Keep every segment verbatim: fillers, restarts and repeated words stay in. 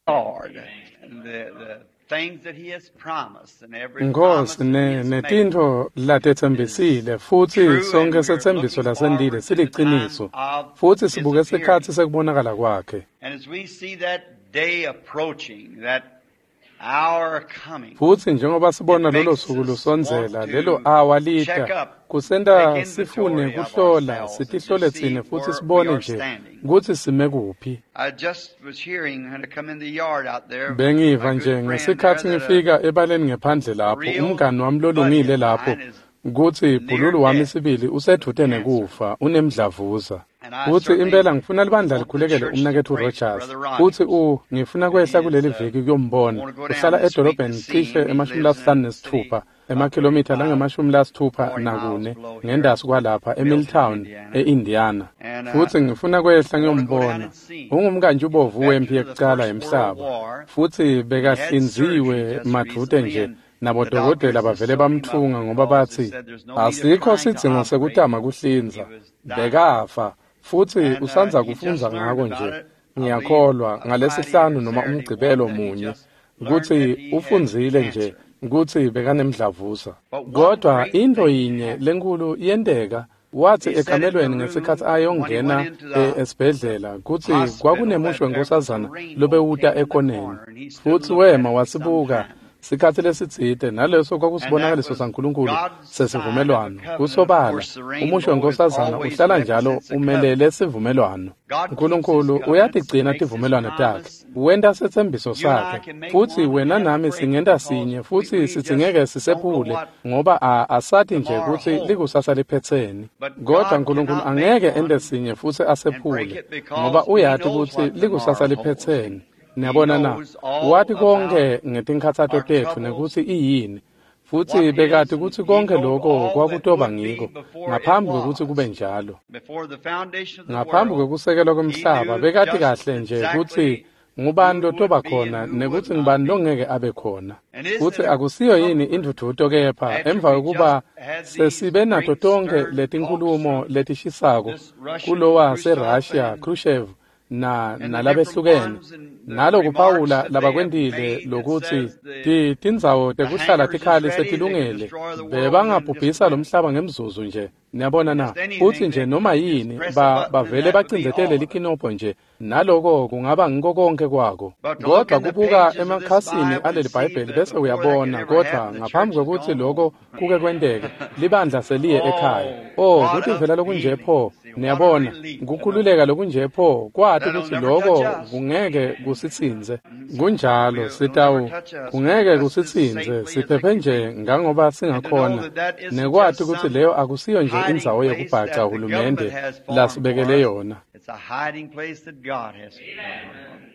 Lord, and the, the things that He has promised and every Nkosi promise that He ne has made netintfo latetsembisile futsi true, and sonke we're setsembiso looking lasendile forward to the time siliciniso of futsi His sibuke sikhatsi appearing. sekubonakala kwakhe. And as we see that day approaching, that hour coming, Futsi njengoba it sibona lolo makes suku us want lusondzela lelo to awa check lita up, kusenta take sifune inventory of kuhlola ourselves and sitihlole just see tsine futsi where we sibone are nje standing. kutsi sime kuphi. I just was hearing when I come in the yard out there, Bengiva my nje good friend there, ngesikhatsi that a ngifika ebaleni ngephandle lapho real umngani wami buddy lolungile of lapho mine is kutsi near bhululu wami death sibili with usedvute cancer. nekufa unemdlavuza. And I Futsi certainly impela ngifuna libandla want the likhulekele church to umnaketfu pray for Rogers. Brother Futsi Rogers. u ngifuna And kwehla he is, kuleli uh, viki kuyombona. want to go down Uhlala this week to edolobheni see cishe him. He emashumi lives in lasihlanu a city nesitfupha about emakhilomitha thirty-five, langemashumi lasitfupha forty miles nakune below here, ngendasi kwalapha Milton, eMilltown Indiana. e-Indiana. And uh, Futsi ngifuna kwehla I want to go down ngiyombona. and see him. Ungumkantshi-ubovu wemphi Veteran of the yekucala First World yemhlaba. War, Futsi he had surgery bekahlinziwe just madvute recently, nje and the nabodokotela doctors just bavele sewed him up bamtfunga ngoba because they batsi said there's no need of asikho trying to sidzingo operate. sekutama He kuhlinza. was dying. Bekafa futsi And uh, usandza he just kufundza learned ngako about nje. it, I believe, Ngiyakholwa a Friday or ngalesihlanu noma Saturday one umgcibelo that he munye just learned kutsi that he had ufundzile nje cancer. kutsi bekanemdlavuza. But one Kodwa great intfo thing yinye happened. lenkulu yenteka wathi He said in the ekamelweni ngesikhatsi room when he ayongena went into e- the esibhedlela kutsi hospital kwakunemushi that there was a wenkosazana rainbow lobewuta came in the ekoneni. corner, and he stood and Futsi looked at wema it for some wasibuka time. sikhatsi lesitsite naleso And that kwakusibonakaliso was saNkulunkulu God's sign of a sesivumelwano. covenant. Of Kusobala course, the umusho rainbow is wenkosazana always uhlala njalo represents a umelele covenant. sivumelwano. God keeps his Nkulunkulu covenants, uyatigcina makes his tivumelwano takhe promise. wenta setsembiso You and I sakhe can make futsi one and wena have to nami break it singenta because sinye we, futsi we just sidzingeke don't know sisephule what ngoba a- asati nje tomorrow kutsi holds. likusasa liphetseni. But Kodwa God Nkulunkulu cannot make angeke ente one sinye futsi and break asephule it ngoba because he uyati knows kutsi what likusasa tomorrow holds. liphetseni. He Niyabona na knows all wati about konke ngetinkhatsato our tetfu troubles, nekutsi iyini futsi what bekati is, and kutsi he konke knowed loko all that kwakutoba would be ngiko before it ngaphambi kwekutsi was. kube njalo. Before the foundation of the Ngaphambi world, kwekusekelwa he kwemhlaba knew bekati just kahle nje kutsi exactly ngubani who would lotoba be khona and who would nekutsi not ngubani be. longeke abe khona. And isn't Futsi it a akusiyo yini comfort indvudvuto kepha after emva we kwekuba just had these sesibe nato great tonkhe stern talks letinkhulumo from letishisako this Russian kulowa Khrushchev seRussia and, Khrushchev na and the different nalabehlukene ones and the nalokuphawula remarks that they have labakwentile made that lokutsi says the ti tindzawo the tekuhlala hangars is tikhali ready, they can setilungele destroy the world within just bebangabhubhisa a lo minute. mhlaba ngemzuzu nje niyabona na Just futsi anything nje they noma just yini press a ba button and bavele that would be bacindzetele all of it. likinobho nje naloko kungaba ngiko konke kwako But to look kodwa in the kubuka pages of this emakhasini Bible and aleli see Bhayibheli that bese before that could uyabona ever kodwa happen, the ngaphambi church has kwekutsi gone loko home. kuke kwenteke libandla seliye ekhaya oh Oh, what a kutivela lokunje feeling. pho See, what a niyabona relief to know kukhululeka lokunje pho kwati that'll kutsi never loko touch us. kungeke kusitsintse Mm, kunjalo We'll, it'll never sitawu touch us. We're kungeke just as kusitsintse safely as it siphephe can nje be. ngangoba And to know singakhona that that isn't nekwati just kutsi some leyo akusiyo nje hiding indzawo place yekubhaca that the government hulumende has formed for lasibekele us. yona. It's a hiding place that God has formed.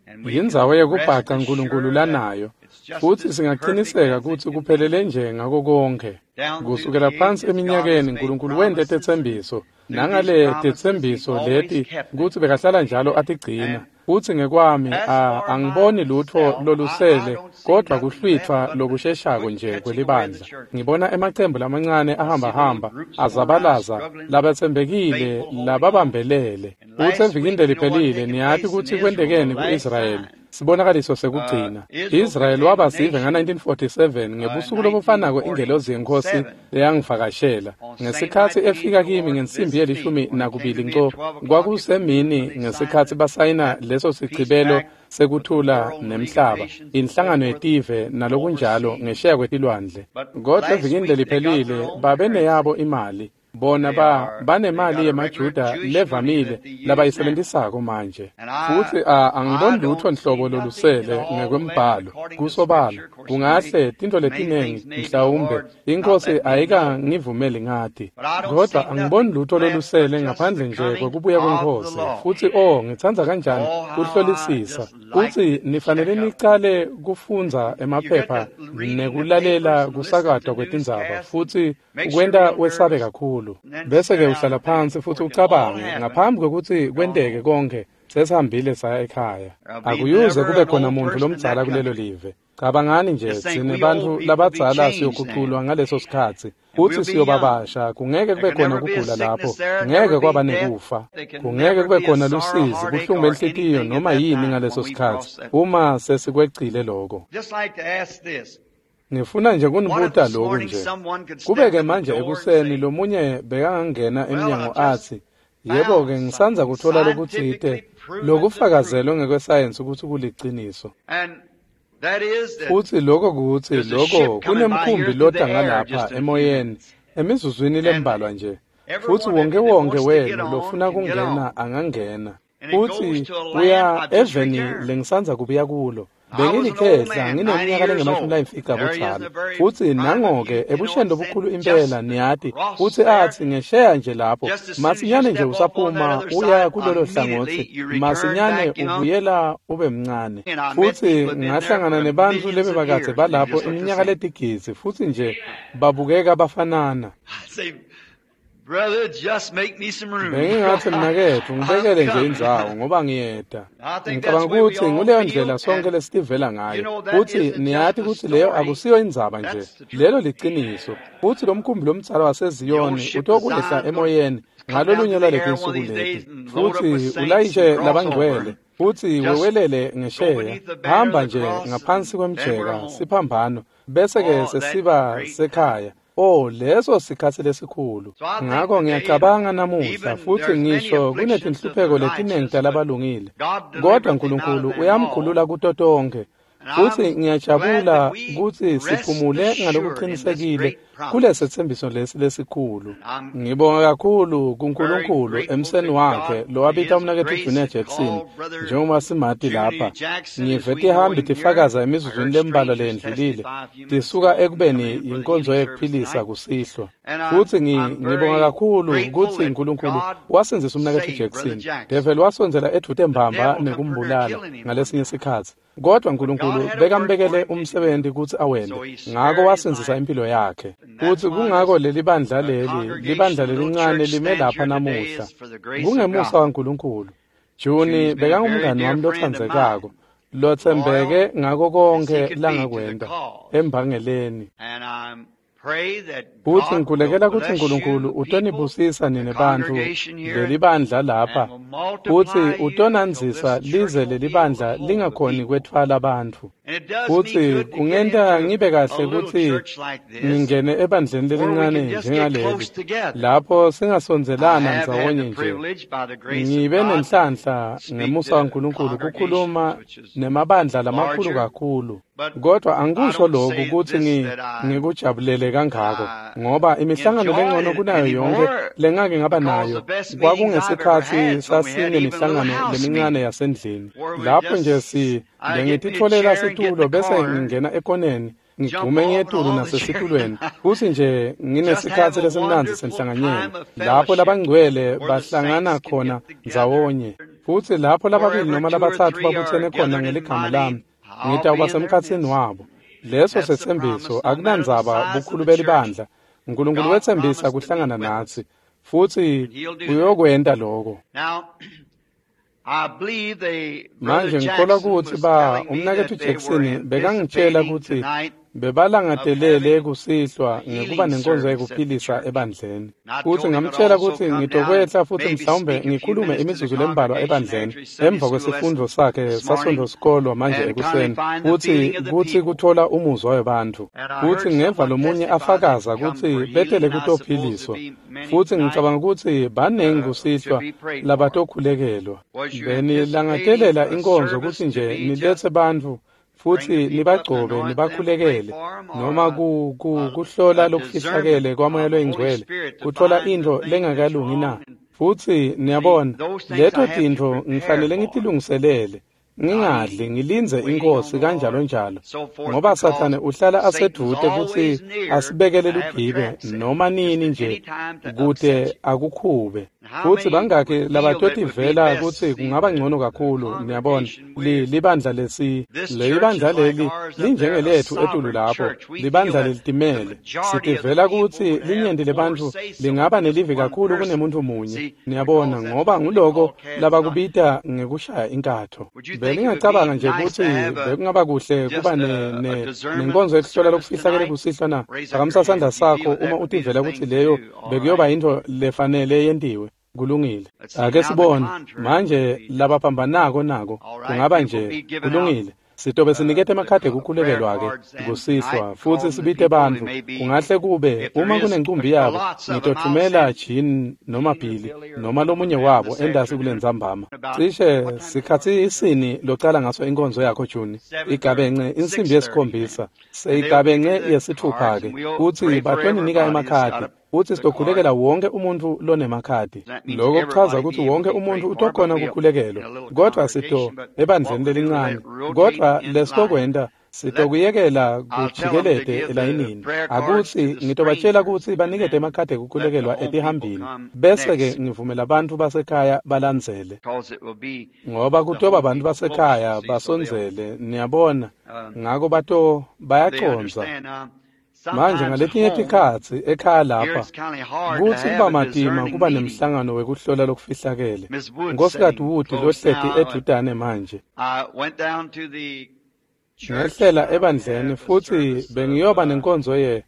And we Yindzawo can rest yekubhaca Nkulunkulu assured that lanayo it's just futsi as perfect singaciniseka as it kutsi can be. kuphelele nje ngako konke. Down through Kusukela the phansi ages, God has eminyakeni made Nkulunkulu wente promises. tetsembiso Through these nangale promises, He's tetsembiso always leti kept them. kutsi bekahlala njalo atigcina. And Futsi ngekwami as a for angiboni lutfo myself, I, I lolusele don't see kodwa nothing left kuhlwitfwa but the lokusheshako quick nje catching away of the kwelibandla. church. Ngibona emacembu lamancane I see little ahambahamba groups going around azabalaza struggling, labatsembekile faithful, holding on. lababambelele. And Futsi last evikini week, you know what leliphelile taken niyati place in kutsi Israel, the kwentekeni last ku-Israyeli sign. sibonakaliso Uh, sekugcina. Israel Israel became a waba sive nation nga-nineteen forty-seven uh, in ngebusuku lobufanako ingelosi yenkosi nineteen forty-seven. leyangivakashela. On same night Ngesikhatsi the efika angel of the kimi Lord ngensimbi visited me. yelishumi When it came to nakubili me nco at twelve o'clock, it was kwakusemini when they signed ngesikhatsi the, basayina that leso peace sichibelo pact with the sekuthula world, League of nemhlaba Nations, and so inhlangano forth, yetive nalokunjalo overseas. ngesheya kwetilwandle. But Kodwa last evikini week they got their leliphelile own babe currency. neyabo imali bona They ba are they banemali got a regular yemaJuda Jewish money levamile that they use now. labayisebentisako manje. And I Futsi a angiboni I lutfo don't see nhlobo nothing at lolusele all left ngekwembhalo according to kusobala Scripture. Of course, many kungahle tintfo many letinengi things maybe the mhlawumbe Lord's not inkosi let me know. ayikangivumeli ngati But I don't kodwa see angiboni nothing lutfo left but lolusele just the ngaphandle nje coming kwekubuya of the kweNkhosi. Lord. Futsi oh ngitsandza kanjani Oh, how I kuhlolisisa just like kutsi to nifanele check up. nicale kufundza You get emaphepha to reading the nekulalela papers and listen to kusakatwa kwetindzaba newscasts and futsi make sure ukwenta you don't wesabe nervous. kakhulu And then bese sit ke down uhlala and think phansi futsi before it can all ucabange happen. ngaphambi kwekutsi Gone kwenteke home. konke sesihambile saya ekhaya There'll be akuyuze never kube an khona old muntfu person in lomdzala that kulelo country. live. Cabangani nje Just think tsine we old bantfu people be labadzala changed siyoguculwa then. ngaleso sikhatsi And futsi we'll be siyoba young. basha kungeke There kube can khona never be a kugula lapho sickness there, ngeke never be kwaba death. nekufa There can kungeke never kube be a khona sorrow, lusizi heartache, buhlungu or benhlitiyo anything at noma that yini time ngaleso when we sikhatsi cross that. uma sesikwecile loko. Just like to ask this. Ngifuna nje What if kunibuta this loku morning nje. someone could Kube step ke in the manje door and ekuseni say, lomunye bekangangena Well, emnyango I've just atsi, yebo-ke found ngisandza something kutfola lokutsite scientifically proven the truth. lokufakazelwe ngekwesayensi kutsi kuliciniso. And that is that Futsi loko kutsi there's a loko ship coming by kunemkhumbi here through lota the air ngalapha just in a few emoyeni minutes. emizuzwini And lembalwa nje. every Futsi one of wonke you that wonke wants to get wenu on lofuna can get kungena on. angangena. And it goes Futsi to a land uya I've just eveni returned. lengisandza kubuya kulo. I was an old Bengilikhehla man, ninety ngineminyaka years lengemashumi old. layimfica There he is in budzala. the very Futsi prime of nango-ke youth, you know, ebusheni and lobukhulu said, impela just niyati across futsi there, atsi ngesheya nje lapho just as soon as you masinyane nje step off on that usaphuma other uya side, kulolo immediately hlangotsi you return masinyane back young. ubuyela ube mncane. And I met Futsi people that been there ngahlangana for nebantfu millions of lebebakadze years, and they balapho just look the iminyaka same. letigidzi futsi nje babukeka bafanana. I say, brother, just make me some room. Bengingatsi mnaketfu I'm ngibekele nje coming. indzawo ngoba ngiyeta. I think that's Ngicabanga the way we kutsi all nguleyo feel, ndlela sonke and lesitivela you ngayo. know that Futsi isn't just niyati a kutsi leyo story. akusiyo indzaba nje. That's the truth. Lelo liciniso. Futsi lomkhumbi lomdzala The old waseZiyoni ship of utokwehla Zion gonna emoyeni come down through ngalolunye the lwaleti air one of nsuku these leti. days and load up with Futsi saints and ulayishe cross over. labangcwele futsi Just wewelele go ngesheya. beneath the banner Hamba of the nje cross ngaphansi and then we're kwemjeka home. siphambano bese ke Oh, that sesiba great time. sekhaya. Oh, leso sikhatsi lesikhulu. So I think Ngako today, and ngiyacabanga namuhla even futsi there's many ngisho afflictions of the kunetinhlupheko letiningi righteous, but talabalungile. God Kodwa delivereth them out of Nkulunkulu them all. uyamkhulula kuto tonkhe. And Futsi I'm glad ngiyajabula that we kutsi rest siphumule assured in this ngalokucinisekile great promise. kulesetsembiso lesi lesikhulu. I'm Ngibonga kakhulu very kuNkulunkulu grateful emseni to wakhe God for lowabita His umnaketfu grace Junior that Jackson called Brother njengoba simati Junior lapha. Jackson as Ngive we know tihambi him here. tifakaza I emizuzwini heard lembalwa strangers leyendlulile testify a few minutes tisuka ago coming ekubeni in for the yinkonzo healing service yekuphilisa tonight. kusihlwa. And I'm, Futsi ngi- I'm ngibonga very kakhulu grateful kutsi that Nkulunkulu God wasindzisa umnaketfu saved Brother Jackson. Jackson. Devil wasondzela edvute The mbamba devil come pretty near nekumbulala killing him one ngalesinye time. sikhatsi. Kodwa But God Nkulunkulu had a work for bekambekele him to do. umsebenzi kutsi awente. So he Ngako spared his wasindzisa life. impilo yakhe. And that's Futsi why kungako this leli bandla uh, leli, congregation, libandla the little lelincane church lime stands lapha here today namuhla. is for the grace of Kungemusa God. waNkulunkulu. Juni Junie's been a very bekangumngani dear wami friend of mine, lotsandzekako, lotsembeke loyal ngako as he konkhe could be to the langakwenta cause. embangeleni. And I pray that Futsi God will ngikhulekela kutsi bless you Nkulunkulu people, utonibusisa the nine bantfu congregation here, leli bandla lapha and will futsi multiply you till utonandzisa this church lize won't be leli able to bandla hold the lingakhoni people. kwetfwala bantfu. And it does me Futsi good to get kungenta into ngibe a kahle little kutsi church like this ngingene ebandleni where we can lelincane just get njengaleli close together. lapho I singasondzelana have had ndzawonye the nje. privilege, by the grace of Ngibe God, to nenhlanhla speak ngemusa to waNkulunkulu congregations kukhuluma which is nemabandla lamakhulu larger, kakhulu. but Kodwa I angikusho don't lokhu say kutsi this ngi that I ngikujabulele kangako I ngoba imihlangano enjoy lengcono it kunayo yonke anymore lengake ngaba because nayo the best meetings I've ever kwakungesikhatsi had is when we had even little sasinemihlangano house lemincane meetings yasendlini where we lapho nje just si I'd get me a bengititfolela chair and get in situlo the bese corner, ngingena ekoneni jump ngigxume off and ngiyetulu all the nasesitulweni chairs. futsi nje Just have nginesikhatsi a lesimnandzi wonderful senhlanganyelo time of lapho fellowship labangcwele where the bahlangana saints can khona get together. ndzawonye futsi lapho lababili Wherever noma two or labatsatfu three are babutsene khona gathered in ngeligama my lami name, I'll be ngitawuba in their semkhatsini midst. wabo. Leso That's the setsembiso promise, no matter the akunandzaba size of bukhulu the church. belibandla. Nkulunkulu God wetsembisa promised to meet kuhlangana with us, natsi futsi and He'll do that. uyokwenta loko. Now, I believe they, Brother Manje ngikholwa Jackson kutsi was ba telling me umnaketfu that they were Jackson bekangitshela anticipating kutsi tonight of bebalangatelele having kusihlwa a ngekuba healing nenkonzo service at the yekuphilisa church. ebandleni. And I Futsi told him I'd ngamtshela also kutsi come down and ngitokwehla futsi maybe mhlawumbe speak a few ngikhulume minutes to the imizuzu lembalwa congregation ebandleni after his Sunday emva school lesson kwesifundvo sakhe this morning sasondosikolwa manje and kindly ekuseni find the kutsi feeling of the kutsi people. kutfola umuzwa webantfu. And I Futsi heard ngeva someone lomunye testify that afakaza come kutsi for healing, betele and I suppose there'll kutophiliswa. be many Futsi tonight ngicabanga kutsi banengi uh, to kusihlwa be prayed for. labatokhulekelwa. Was you anticipating Benilangatelela a inkonzo service kutsi to nje be just niletse bantfu bring futsi the people up and nibagcobe anoint them, pray nibakhulekele for them, or noma a, ku, ku, a, kuhlola a lokufihlakele discernment kwamoya of the Holy loyingcwele Spirit to kutfola find the intfo thing that's lengakalungi na wrong? And futsi see, niyabona those things leto I have to tintfo prepare ngifanele for. ngitilungiselele Not ngingadli eating, ngilindze waiting on inkosi the kanjalo Lord, njalo so forth, ngoba because sathane uhlala Satan's asedvute kutsi always near asibekele to have a lugibe trap set, noma just nini at nje any time to kute upset you. akukhube. Futsi bangakhi labatotivela kutsi kungaba ngcono kakhulu, niyabona, li libandla lesi, lelibandla leli linjengelethu etulu lapho, libandla lelitimele. Sitivela kutsi linyenti lebantfu lingaba nelivi kakhulu kunemuntu munye, niyabona, ngoba nguloko labakubita ngekushaya inkatho. Beningacabanga nje kutsi bekungaba kuhle kuba ne ne nenkonzo yekuhlola lokufihlakele kusihlwa na? Phakamisa sandla sakho uma utivela kutsi leyo bekuyoba yintfo lefanele yentiwe. Kulungile. Ake sibone manje labaphambanako nako kungaba nje kulungile. Sitobe sinikete emakhadi ekukhulekelwa-ke kusihlwa futsi sibite bantfu. Kungahle kube uma kunencumbi yabo ngitotfumela Jean noma Billy noma lomunye wabo entasi kulentsambama. Cishe sikhatsi isini locala ngaso inkonzo yakho Juni? Igabence insimbi yesikhombisa, seyigabence yesitfupha-ke kutsi batoninika emakhadi. Futsi sitokhulekela wonke umuntfu lonemakhadi. Loko kuchaza kutsi wonke umuntfu utokhona kukhulekelwa, kodvwa sito ebandleni lelincane. Kodvwa lesitokwenta sitokuyekela kujikelete elayinini. Akutsi ngitobatjela kutsi banikete emakhadi ekukhulekelwa etihambini, bese-ke ngivumela bantfu basekhaya balandzele, ngoba kutoba bantfu basekhaya basondzele, niyabona. Ngako bato bayacondza. Manje ngaletinye tikhatsi ekhaya lapha kutsi kuba matima kuba nemhlangano wekuhlola lokufihlakele. Nkosikazi Wood lohleti edvutane manje. Ngehlela ebandleni futsi bengiyoba nenkonzo ye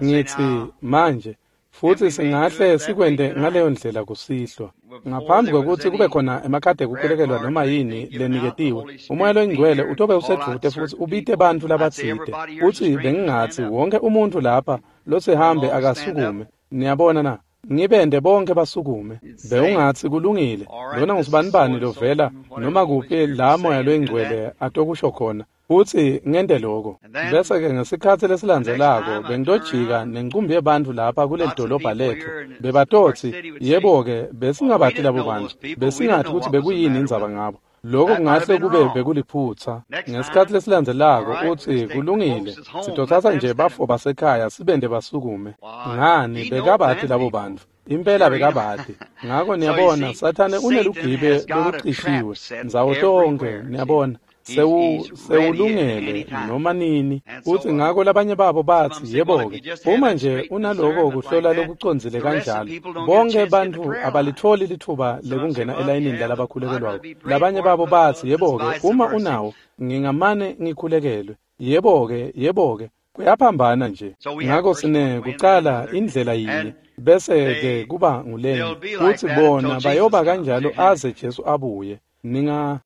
ngitsi manje futsi singahle sikwente ngaleyo ndlela kusihlwa. Ngaphambi kwekutsi kube khona emakhadi ekukhulekelwa noma yini leniketiwe, uMoya loyiNgcwele utobe usedvute futsi ubite bantfu labatsite. Futsi bengingatsi wonke umuntfu lapha losihambe akasukume. Niyabona na? Ngibende bonke basukume. Bewungatsi kulungile, lona ngusibanibani lovela noma kuphi la Moya loyiNgcwele atokusho khona. Futsi ngente loko. Bese-ke ngesikhatsi lesilandzelako bengitojika nencumbi yebantfu lapha kuleli dolobha letfu. Bebatotsi, yebo-ke, besingabati labo bantfu. Besingati kutsi bekuyini indzaba ngabo. Loko kungahle kube bekuliphutsa. Ngesikhatsi lesilandzelako utsi kulungile, sitotsatsa nje bafo basekhaya sibende basukume. Ngani bekabati labo bantfu? Impela bekabati. Ngako niyabona, Sathane unelugibe lolucishiwe ndzawo tonkhe, niyabona. Sewu sewulungele noma nini. Futsi ngako labanye babo batsi, yebo-ke, uma nje unaloko kuhlola lokucondzile kanjalo, bonke bantfu abalitfoli litfuba lekungena elayinini lalabakhulekelwako. Labanye babo batsi, yebo-ke, uma unawo, ngingamane ngikhulekelwe. Yebo-ke, yebo-ke, kuyaphambana nje. Ngako sine kucala indlela yinye, bese-ke kuba ngulenye. Futsi bona bayoba kanjalo aze Jesu abuye. Ninga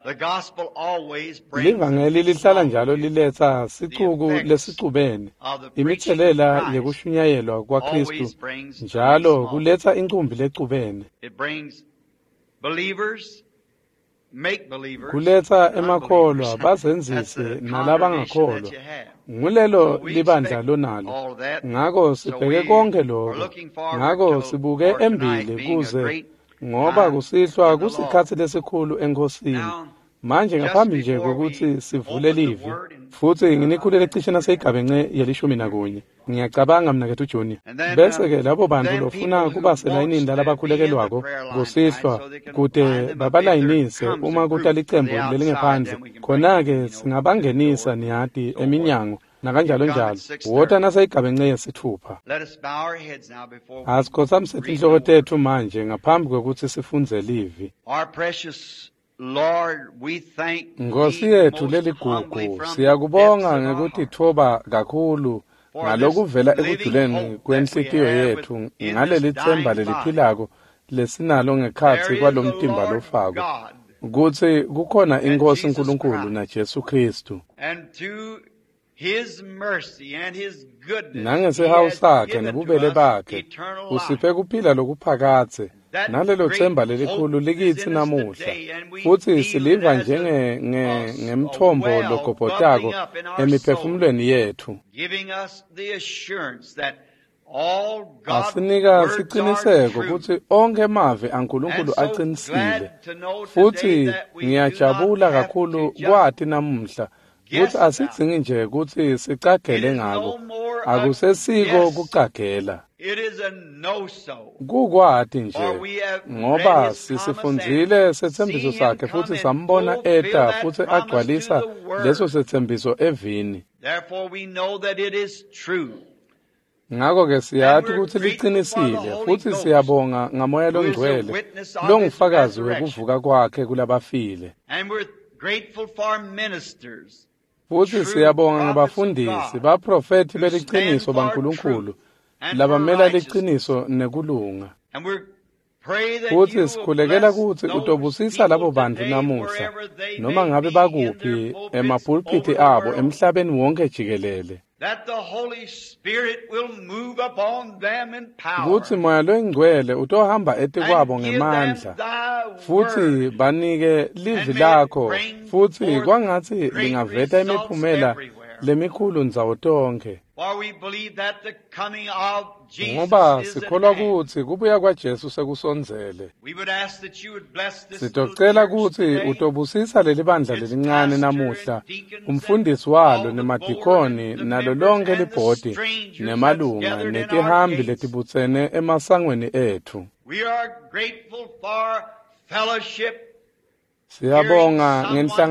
livangeli lihlala njalo liletsa sicuku lesicubene. Imitselela yekushunyayelwa kwaKhristu njalo kuletsa incumbi lecubene. Kuletsa emakholwa bazenzise nalabangakholwa. Ngulelo libandla lonalo. Ngako sibheke konke lokho. Ngako sibuke embili kuze ngoba kusihlwa kusikhatsi lesikhulu eNkhosini. Manje ngaphambi nje kokuthi sivule livi, futsi nginikhulele cishe naseyigabence yelishumi nakunye. Ngiyacabanga mnaketfu Junior. Bese-ke labo bantfu lofuna kuba selayinini lalabakhulekelwako kusihlwa kute babalayinise uma kuta licembu lelingephandle, khona-ke singabangenisa niyati eminyango nakanjalo njalo. Wota naseyigabence yesitfupha. Asikhotsamise tinhloko tetfu manje ngaphambi kwekutsi sifundze livi. Nkhosi yetfu leligugu, siyakubonga ngekutitfoba kakhulu ngalokuvela ekujuleni kwenhlitiyo yetfu ngaleli tsemba leliphilako lesinalo ngekhatsi kwalomtimba lofako, kutsi kukhona iNkhosi Nkulunkulu naJesu Khristu. Nangesihawu sakhe nebubele bakhe usiphe kuphila lokuphakadze, nalelo tsemba lelikhulu likitsi namuhla. Futsi siliva njenge ngemthombo logobhotako emiphefumulweni yetfu. Asinika siciniseko kutsi onkhe emavi aNkulunkulu acinisile. Futsi ngiyajabula kakhulu kwati namuhla kutsi asidzingi nje kutsi sicagele ngako. Akusesiko kucagela. It is a know-so. Kukwati nje For we have read ngoba his promise sisifundzile and setsembiso seen him sakhe come futhi and sambona fulfill eta that futhi promise to agcwalisa the word. leso setsembiso evini. Therefore we know that it is true. Ngakho ke And siyati we're kutsi grateful for the licinisile Holy futhi Ghost, siyabonga ngamoya who is a longcwele witness of his longufakazi resurrection. wekuvuka kwakhe kulabafile. And we're grateful for ministers, Futhi true siyabonga prophets of ngabafundisi, God, baprofethi who stand beliciniso for baNkulunkulu truth and for labamela righteousness. liciniso nekulunga. And we pray that you Futhi will sikhulekela bless kutsi those utobusisa people labo bantfu today, namuhla wherever they noma may ngabe be in their bakuphi pulpits over emapulpiti the abo world, emhlabeni wonke jikelele. that the Holy Spirit will move upon them in Kutsi power moya longcwele utohamba etikwabo and give them ngemandla thy futhi word, banike livi and may it lakho bring futhi forth kwangatsi great lingaveta results imiphumela everywhere. lemikhulu ndzawo tonkhe. For we believe that the coming of Jesus Ngoba is at sikholwa hand. kutsi kubuya kwaJesu sekusondzele. We would ask that you would bless this little Sitocela church kutsi today, utobusisa leli bandla its lelincane pastor and namuhla, deacons and umfundisi walo all the board nemadikoni and the nalo members lonke and the libhodi strangers that's nemalunga gathered in our netihambi gates. letibutsene emasangweni ethu. We are grateful for fellowship, hearing Siyabonga someone say they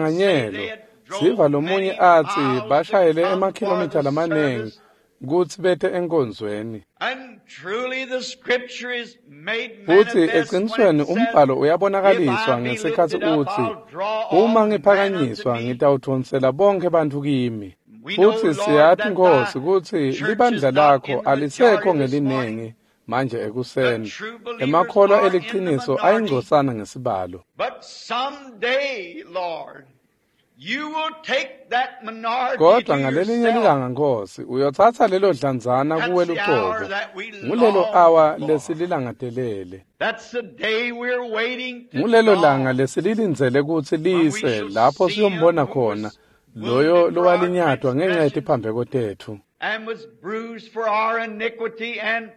ngenhlanganyelo. had Siva drove lomunye many atsi miles to bashayele come for emakhilomitha the lamaningi service. kutsi bete enkonzweni. And truly the scripture is made Futhi manifest when eqinisweni it says, umbhalo If uyabonakaliswa I be ngesikhatsi lifted up, utsi I'll draw all uma men unto ngiphakanyiswa me. ngitawudvonsela bonkhe bantfu kimi. We know, Futhi Lord, siyati that thy Nkosi kutsi church is libandla not lakho in the alisekho majority this morning. ngeliningi manje The ekuseni. true believers Emakholwa are in the eliciniso minority. ayingcosana ngesibalo. But someday, Lord, you will take that minority Kodwa to ngalelinye yourself. lilanga Nkosi uyotsatsa lelo dlanzana kuwe That's the hour luqobo. that we Ngulelo long awa for. lesililangadelele. That's the day we're waiting to Ngulelo langa dawn lesililindzele kutsi when we lise shall lapho see him siyombona who khona was loyo wounded for our lowalinyatwa ngenxa transgressions yetiphambeko tethu. and was bruised for our iniquity, and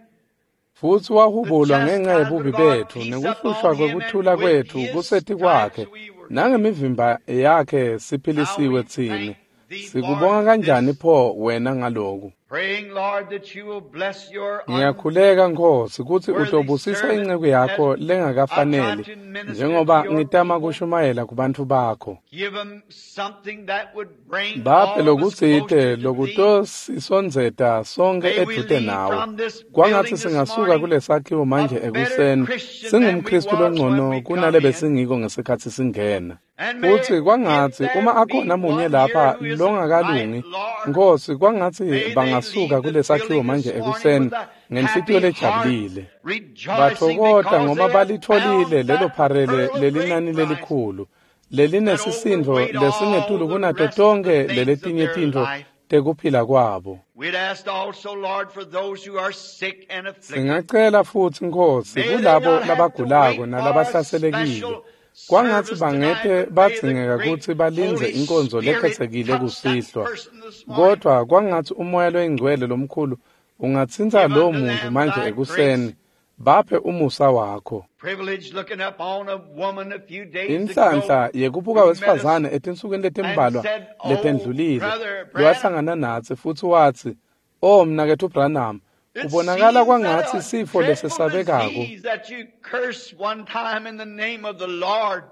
Futhi the wahubulwa ngenxa chastisement yebubi of our bethu peace nekuhlushwa upon him, and kwekuthula with kwethu his kuseti stripes kwakhe we were healed. nangemivimba yakhe How siphilisiwe we tsine. thank thee for Sikubonga kanjani this, pho wena ngaloku? praying, Lord, that you will bless your Ngiyakhuleka Nkosi kutsi unworthy utobusisa servant inceku as yakho I try lengakafaneli to minister to njengoba your ngitama people. kushumayela kubantfu bakho. Give them something that would bring Baphe all of us lokutsite closer to thee. lokutosisondzeta sonke May we edvute leave nawe. from this Kwangatsi building this singasuka morning kulesakhiwo a manje better ekuseni Christian than we singumKristu was when longcono we come kunale in. besingiko ngesikhatsi singena. And may Futhi if kwangatsi uma there be akhona munye one here lapha who isn't right, longakalungi, Lord, Nkosi kwangatsi may they bangasuka leave the kulesakhiwo building manje this morning ekuseni with a ngenhlitiyo happy heart, lejabulile. rejoicing Bathokota because ngoba they have balitholile found lelo that pharele pearl of great lelinani price lelikhulu that lelinesisindo overweighed all lesingetulu the kunato rest of the tonkhe things of leletinye their tintfo life. tekuphila kwabo. We'd ask also, Lord, for those who are sick and afflicted. Singacela futhi Nkosi May they kulabo not have to labagulako wait for a nalabahlaselekile. special Kwangatsi service tonight, bangete but may the badzingeka great kutsi balindze Holy inkonzo Spirit lekhetsekile touch that kusihlwa. person this morning. Kodwa kwangatsi umoya loyingcwele lomkhulu ungatsintsa Give lowo unto muntu them manje thy ekuseni. grace. Baphe umusa wakho. Privilege looking up on a woman a few days ago Inhlanhla yekubuka who met us wesifazane etinsukwini and letimbalwa said, Oh, letendlulile Brother Branham, lowahlangana natsi futhi watsi, "O mnaketfu Branham, it kubonakala seems that kwangatsi a sifo dreadful lesesabekako disease that you cursed one time in the name of the Lord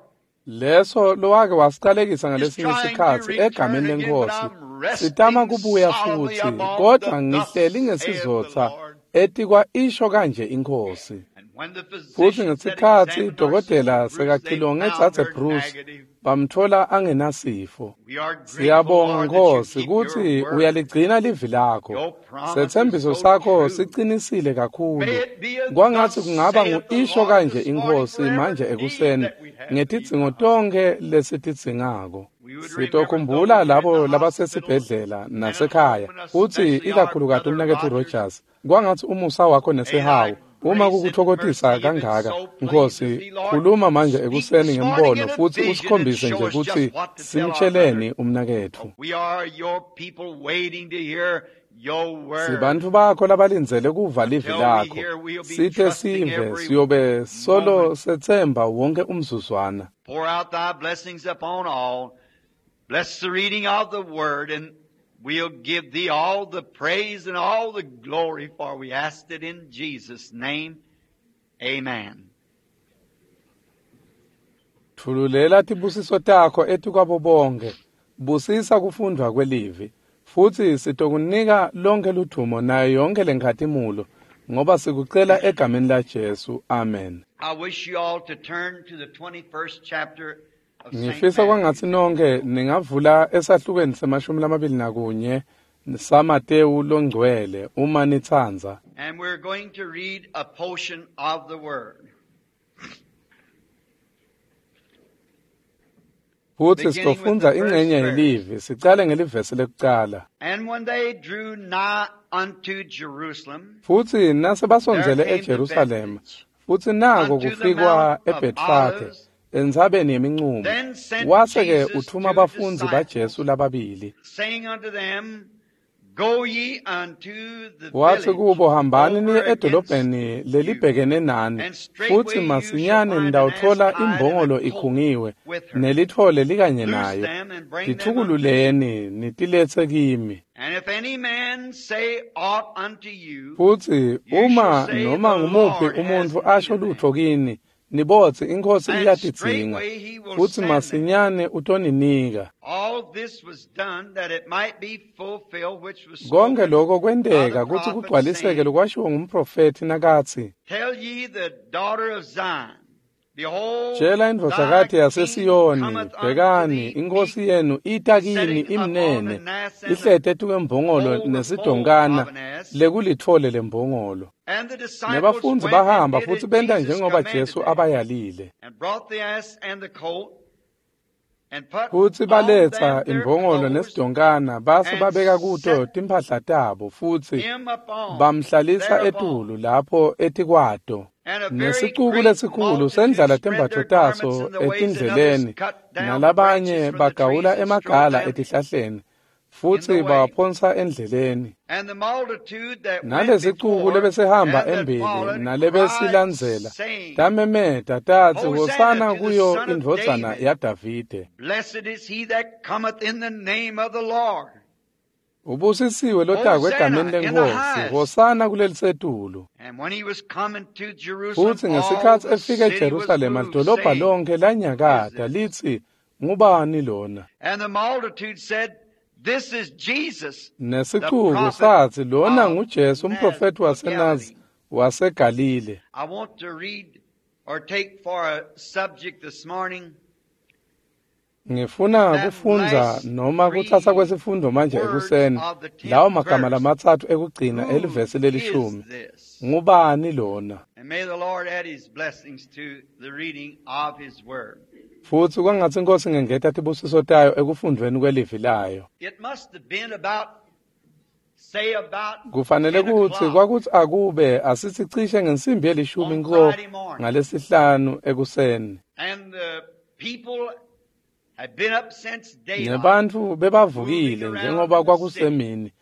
leso lowake wasiqalekisa is ngalesinye trying to isikhatsi return egameni again, but lenkosi I'm sitama resting kubuya solemnly futhi upon kodwa the thus ngihleli saith the ngesizotha Lord. etikwa isho kanje inkosi." And when the Futhi physicians had ngesikhatsi examined our dokotela sister Bruce, they sekacilonge found dzadze her Bruce negative. bamthola angenasifo. We are grateful, Siyabonga Lord, that you Nkosi keep your kutsi word. uyaligcina livi lakho. Your promise is Setsembiso so sakho true. sicinisile kakhulu. May it be a Kwangatsi thus kungaba saith the ngu-isho Lord kanje this morning inkosi for every manje need ekuseni that we have thee, ngetidzingo God. tonkhe lesitidzingako. We would remember Sitokhumbula those who are in labo the hospitals labasesibhedlela and at nasekhaya home, and futsi especially our ikakhulukati brother umnaketfu Rogers. Rogers. Kwangatsi umusa wakho May thy nesihawu uma grace and kukuthokotisa mercy, if it kangaka so pleases Nkosi thee, Lord, khuluma manje speak ekuseni this morning ngembono in a futhi vision and usikhombise show nje us just kutsi what to tell our brother. simtsheleni umnaketfu. We are your people waiting to hear your word. Sibantfu bakho labalindzele kuva livi Until we lakho. hear, we'll be Site trusting sive every siyobe solo moment. setsemba wonke umzuzwana. Pour out thy blessings upon all. Bless the reading of the word, and We'll give thee all the praise and all the glory, for we asked it in Jesus' name. Amen. Thululela tibusiso takho etikwabo bonke. Busisa kufundwa kwelivi. Futhi sitokunika lonke ludvumo nayo yonke lenkhatimulo ngoba sikucela egameni la Jesu. Amen. I wish you all to turn to the twenty-first chapter of Saint Ngifisa kwangathi nonke ningavula esahlukweni semashumi lamabili nakunye saMatewu longcwele uma nitsandza. And we're going to read a portion of the word. Futhi sitofundza ingcenye yelivi sicale ngelivesi lekucala. And when they drew nigh unto Jerusalem, Futhi nasebasondzele eJerusalema, futhi nako kufikwa eBethfage entsabeni yeminqumo, wase-ke uthuma bafundzi baJesu lababili. saying unto them, Go ye unto the Wathi village kubo, hambani niye over edolobheni against you, lelibhekene nani, and straightway futhi you shall masinyane find an ass nitawutfola tied and a imbongolo colt ikhungiwe with her. nelitfole likanye Loose nayo. them and bring them unto me. Tithukululeni nitilethe kimi. And if any man say aught unto you, Futhi you uma shall say, noma The ngumuphi Lord has umuntfu need asho of them. lutho kini, nibotsi inkosi And iyatidzinga, straightway he will futhi send them. masinyane utoninika. All this was done that it might be fulfilled which was Konke spoken lokho by the kwenteka kutsi prophet, kugcwaliseke saying, lokwashiwo ngumprofethi nakathi, Tell ye the daughter of Zion, Behold, Tshela thy indvodzakati king yaseSiyoni, cometh unto bhekani thee inkosi meek, yenu ita kini sitting upon imnene, an ass and the ihlete etukwembongolo foal, the foal nesidonkana of an ass. lekulitfole lembongolo. And the disciples Nebafundzi went and bahamba did futhi as benta Jesus njengoba commanded Jesu them, abayalile. and brought the ass and the colt, and put Futhi on baletsa them their imbongolo clothes, nesidonkana base and babeka kuto set timphahla tabo futhi him upon bamhlalisa thereupon. etulu lapho etikwato. And a very Nesicuku great lesikhulu multitude sendlala spread tembatfo their garments taso in the ways, and others etindleleni, cut down the nalabanye branches from the trees bagawula and strode emagala them etihlahleni, in futhi the way. bawaphonsa endleleni. And the multitude that went Nalesicuku before lebesihamba and that embili followed cried, nalebesilandzela saying, tamemeta tatsi, Hosanna Hosana to the kuyo Son of indvodzana David. yaDavide. Blessed is he that cometh in the name of the Lord. Ubusisiwe lotakwe Hosanna egameni in the lenkosi, highest. Hosana kulelisetulu. And when he was coming to Jerusalem, Futhi all ngesikhatsi the efika city was eJerusalema moved, lidolobha saying, lonke Who is lanyakata this? litsi, ngubani lona? And the multitude said, This is Jesus, the Nesicuku prophet satsi, lona of nguJesu Naz- umprofethi of waseNazi Galilee. waseGalile. I want to read or take for a subject this morning Ngifuna that kufundza last noma kutsatsa three kwesifundo manje words ekuseni of the tenth lawo magama verse. lamatsatfu ekugcina Who elivesi is lelishumi. this? Ngubani lona? And may the Lord add his blessings to the reading of his word. Futhi kwangatsi inkosi ingengeta tibusiso tayo ekufundvweni kwelivi layo. It must have been about, say about Kufanele ten kutsi o'clock kwakutsi akube asithi cishe ngensimbi yelishumi on nko Friday morning. ngalesihlanu ekuseni. And the people had been up since daylight, Nebantfu moving bebavukile around njengoba in the city. kwakusemini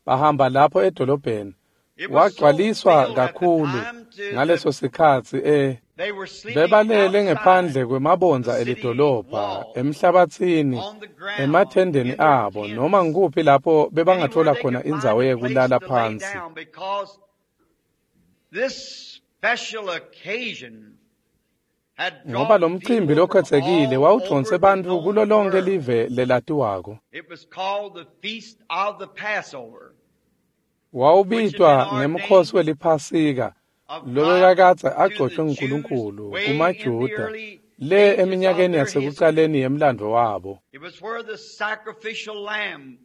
bahamba lapho edolobheni. It was so Wagcwaliswa filled at the kakhulu time to the ngaleso sikhatsi eh they were sleeping bebalele outside ngephandle the kwemabondza city elidolobha wall, emhlabatsini on the ground, emathendeni in their abo noma tents, ngikuphi lapho anywhere bebangathola they khona could find indzawo a place yekulala to lay phansi. down because this special occasion had Ngoba drawn lo mcimbi people from lokhethekile all wawudvonse over the bantfu known kulo lonke world. live lelatiwako. It was called the Feast of the Passover, which had been Wawubitwa ngemkhosi ordained weliPhasika of God lobekakadze to the agcotshwe Jews nguNkulunkulu way in the kumaJuda early le ages of eminyakeni their history. yasekucaleni yemlandvo wabo. It was where the sacrificial lamb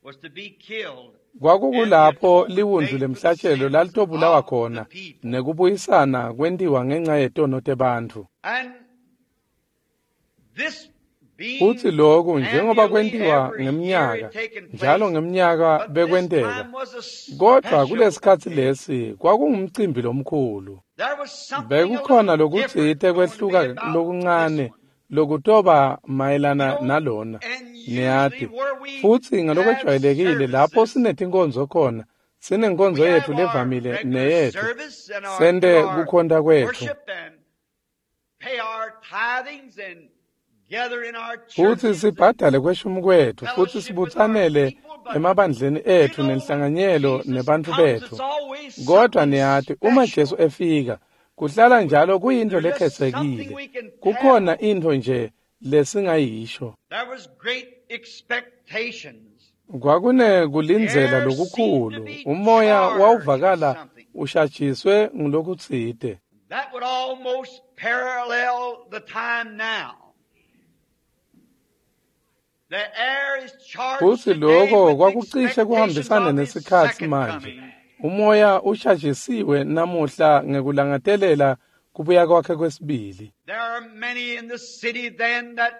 was to be killed and the Kwakukulapho atonement liwundlu made for the lemhlatshelo sins lalitobulawa of the khona people. nekubuyisana kwentiwa ngenxa yetono tebantfu. And this Futhi being lokhu njengoba annually kwentiwa every year ngemnyaka had taken njalo place, ngemnyaka but this bekwenteka time was a kodwa special kulesikhatsi occasion. lesi kwakungumcimbi lomkhulu. There was something a Bekukhona little lokutsite different going to be kwehluka about this lokuncane one. lokutoba You mayelana know, nalona and usually niyati. where we Futhi have ngalokwejwayelekile lapho services, sinetinkonzo khona sinenkonzo we yethu have our levamile regular neyethu service and our do sente our kukhonta kwethu. worship and pay our tithings and gather in our Futhi churches and sibhadale kweshumi kwethu futhi fellowship with our sibutsanele people, emabandleni etfu nenhlanganyelo nebantfu betfu. Kodwa niyati, uma Jesu efika, kuhlala njalo kuyintfo lekhetsekile. Kukhona intfo nje lesingayisho. Kwakune kulindzela lokukhulu. Umoya wawuvakala ushajiswe ngulokutsite. That would almost parallel the time now. The air is charged Futsi today loko with kwakucishe kuhambisane expectations of his nesikhatsi second manje. coming. Umoya ushajisiwe namuhla ngekulangadelela kubuya kwakhe kwesibili. There are many in the city then that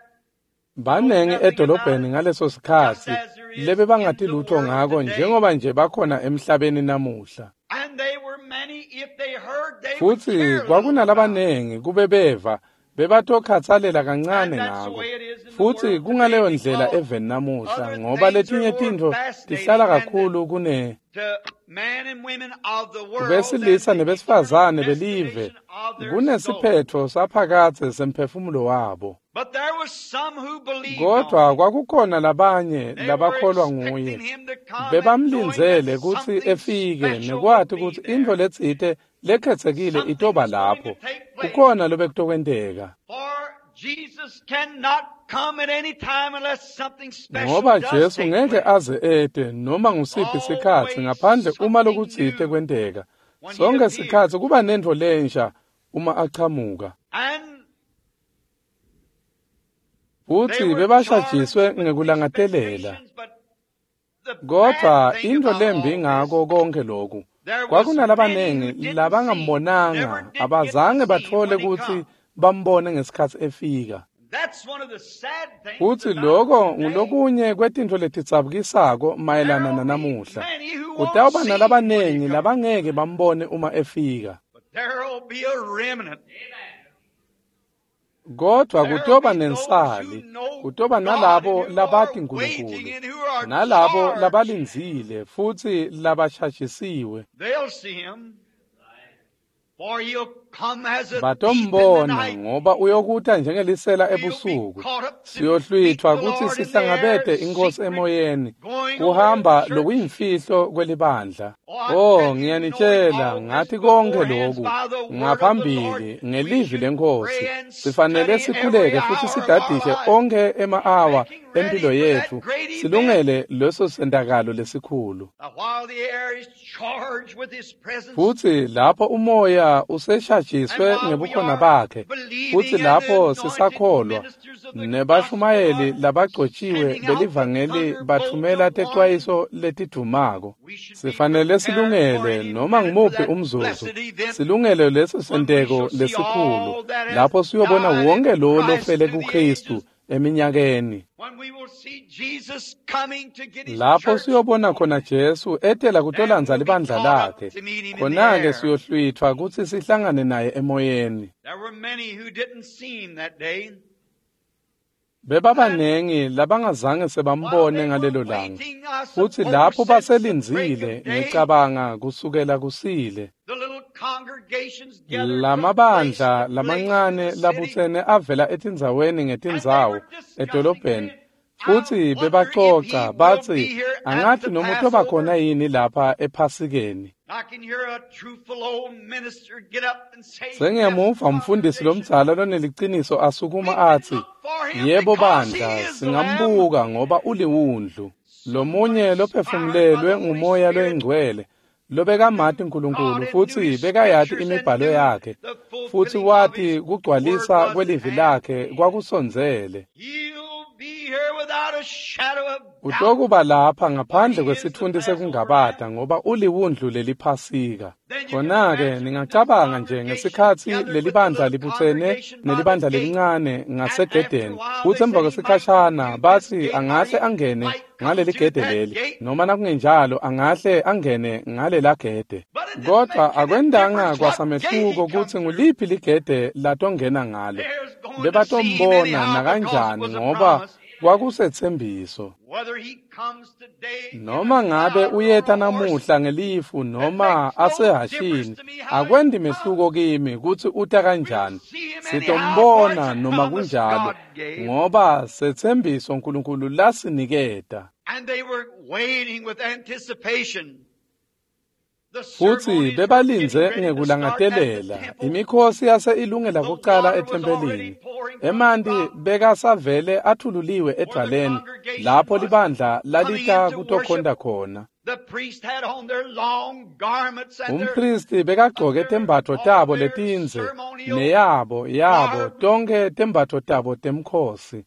Banengi edolobheni ngaleso sikhatsi lebe bangati lutho ngako njengoba nje bakhona emhlabeni namuhla. and they were many if they heard they would Futsi care a little about it. kwakunalabanengi kube beva bebatokhatsalela kancane And that's the ngako. way it is in the Futsi world kungaleyo today ndlela because eveni namuhla other ngoba things are letinye more tintfo fascinating tihlala than the kakhulu kune to men and women of the world than besilisa the eternal nebesifazane belive destination of their soul. kunesiphetfo saphakadze semphefumulo wabo. But there was some who believed on Kodwa him. kwakukhona labanye They were labakholwa expecting nguye. him to come and knowing that Bebamlindzele kutsi something efike special would nekwati be kutsi intfo there. letsite lekhetsekile Something itoba was going to lapho. take place. Kukhona lobekutokwenteka. For Jesus cannot come at any time unless something special Ngoba does Jesu take ngeke place. aze ete noma ngusiphi sikhatsi Always ngaphandle uma something lokutsite new kwenteka. when he Sonke appears. sikhatsi kuba nentfo lensha uma achamuka. And they Futsi were charged bebashajiswe with ngekulangadelela. expectations, but the bad Kodwa thing intfo about lembi all this, ngako konke loku, there was many who kwakunalabanengi didn't see, never labangambonanga, did get to abazange see him batfole when he kutsi come. bambone ngesikhatsi efika. That's one of the sad things Futsi about loko today. ngulokunye kwetintfo letidzabukisako mayelana There'll be nanamuhla. many who won't Kutawuba see him when he nalabanengi comes, labangeke bambone uma efika. but there'll be a remnant. Kodwa There'll kutoba be those who nensali, know kutoba God and nalabo who are labati waiting Nkulunkulu, and who are nalabo charged. labalindzile futsi labashajisiwe. They'll see him, for he'll come as a thief in the Batombona night. ngoba uyokuta njengelisela We'll be ebusuku. caught up to meet Siyohlwithwa the kutsi Lord in the air, sihlangabete inkosi secret, emoyeni, going over the kuhamba church. lokuyimfihlo kwelibandla. Oh, I Oh, tell you, knowing ngiyanitshela all this ngathi konke beforehand loku by the word of the Lord, ngaphambili we ngelivi should lenkosi. pray and Sifanele study every sikhuleke futhi hour of our sidadishe life, onke ema-awa making ready empilo for that yetfu, great event. silungele leso sentakalo lesikhulu. Now, while the air is charged with his presence, Futsi lapho umoya and useshajiswe while we ngebukhona are bakhe, futhi believing and the lapho anointed sisakholwa, ministers of the gospel nebashumayeli are labagcotshiwe sending out the belivangeli thunderbolt bathumela of warning, tecwayiso letidvumako. we should be Sifanele prepared for silungele any noma minute for ngumuphi that umzuzu, blessed event silungele leso when we senteko shall see lesikhulu, all that has lapho siyobona died wonke in lowo Christ lofele through the kuKristu ages, eminyakeni. when we will see Jesus coming to get his Lapho church, siyobona khona Jesu etela then kutolandza we'll be libandla caught up lakhe, to meet him in the khona-ke air. siyohlwithwa kutsi sihlangane naye emoyeni. There were many who didn't see him that day. And Bebabanengi labangazange while sebambone they were ngalelo langa. waiting, I Futsi suppose, lapho since the break baselindzile, of day, ngicabanga kusukela kusile, the little congregations gathered from place lamabandla to place through lamancane the city, labutsene avela etindzaweni and they ngetindzawo were discussing, edolobheni. saying, I Futsi wonder if he bebacoca will batsi, be here at angathi the noma utoba khona Passover. yini lapha ePhasikeni. I can hear a truthful old minister get up and say, Yes, Sengiyamuva umfundisi congregation, lomdzala loneliciniso we asukuma can atsi, look for him yebo because he bandla, is the Lamb. singambuka ngoba uliwundlu. Someone Lomunye inspired by lophefumulelwe the Holy ngumoya Spirit loyingcwele, lobekamati knew Nkulunkulu God and knew futsi his bekayati scriptures and imibhalo knew yakhe, the futsi fulfilling of wati his word kugcwalisa was at kwelivi hand. lakhe kwakusondzele. He'll be here without a shadow of doubt, Utokuba lapha for ngaphandle he is the kwesitfunti Passover sekungabata Lamb. ngoba uliwundlu leliphasika. Then you can Khona-ke imagine this ningacabanga nje congregation ngesikhatsi gathered with the lelibandla little libutsene congregation by the nelibandla gate. lelincane And after a ngasegedeni. while Kutsi they emva said he might come kwesikhashana through this batsi gate or angahle he angene might come ngaleli through gede that leli, gate. noma nakungenjalo angahle angene ngalela gede. But it didn't Kodwa make any akwendanga difference what gate he kwasamehluko come kutsi through. nguliphi ligede latongena ngalo. There's going to see him Bebatombona anyhow because it nakanjani was a ngoba promise. kwakusetsembiso. Whether he comes today in a Noma ngabe cloud or on uyeta a horse, namuhla ngelifu it noma makes no difference asehhashini, to me how he akwendi mehluko comes. kimi kutsi uta We'll kanjani. see him anyhow, for it's Sitombona a noma promise kunjalo, God gave. ngoba setsembiso Nkulunkulu lasiniketa. Futsi bebalindze ngekulangatelela imikhosi yase ilungela kucala ethempelini. Emanti bekasavele athululiwe edvwaleni lapho libandla lalita kutokhonta khona. Umphristi bekagcoke tembatfo tabo letindze neyabo yabo tonkhe tembatfo tabo temkhosi.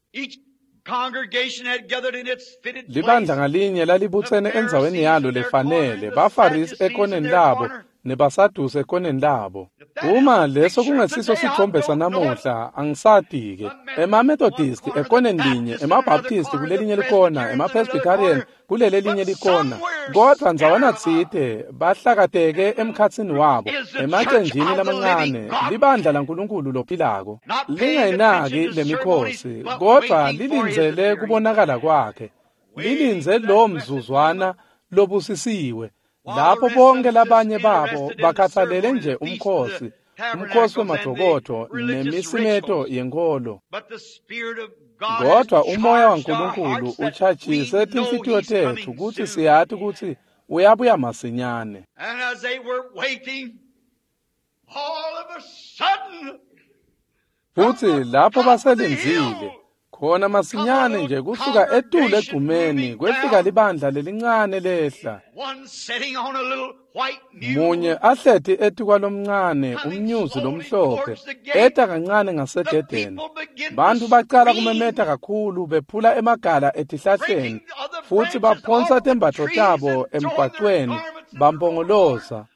Libandla ngalinye lalibutsene endzaweni yalo lefanele, baFarisi ekoneni labo nebaSadusi ekoneni labo. Uma leso kungesiso sithombe sanamuhla, angisati-ke. EmaMethodisti ekoneni linye, emaBaptisti kulelinye likona, emaPresbyterian kulelelinye likona. Kodvwa ndzawana tsite bahlakateke emkhatsini wabo, emacenjini lamancane, libandla laNkulunkulu lophilako. Lingayinaki lemikhosi, kodvwa lilindzele kubonakala kwakhe. Lilindze lo mzuzwana lobusisiwe. Lapho bonke labanye babo bakhathalele nje umkhosi, umkhosi wemadokodvo nemisimeto yenkholo. Kodvwa umoya waNkulunkulu uchajise tinhlitiyo tetfu kutsi siyati kutsi uyabuya masinyane. Futsi lapho baselindzile, khona masinyane nje kusuka etulu egcumeni kwefika libandla lelincane lehla. Munye ahleti etikwalomncane umnyuzi lomhlophe eta kancane ngasegedeni. Bantfu bacala kumemeta kakhulu bephula emagala etihlahleni futsi baphonsa tembatfo tabo emgwacweni bampongoloza.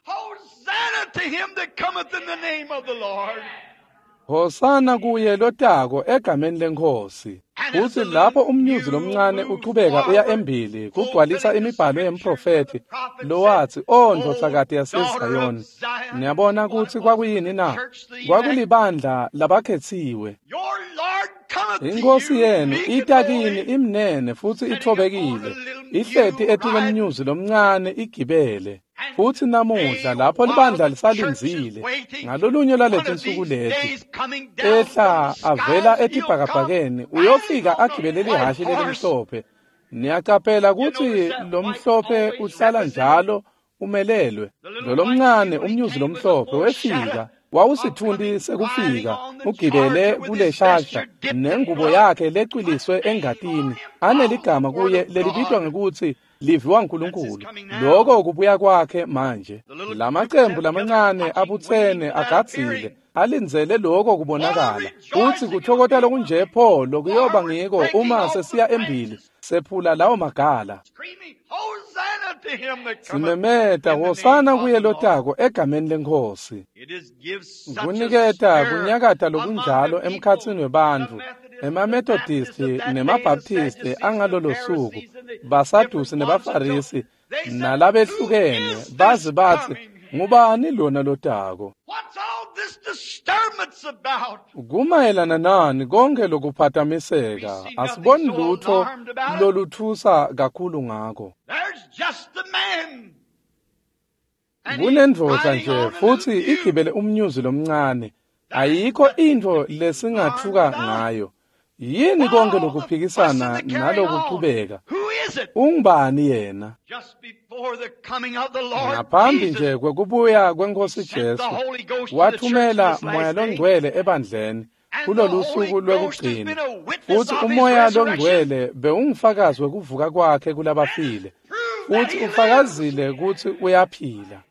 Hosana kuye lotako egameni leNkhosi. Futsi lapho umnyuzi lomncane uchubeka uya embili kugcwalisa imibhalo yemprofethi lowatsi, "O ndvodzakati yaseZayoni." Niyabona kutsi kwakuyini na? Kwakulibandla labakhetsiwe. Inkosi yenu ita kini imnene futsi itfobekile, ihleti etikwemnyuzi lomncane igibele. Futsi namuhla lapho libandla lisalindzile ngalolunye lwaletinsuku leti ehla avela etibhakabhakeni uyofika agibele lihhashi lelimhlophe. Niyaqaphela kutsi lomhlophe uhlala njalo umelelwe. Lolomncane umnyuzi lomhlophe wefika wawusitfunti sekufika ugibele kuleshasha nengubo yakhe lecwiliswe engatini aneligama kuye lelibitwa ngekutsi Livi waNkulunkulu. Lokho kubuya kwakhe manje. Lamacembu lamancane abutsene agadzile alindzele lokho kubonakala. Futsi kuthokota lokunje pho lokuyoba ngiko uma sesiya embili sephula lawo magala. Simemeta hosana kuye lotako egameni leNkhosi. Kuniketa kunyakata lokunjalo emkhatsini webantfu, emaMethodisti nemaBaptisti angalolo suku, baSadusi nebaFarisi nalabehlukene baze batsi, "Ngubani lona lotako?" Kumayelana nani konke lokuphatamiseka? Asiboni lutfo lolutfusa kakhulu ngako. Kunendvodza nje futsi igibele umnyuzi lomncane. Ayikho intfo lesingatfuka ngayo. Yini konke lokuphikisana nalokuchubeka? Ungubani yena? Ngaphambi nje kwekubuya kweNkhosi Jesu, wathumela Moya Longcwele ebandleni kulolu suku lwekugcina. Futsi uMoya Longcwele bewungufakazi wekuvuka kwakhe kulabafile. Futsi ufakazile kutsi uyaphila.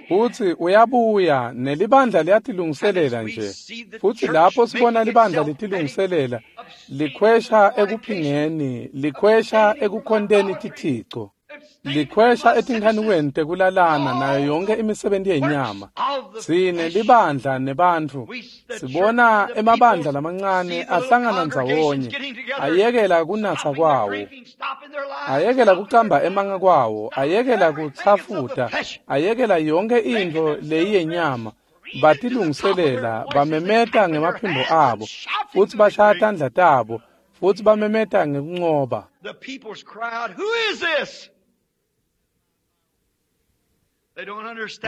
Futsi uyabuya nelibandla liyatilungiselela nje. Futsi lapho sibona libandla litilungiselela, likhwesha ekuphingeni, likhwesha ekukhonteni tithico, likhwesha etinkhanukweni tekulalana nayo yonke imisebenti yenyama. Sine libandla nebantfu sibona emabandla lamancane ahlangana ndzawonye, ayekela kunatsa kwawo, ayekela kucamba emanga kwawo, ayekela kutsafuta, ayekela yonke intfo leyiyenyama. Batilungiselela, bamemeta ngemaphimbo abo, futsi bashaya tandla tabo, futsi bamemeta ngekuncoba.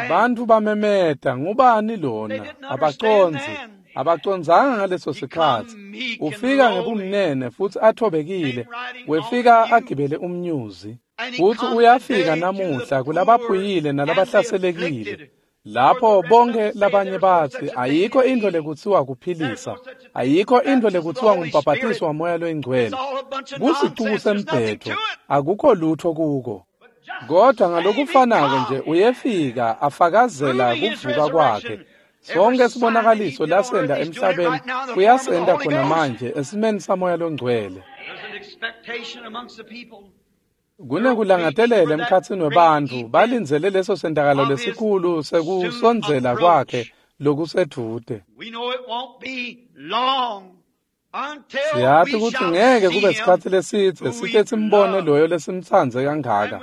Bantfu bamemeta, "Ngubani lona?" Abacondzi. Abacondzanga ngaleso sikhatsi. Ufika ngebumnene futsi athobekile, wefika agibele umnyuzi. Futsi uyafika namuhla kulabaphuyile nalabahlaselekile. Lapho bonke labanye batsi ayikho intfo lekutsiwa kuphilisa, ayikho intfo lekutsiwa ngumbhabhatiso waMoya loyiNgcwele. Kusicuku sembhedvo, akukho lutho kuko. Kodwa ngalokufanako nje uyefika afakazela kuvuka kwakhe. Sonke sibonakaliso lasenda emhlabeni uyasenda khona manje esimeni saMoya loNgcwele. Kunekulangatelela emkhatsini webantfu balindzele leso sentakalo lesikhulu sekusondzela kwakhe lokusedvute. Siyati kutsi ngeke kube sikhatsi lesidze site simbone loyo lesimtsandze kangaka,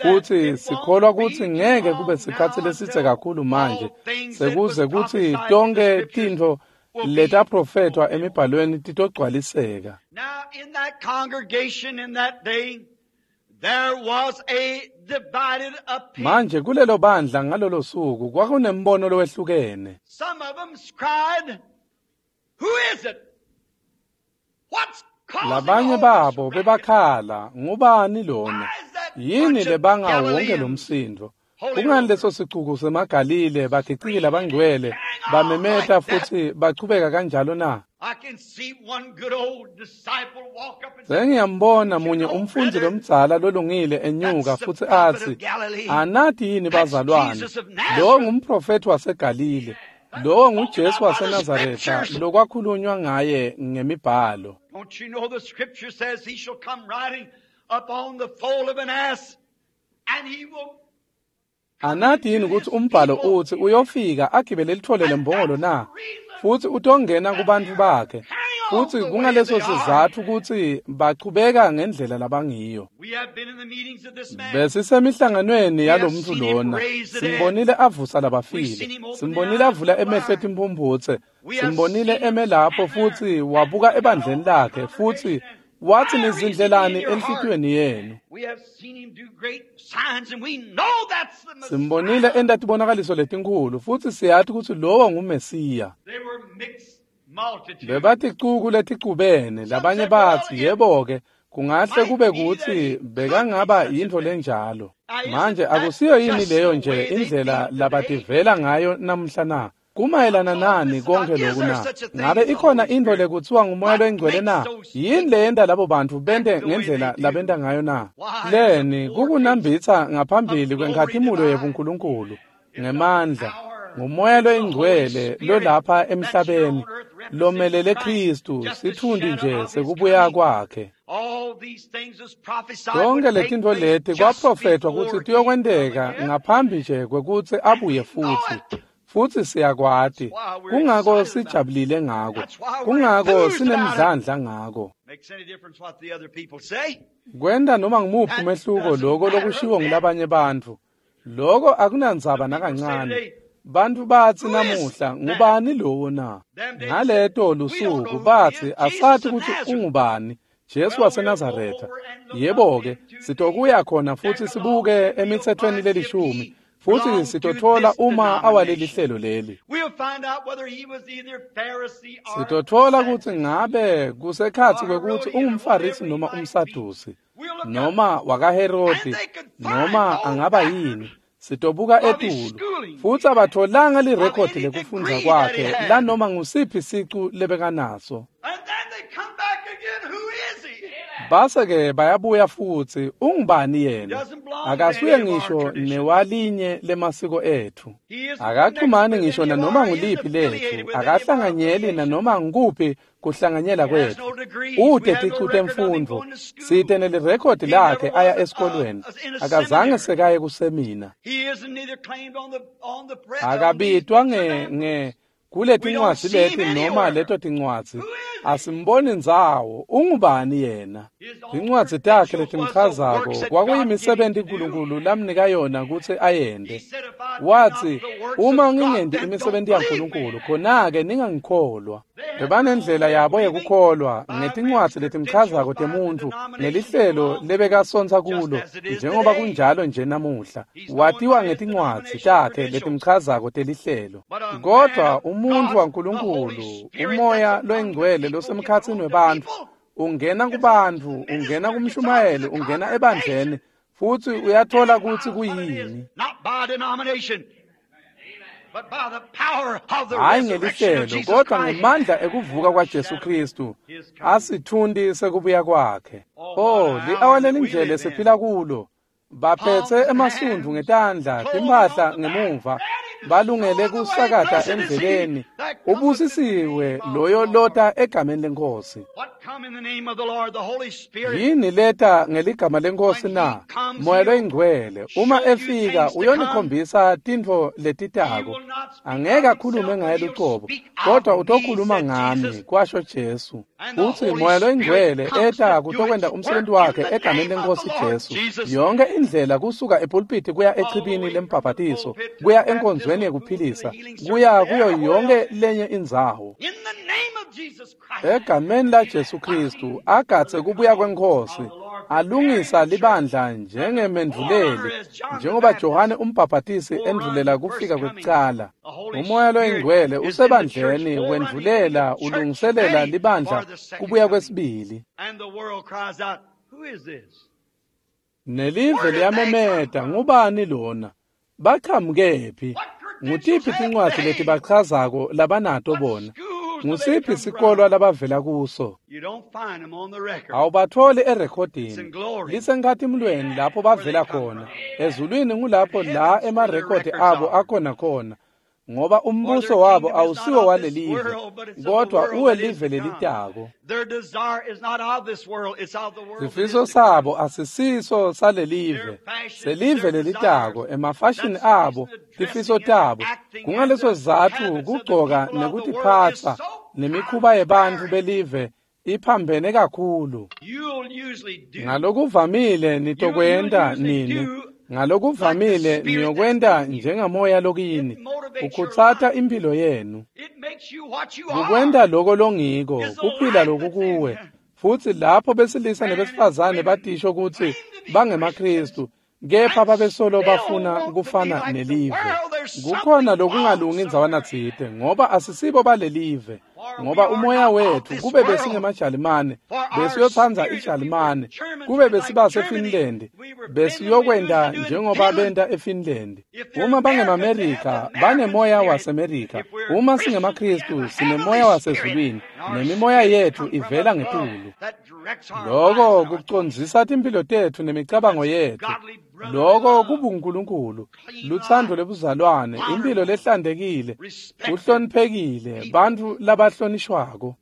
futsi sikholwa kutsi ngeke kube sikhatsi lesidze kakhulu manje sekuze kutsi tonkhe tintfo letaprofethwa emibhalweni titogcwaliseka. Manje kulelo bandla ngalolo suku kwakunembono lowehlukene. Labanye babo bebakhala, ngubani lona? Yini lebanga wonke lo msindo? Kungani leso sicuku semaGalile bagiciki labangcwele bamemeta futsi bachubeka kanjalo na? Sengiyambona munye umfundzi lomdzala lolungile enyuka futsi atsi, anati yini bazalwane, lo ngumprofethi waseGalile, lo nguJesu waseNazaretha lokwakhulunywa ngaye ngemibhalo. Don't you know the scripture says he shall come riding upon the foal of an ass, and he will. Anati yini kutsi umbhalo utsi uyofika agibele lithole lembongolo na? Futsi utongena kubantfu bakhe. Futsi kungaleso sizatfu kutsi bachubeka ngendlela labangiyo. Besisemihlanganweni yalomntfu lona, simbonile avusa labafile, simbonile avula emehlo etimphumphutse, simbonile eme lapho futsi wabuka ebandleni lakhe futsi watsi nizindlelani enhlitiyweni yenu. Simbonile enta tibonakaliso letinkhulu futsi siyati kutsi lowo nguMesiya. Bebaticuku leticubene, labanye batsi yebo-ke kungahle kube kutsi bekangaba yintfo lenjalo. Manje akusiyo yini leyo nje indlela labativela ngayo namuhla na? Kumayelana nani konke loku na? Ngabe ikhona intfo lekutsiwa nguMoya loyiNgcwele na? Yini leyenta labo bantfu bente ngendlela labenta ngayo na? Leni kukunambitsa ngaphambili kwenkhatimulo yebuNkulunkulu ngemandla nguMoya loyiNgcwele lolapha emhlabeni lomelele Khristu sitfundi nje sekubuya kwakhe. Tonke letintfo leti kwaprofethwa kutsi tiyokwenteka ngaphambi nje kwekutsi abuye futsi. Futsi siyakwati, kungako sijabulile ngako, kungako sinemdlandla ngako. Kwenta noma ngumuphi umehluko loko lokushiwo ngulabanye bantfu, loko akunandzaba nakancane. Bantfu batsi namuhla, ngubani lowo na? Ngaleto lusuku batsi asati kutsi ungubani, Jesu waseNazaretha. Yebo-ke, sitokuya khona futsi sibuke emitsetfweni lelishumi, futsi sitotfola uma awaleli hlelo leli. Sitotfola kutsi ngabe kusekhatsi kwekutsi ungumFarisi noma umSadusi, noma wakaHerodi, noma angaba yini. Sitobuka etulu futsi abatfolanga lirekhodi lekufundza kwakhe lanoma ngusiphi sicu lebekanaso. Base-ke bayabuya futsi, ungubani yena? Akasuye ngisho newalinye lemasiko etfu. Akaxhumani ngisho nanoma nguliphi letfu, akahlanganyeli nanoma ngukuphi kuhlanganyela kwetfu. Ute ticu temfundvo, site nelirekhodi lakhe aya esikolweni, akazange sekaye kusemina. Akabitwa nge nge kuletincwadzi leti noma leto tincwadzi, asimboni ndzawo, ungubani yena? Tincwadzi takhe letimchazako kwakuyimisebenti uNkulunkulu lamnika yona kutsi ayente. Watsi, uma ngingenti imisebenti yaNkulunkulu, khona-ke ningangikholwa. Bebanendlela yabo yekukholwa ngetincwadzi letimchazako temuntfu nelihlelo lebekasontsa kulo, njengoba kunjalo nje namuhla. Watiwa ngetincwadzi takhe letimchazako telihlelo. Kodwa umuntfu waNkulunkulu, umoya loyingcwele losemkhatsini webantfu, ungena kubantfu, ungena kumshumayeli, ungena ebandleni, futsi uyathola kutsi kuyini. Hayi ngelihlelo, kodwa ngemandla ekuvuka kwaJesu Kristu, asithundi sekubuya kwakhe. Oh, li-awa lelindlele siphila kulo. Baphetse emasundvu ngetandla, timphahla ngemuva, balungele kusakata endleleni. Ubusisiwe loyo lota egameni leNkhosi. Yini leta ngeligama leNkhosi na? Moya loyingcwele. Uma efika uyonikhombisa tintfo letitako. Angeke akhulume ngaye lucobo, kodwa utokhuluma ngami, kwasho Jesu. Utsi Moya loyingcwele eta kutokwenta umsebenzi wakhe egameni leNkhosi Jesu. Yonke indlela kusuka epulpiti kuya echibini lembhabhatiso, kuya enkonzweni yekuphilisa, kuya kuyo yonke lenye indzawo. Egameni la Jesu Kristu agatse kubuya kweNkhosi, alungisa libandla njengemendvuleli, njengoba Johane umbhabhatisi endvulela kufika kwekucala. Umoya loyingcwele usebandleni wendvulela ulungiselela libandla kubuya kwesibili. Nelive liyamemeta, ngubani lona? Baqhamukephi? Ngutiphi tincwadzi letibachazako labanato bona? Ngusiphi sikolwa labavela kuso? Awubatholi erekhodini. Lisenkhatimulweni lapho bavela khona. Ezulwini ngulapho la emarekhodi abo akhona khona. Ngoba umbuso wabo awusiwo walelive, kodwa uwelive lelitako. Sifiso sabo asisiso salelive, selive lelitako, emafashini abo, tifiso tabo. Kungaleso sizatfu kugcoka nekutiphatsa nemikhuba yebantfu belive iphambene kakhulu. Ngalokuvamile nitokwenta nini? Ngalokuvamile niyokwenta njengamoya lokini, ukhutsata impilo yenu. Kukwenta loko longiko, kuphila lokukuwe. Futsi lapho besilisa nebesifazane batisho kutsi bangemaKristu, kepha babesolo bafuna kufana nelive. Kukhona lokungalungi indzawana tsite, ngoba asisibo balelive. Ngoba umoya wethu kube besingemaJalimane, besiyotsandza iJalimane, kube besibase Finland, besiyokwenta njengoba benta eFinland. Uma bangemaMerika, banemoya waseMerika. Uma singemaKristu, sinemoya wasezulwini, nemimoya yetfu ivela ngetulu. Loko kucondzisa timphilo tetfu nemicabango yetfu. Loko kubuNkulunkulu, lutsandvo lebuzalwane, impilo lehlantekile, kuhloniphekile, bantfu labahlonishwako.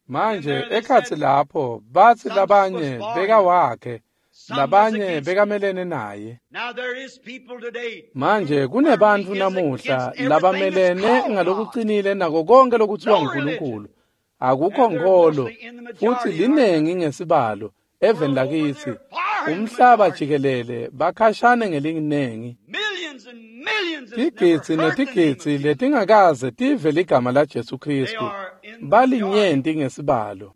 Manje ekhatsi lapho batsi labanye bekawakhe, labanye bekamelene naye. Manje kunebantfu namuhla labamelene ngalokucinile nako konke lokutsiwa nguNkulunkulu. Akukho nkholo, futsi linengi ngesibalo eveni lakitsi. Umhlaba jikelele bakhashane ngelinengi. Tigidzi netigidzi letingakaze tive ligama la Jesu Kristu balinyenti ngesibalo.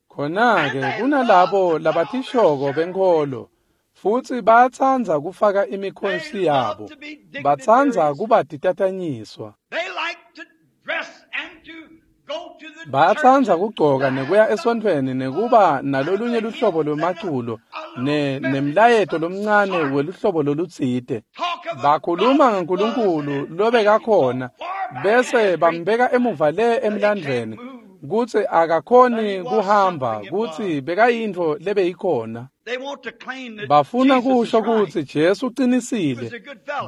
Khona-ke kunalabo labatishoko benkholo, futsi bayatsandza kufaka imikhonsi yabo, batsandza kuba titatanyiswa. Bayatsandza kugcoka nekuya esontfweni nekuba nalolunye luhlobo lwemaculo ne nemlayeto lomncane weluhlobo lolutsite. Bakhuluma ngaNkulunkulu lobekakhona, bese bambeka emuva le emlandvweni kutsi akakhoni kuhamba, kutsi bekayintfo lebeyikhona. Bafuna kusho kutsi Jesu ucinisile,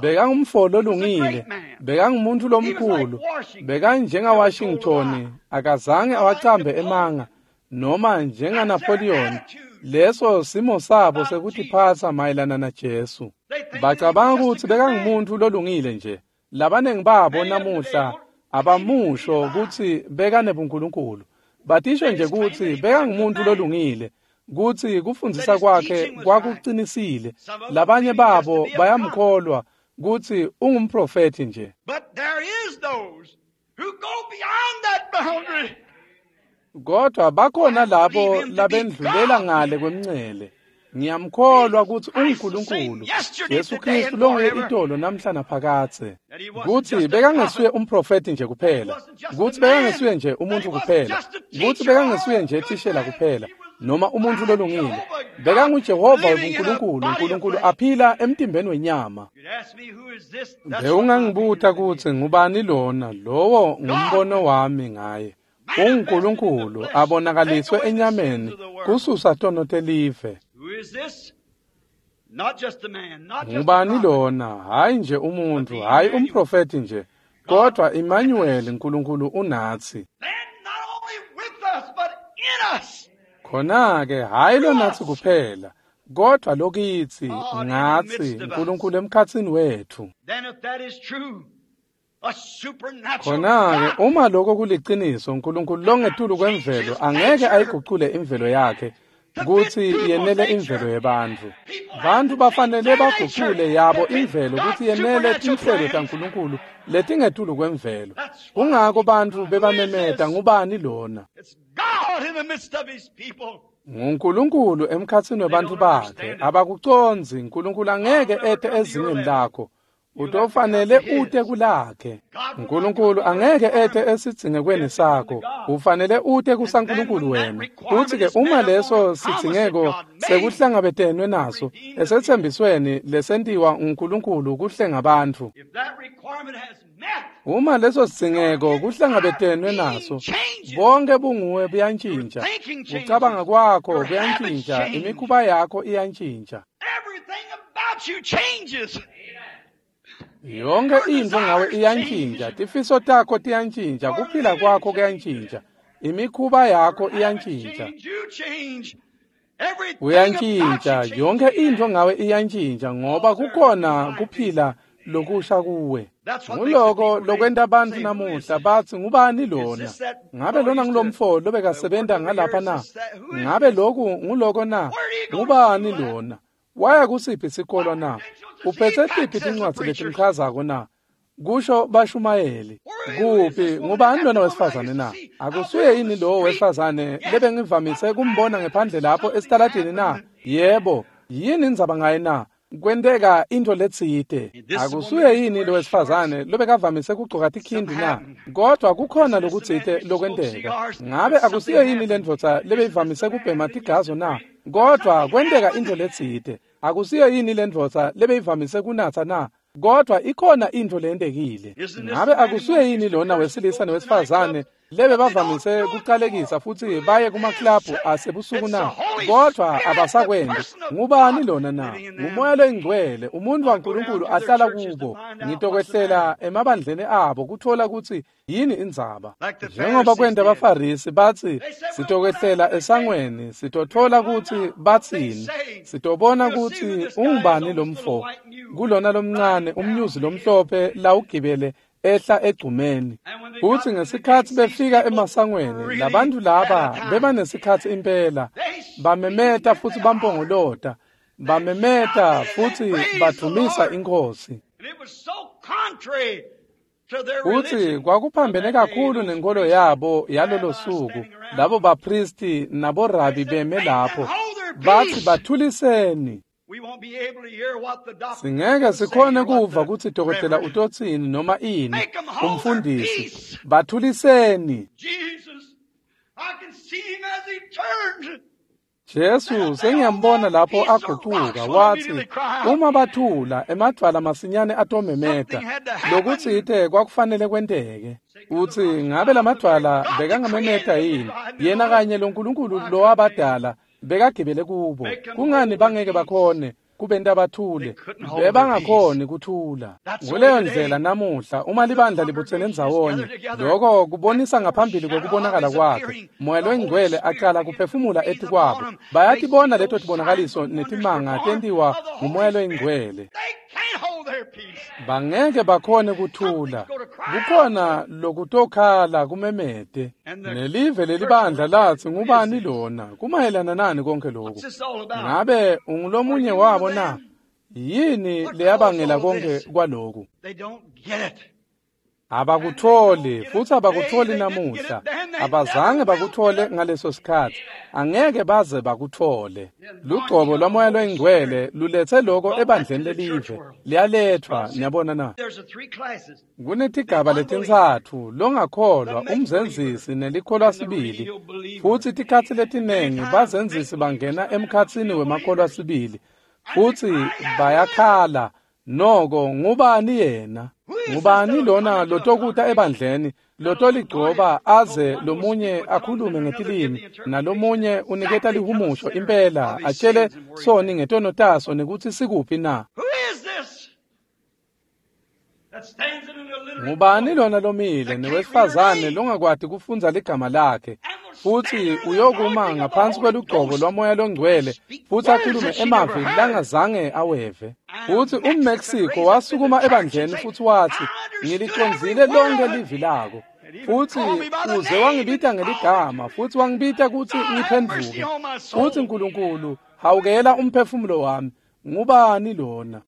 bekangumfo lolungile, bekangumuntu lomkhulu, bekanjenga Washington, akazange awacambe emanga, noma njenga Napoleon. Leso simo sabo sekutiphatsa mayelana naJesu. Bacabanga kutsi bekangumuntu lolungile nje. Labanengi babo namuhla abamusho kutsi bekanebuNkulunkulu. Batisho nje kutsi bekangumuntu lolungile, kutsi kufundzisa kwakhe kwakucinisile. Labanye babo bayamkholwa kutsi ungumprofethi nje. But there is those who go beyond that boundary. Kodwa bakhona labo labendlulela ngale kwemncele. Ngiyamkholwa kutsi unguNkulunkulu, Jesu Kristu longuye itolo namhla naphakadze. Kutsi bekangesuye umprofethi nje kuphela, kutsi bekangesuye nje umuntu kuphela, kutsi bekangesuye nje thishela kuphela, noma umuntfu lolungile. BekanguJehova webuNkulunkulu, uNkulunkulu aphila emtimbeni wenyama. You'd ask me who is this? That's Bewungangibuta kutsi ngubani lona, lowo ngumbono wami ngaye. UnguNkulunkulu abonakaliswe enyameni kususa tono telive. Who is this? Not just a man, not just a Ngubani prophet. lona? Hayi nje umuntu, hayi umprofethi nje, kodwa Emmanuel, uNkulunkulu unatsi. Then not only with us, but in us. Khona-ke hayi lonatsi kuphela, kodwa lokitsi, ngatsi, uNkulunkulu emkhatsini wethu. Then if that is true, a supernatural Khona-ke God uma lokho kuliciniso, uNkulunkulu longetulu kwemvelo angeke ayigucule imvelo yakhe kutsi yenele imvelo yebantfu. Bantfu bafanele bagucule yabo imvelo kutsi yenele tinhlelo taNkulunkulu letingetulu kwemvelo. Kungako bantfu bebamemeta, ngubani lona? It's God in the midst of his people. NguNkulunkulu emkhatsini webantfu bakhe. Abakucondzi, uNkulunkulu angeke ete ezingeni lakho. Utofanele ute kulakhe. uNkulunkulu angeke ete esidzingekweni sakho. Ufanele ute kusaNkulunkulu wena. Kuthi-ke uma leso sidzingeko sekuhlangabetenwe naso esetsembisweni lesentiwa uNkulunkulu kuhlenga bantfu. If that requirement has met, Uma leso sidzingeko kuhlangabetenwe naso, bonke bunguwe buyantjintja. Kucabanga kwakho kuyantjintja, imikhuba yakho iyantjintja. everything about you changes. Yonke intfo ngawe iyantjintja, tifiso takho tiyantjintja, kuphila kwakho kuyantjintja, imikhuba yakho iyantjintja. Change, you change. Everything about Uyantjintja, you changes. yonke intfo ngawe iyantjintja ngoba kukhona kuphila lokusha kuwe. Nguloko lokwenta bantfu namuhla batsi ngubani lona? Ngabe lona ngulomfo lobekasebenta ngalapha na? Ngabe loku nguloko na? Ngubani lona? Waya kusiphi sikolo na? Uphetse tiphi tincwadzi letimchazako na? Kusho bashumayeli. Kuphi ngubani lona wesifazane na? Akusuye yini lowo wesifazane lebengivamise kumbona ngephandle lapho esitaladini na? Yebo, yini indzaba ngaye na? Kwenteka intfo letsite. Akusuye yini lo wesifazane lobekavamise kugcoka tikhindi na? Kodwa kukhona lokutsite lokwenteka. Ngabe akusiyo yini le ndvodza lebeyivamise kubhema tigazo na? Kodwa kwenteka intfo letsite. Akusiyo yini le ndvodza lebeyivamise kunatsa na? Kodwa ikhona intfo leyentekile. Ngabe akusuye yini lona wesilisa newesifazane lebe bavamise kucalekisa futsi baye kumaklabhu asebusuku na? Kodwa abasakwenti. Ngubani lona na? Ngumoya loyingcwele, umuntfu waNkulunkulu ahlala kubo. Ngitokwehlela emabandleni abo kutfola kutsi yini indzaba. Njengoba kwenta abaFarisi batsi, sitokwehlela esangweni, sitotfola kutsi batsini, sitobona kutsi ungubani lomfo. Kulona lomncane umnyuzi lomhlophe lawugibele ehla egcumeni. Kutsi ngesikhatsi befika emasangweni, labantfu laba bebanesikhatsi impela, bamemeta futsi bampongolota, bamemeta futsi badvumisa iNkhosi. And it was so contrary to their Kutsi religion. kwakuphambene kakhulu nenkolo yabo yalolo suku, labo bapristi naborabi beme lapho, batsi bathuliseni. We won't be able to hear what the doctor Singeke will say sikhone or what kuva the kutsi dokotela reverend- utotsini noma ini, Make 'em hold their umfundisi. peace. Bathuliseni. Jesus, I can see him as he turned. Jesu sengiyambona lapho agucuka watsi uma bathula emadvwala masinyane atomemeta lokutsite kwakufanele kwenteke. Utsi ngabe lamadvwala bekangamemeta yini? Yena kanye loNkulunkulu lowabadala bekagibele kubo. Kungani bangeke bakhone kubenta bathule? Bebangakhoni kuthula. Nguleyo ndlela namuhla uma libandla libutsene ndzawonye, loko kubonisa ngaphambili kwekubonakala kwakhe. Moya loyingcwele aqala kuphefumula etikwabo. Bayatibona leto tibonakaliso netimanga tentiwa ngumoya loyingcwele. They Bangeke bakhone kuthula. Kukhona lokutokhala kumemete. Nelive lelibandla latsi ngubani lona? Kumayelana nani konke lokhu? Ngabe ungulomunye wabo na? Yini leyabangela konke kwaloku? Abakutholi futhi abakutholi namuhla. Abazange bakuthole ngaleso sikhathi. Angeke baze bakuthole. Lugcobo lwaMoya loyiNgcwele lulethe lokho ebandleni lelive. Liyalethwa, niyabona na? Kunetigaba letintsatfu, longakholwa, umzenzisi nelikholwa sibili. Futhi tikhatsi letinengi bazenzisi bangena emkhatsini wemakholwa sibili. Futhi bayakhala, noko ngubani yena? Ngubani lona lotokuta ebandleni lotoligcoba aze lomunye akhulume ngetilimi nalomunye uniketa lihumusho impela atshele soni ngetono taso nekutsi sikuphi na? Ngubani lona lomile newesifazane longakwati kufundza ligama lakhe futhi uyokuma ngaphansi kwelugcobo lwaMoya loNgcwele futhi akhulume emavi langazange aweve? Futhi umMexico wasukuma ebandleni futhi wathi, ngilicondzile lonke livi lako. Futhi uze wangibita ngeligama futhi wangibita kutsi ngiphendvuke. Futhi Nkulunkulu hawukela umphefumulo wami. Ngubani lona?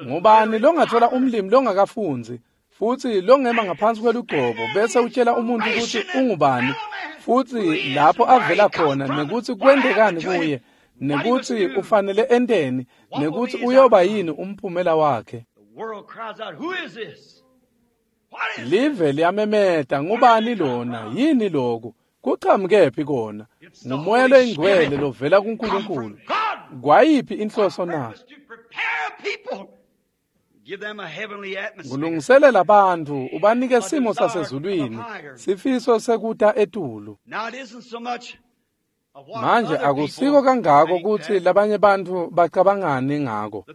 Ngubani longathola umlimi longakafundzi futhi longema ngaphansi kwelugcobo bese utshela umuntu kutsi ungubani futhi lapho avela khona nekutsi kwentekani kuye nekutsi ufanele enteni nekutsi uyoba yini umphumela wakhe? Live liyamemeta, ngubani lona? Yini loku? Kuqhamukephi kona? Ngumoya loyingcwele lovela kuNkulunkulu. Kwayiphi inhloso na? Kulungiselela bantfu ubanike simo sasezulwini, sifiso sekuta etulu. Manje akusiko kangako kutsi labanye bantfu bacabangani ngako.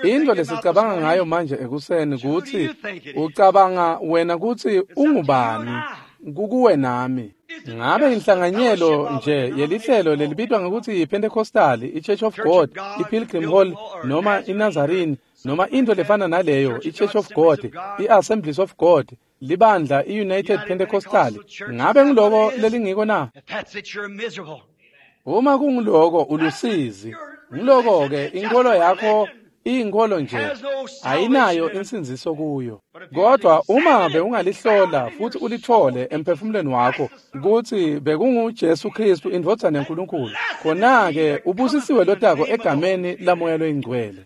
Into lesicabanga ngayo manje ekuseni kutsi ucabanga wena kutsi ungubani kukuwe nami. Ngabe inhlanganyelo nje yelihlelo lelibitwa ngekutsi yiPentecostal, iChurch of God, iPilgrim Hall noma iNazarene noma into lefana naleyo, iChurch of God, iAssemblies of God, libandla iUnited Pentecostal, ngabe ngiloko lelingiko na? Uma kungiloko ulusizi. Ngiloko ke inkolo yakho iyinkolo nje ayinayo insindziso kuyo. Kodwa uma bewungalihlola futhi ulithole emphefumulweni wakho kutsi bekunguJesu Kristu indvodzana yaNkulunkulu, khona-ke ubusisiwe lotako egameni laMoya loyiNgcwele.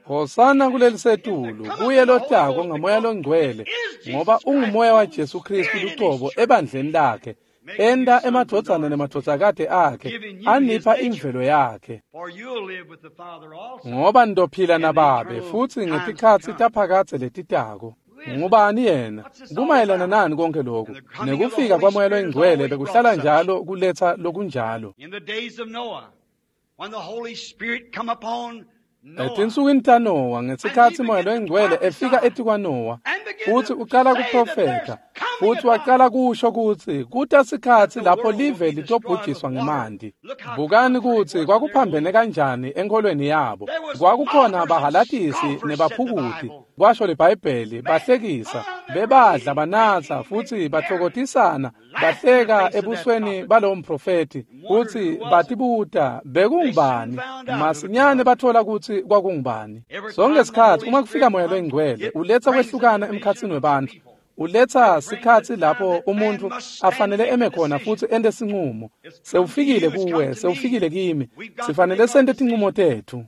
Hosana kulelisetulu kuye lotako ngaMoya loNgcwele, ngoba ungumoya waJesu Kristu lucobo ebandleni lakhe, enta emadvodzana nemadvodzakati akhe, anipha imvelo yakhe. Ngoba nitophila nababe futhi ngetikhatsi taphakadze letitako. Ngubani yena? Kumayelana nani konke lokhu? Nekufika kwaMoya loyiNgcwele bekuhlala njalo kuletsa lokunjalo. Etinsukwini taNowa, ngesikhatsi Moya loyiNgcwele efika etikwaNowa futhi ucala kuprofetha futhi wacala kusho kutsi kuta sikhatsi lapho live litobhujiswa ngemanti. Bukani kutsi kwakuphambene kanjani enkholweni yabo. Kwakukhona bahalatisi nebaphukuti, kwasho liBhayibheli, bahlekisa, bebadla banatsa futhi bathokotisana, bahleka ebusweni balowo mprofethi futhi batibuta bekungubani. Masinyane bathola kutsi kwakungubani. Sonke sikhatsi uma kufika Moya loyiNgcwele uletsa kwehlukana emkhatsini webantfu. Uletsa sikhatsi lapho umuntfu afanele eme khona futhi ente sinqumo. Sewufikile kuwe, sewufikile kimi. Sifanele sente tinqumo tetfu.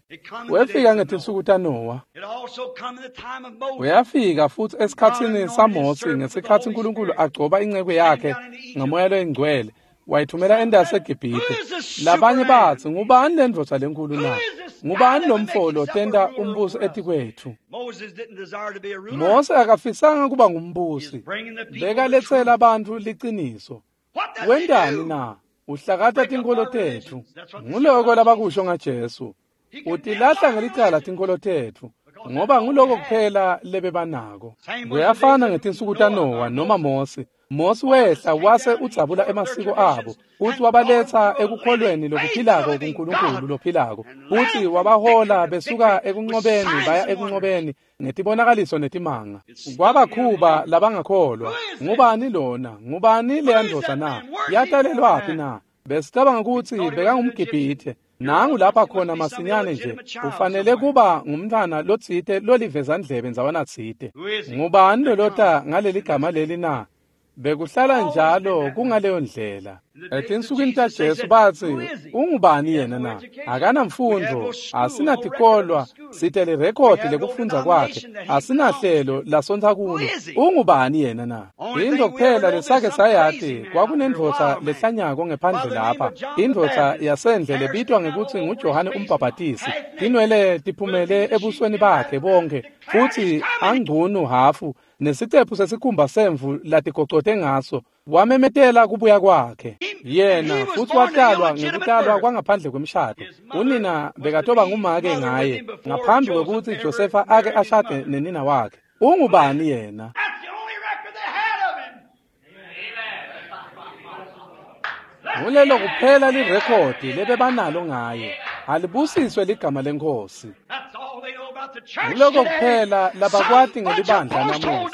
Wefika ngetinsuku taNowa. Uyafika futhi esikhatsini saMose ngesikhatsi uNkulunkulu agcoba inceku yakhe ngaMoya loyiNgcwele, wayithumela endasi eGibhithe. Labanye batsi, ngubani lendvodza lenkulu na? Ngubani lomfo lotenta umbuso etikwetfu? Mose akafisanga kuba ngumbusi. Bekaletsela bantfu liciniso. Wentani na? Uhlakata tinkholo tetfu. Nguloko labakusho ngaJesu. Utilahla ngelicala tinkholo tetfu, ngoba nguloko kuphela lebebanako. Kuyafana ngetinsuku taNowa noma Mose. Mosi wehla wase udzabula emasiko abo futsi wabaletsa ekukholweni lokuphilako kuNkulunkulu lophilako futsi wabahola besuka ekunqobeni baya ekunqobeni ngetibonakaliso netimanga. Kwabakhuba labangakholwa. Ngubani lona? Ngubani leya ndvodza na? Yatalelwaphi na? Besicabanga kutsi bekangumGibhithe. Nangu lapha khona masinyane nje ufanele kuba ngumntwana lotsite lolivezandlebe ndzawana tsite. Ngubani lolota ngaleli gama leli na? Bekuhlala njalo kungaleyo ndlela. Etinsukwini taJesu batsi, ungubani yena na? Akanamfundvo, asinatikolwa, site lirekhodi lekufundza kwakhe, asinahlelo lasontsa kulo. Ungubani yena na? Into kuphela lesake sayati kwakunendvodza lehlanyako ngephandle lapha, indvodza yasendle lebitwa ngekutsi nguJohane uMbhabhatisi. Tinwele tiphumele ebusweni bakhe bonke, futsi angcunu hafu nesicephu sesikhumba semvu latigocote ngaso. Wamemetela kubuya kwakhe yena futsi watalwa ngekutalwa kwangaphandle kwemshado. Unina bekatoba ngumake ngaye ngaphambi kwekutsi Josefa ake ashade nenina wakhe. Ungubani yena? Ngulelo kuphela lirekhodi lebebanalo ngaye. Alibusiswe ligama leNkhosi. Nguloko kuphela labakwati ngelibandla namuhla.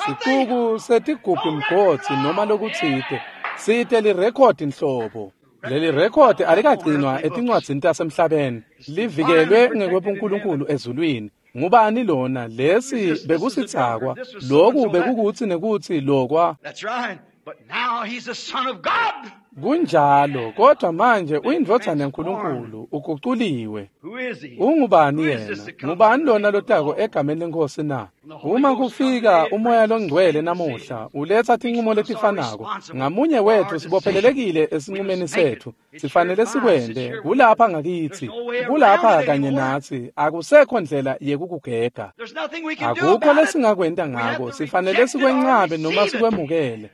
Sicuku setigubhu mgodzi noma lokutsite site lirekhodi nhlobo. Leli rekhodi alikagcinwa etincwadzini tasemhlabeni, livikelwe ngekwebuNkulunkulu ezulwini. Ngubani lona? Lesi bekusitsakwa, loku bekukutsi nekutsi lokwa. Kunjalo, kodwa manje uyindvodzana yaNkulunkulu, uguculiwe. Ungubani yena? Ngubani lona lotako egameni leNkhosi na? Uma kufika umoya longcwele namuhla, uletsa tincumo letifanako. Ngamunye wethu sibophelelekile esincumeni setfu. Sifanele sikwente, kulapha ngakitsi, kulapha kanye natsi, akusekho ndlela yekukugega. Akukho lesingakwenta ngako, sifanele sikwencabe noma sikwemukele.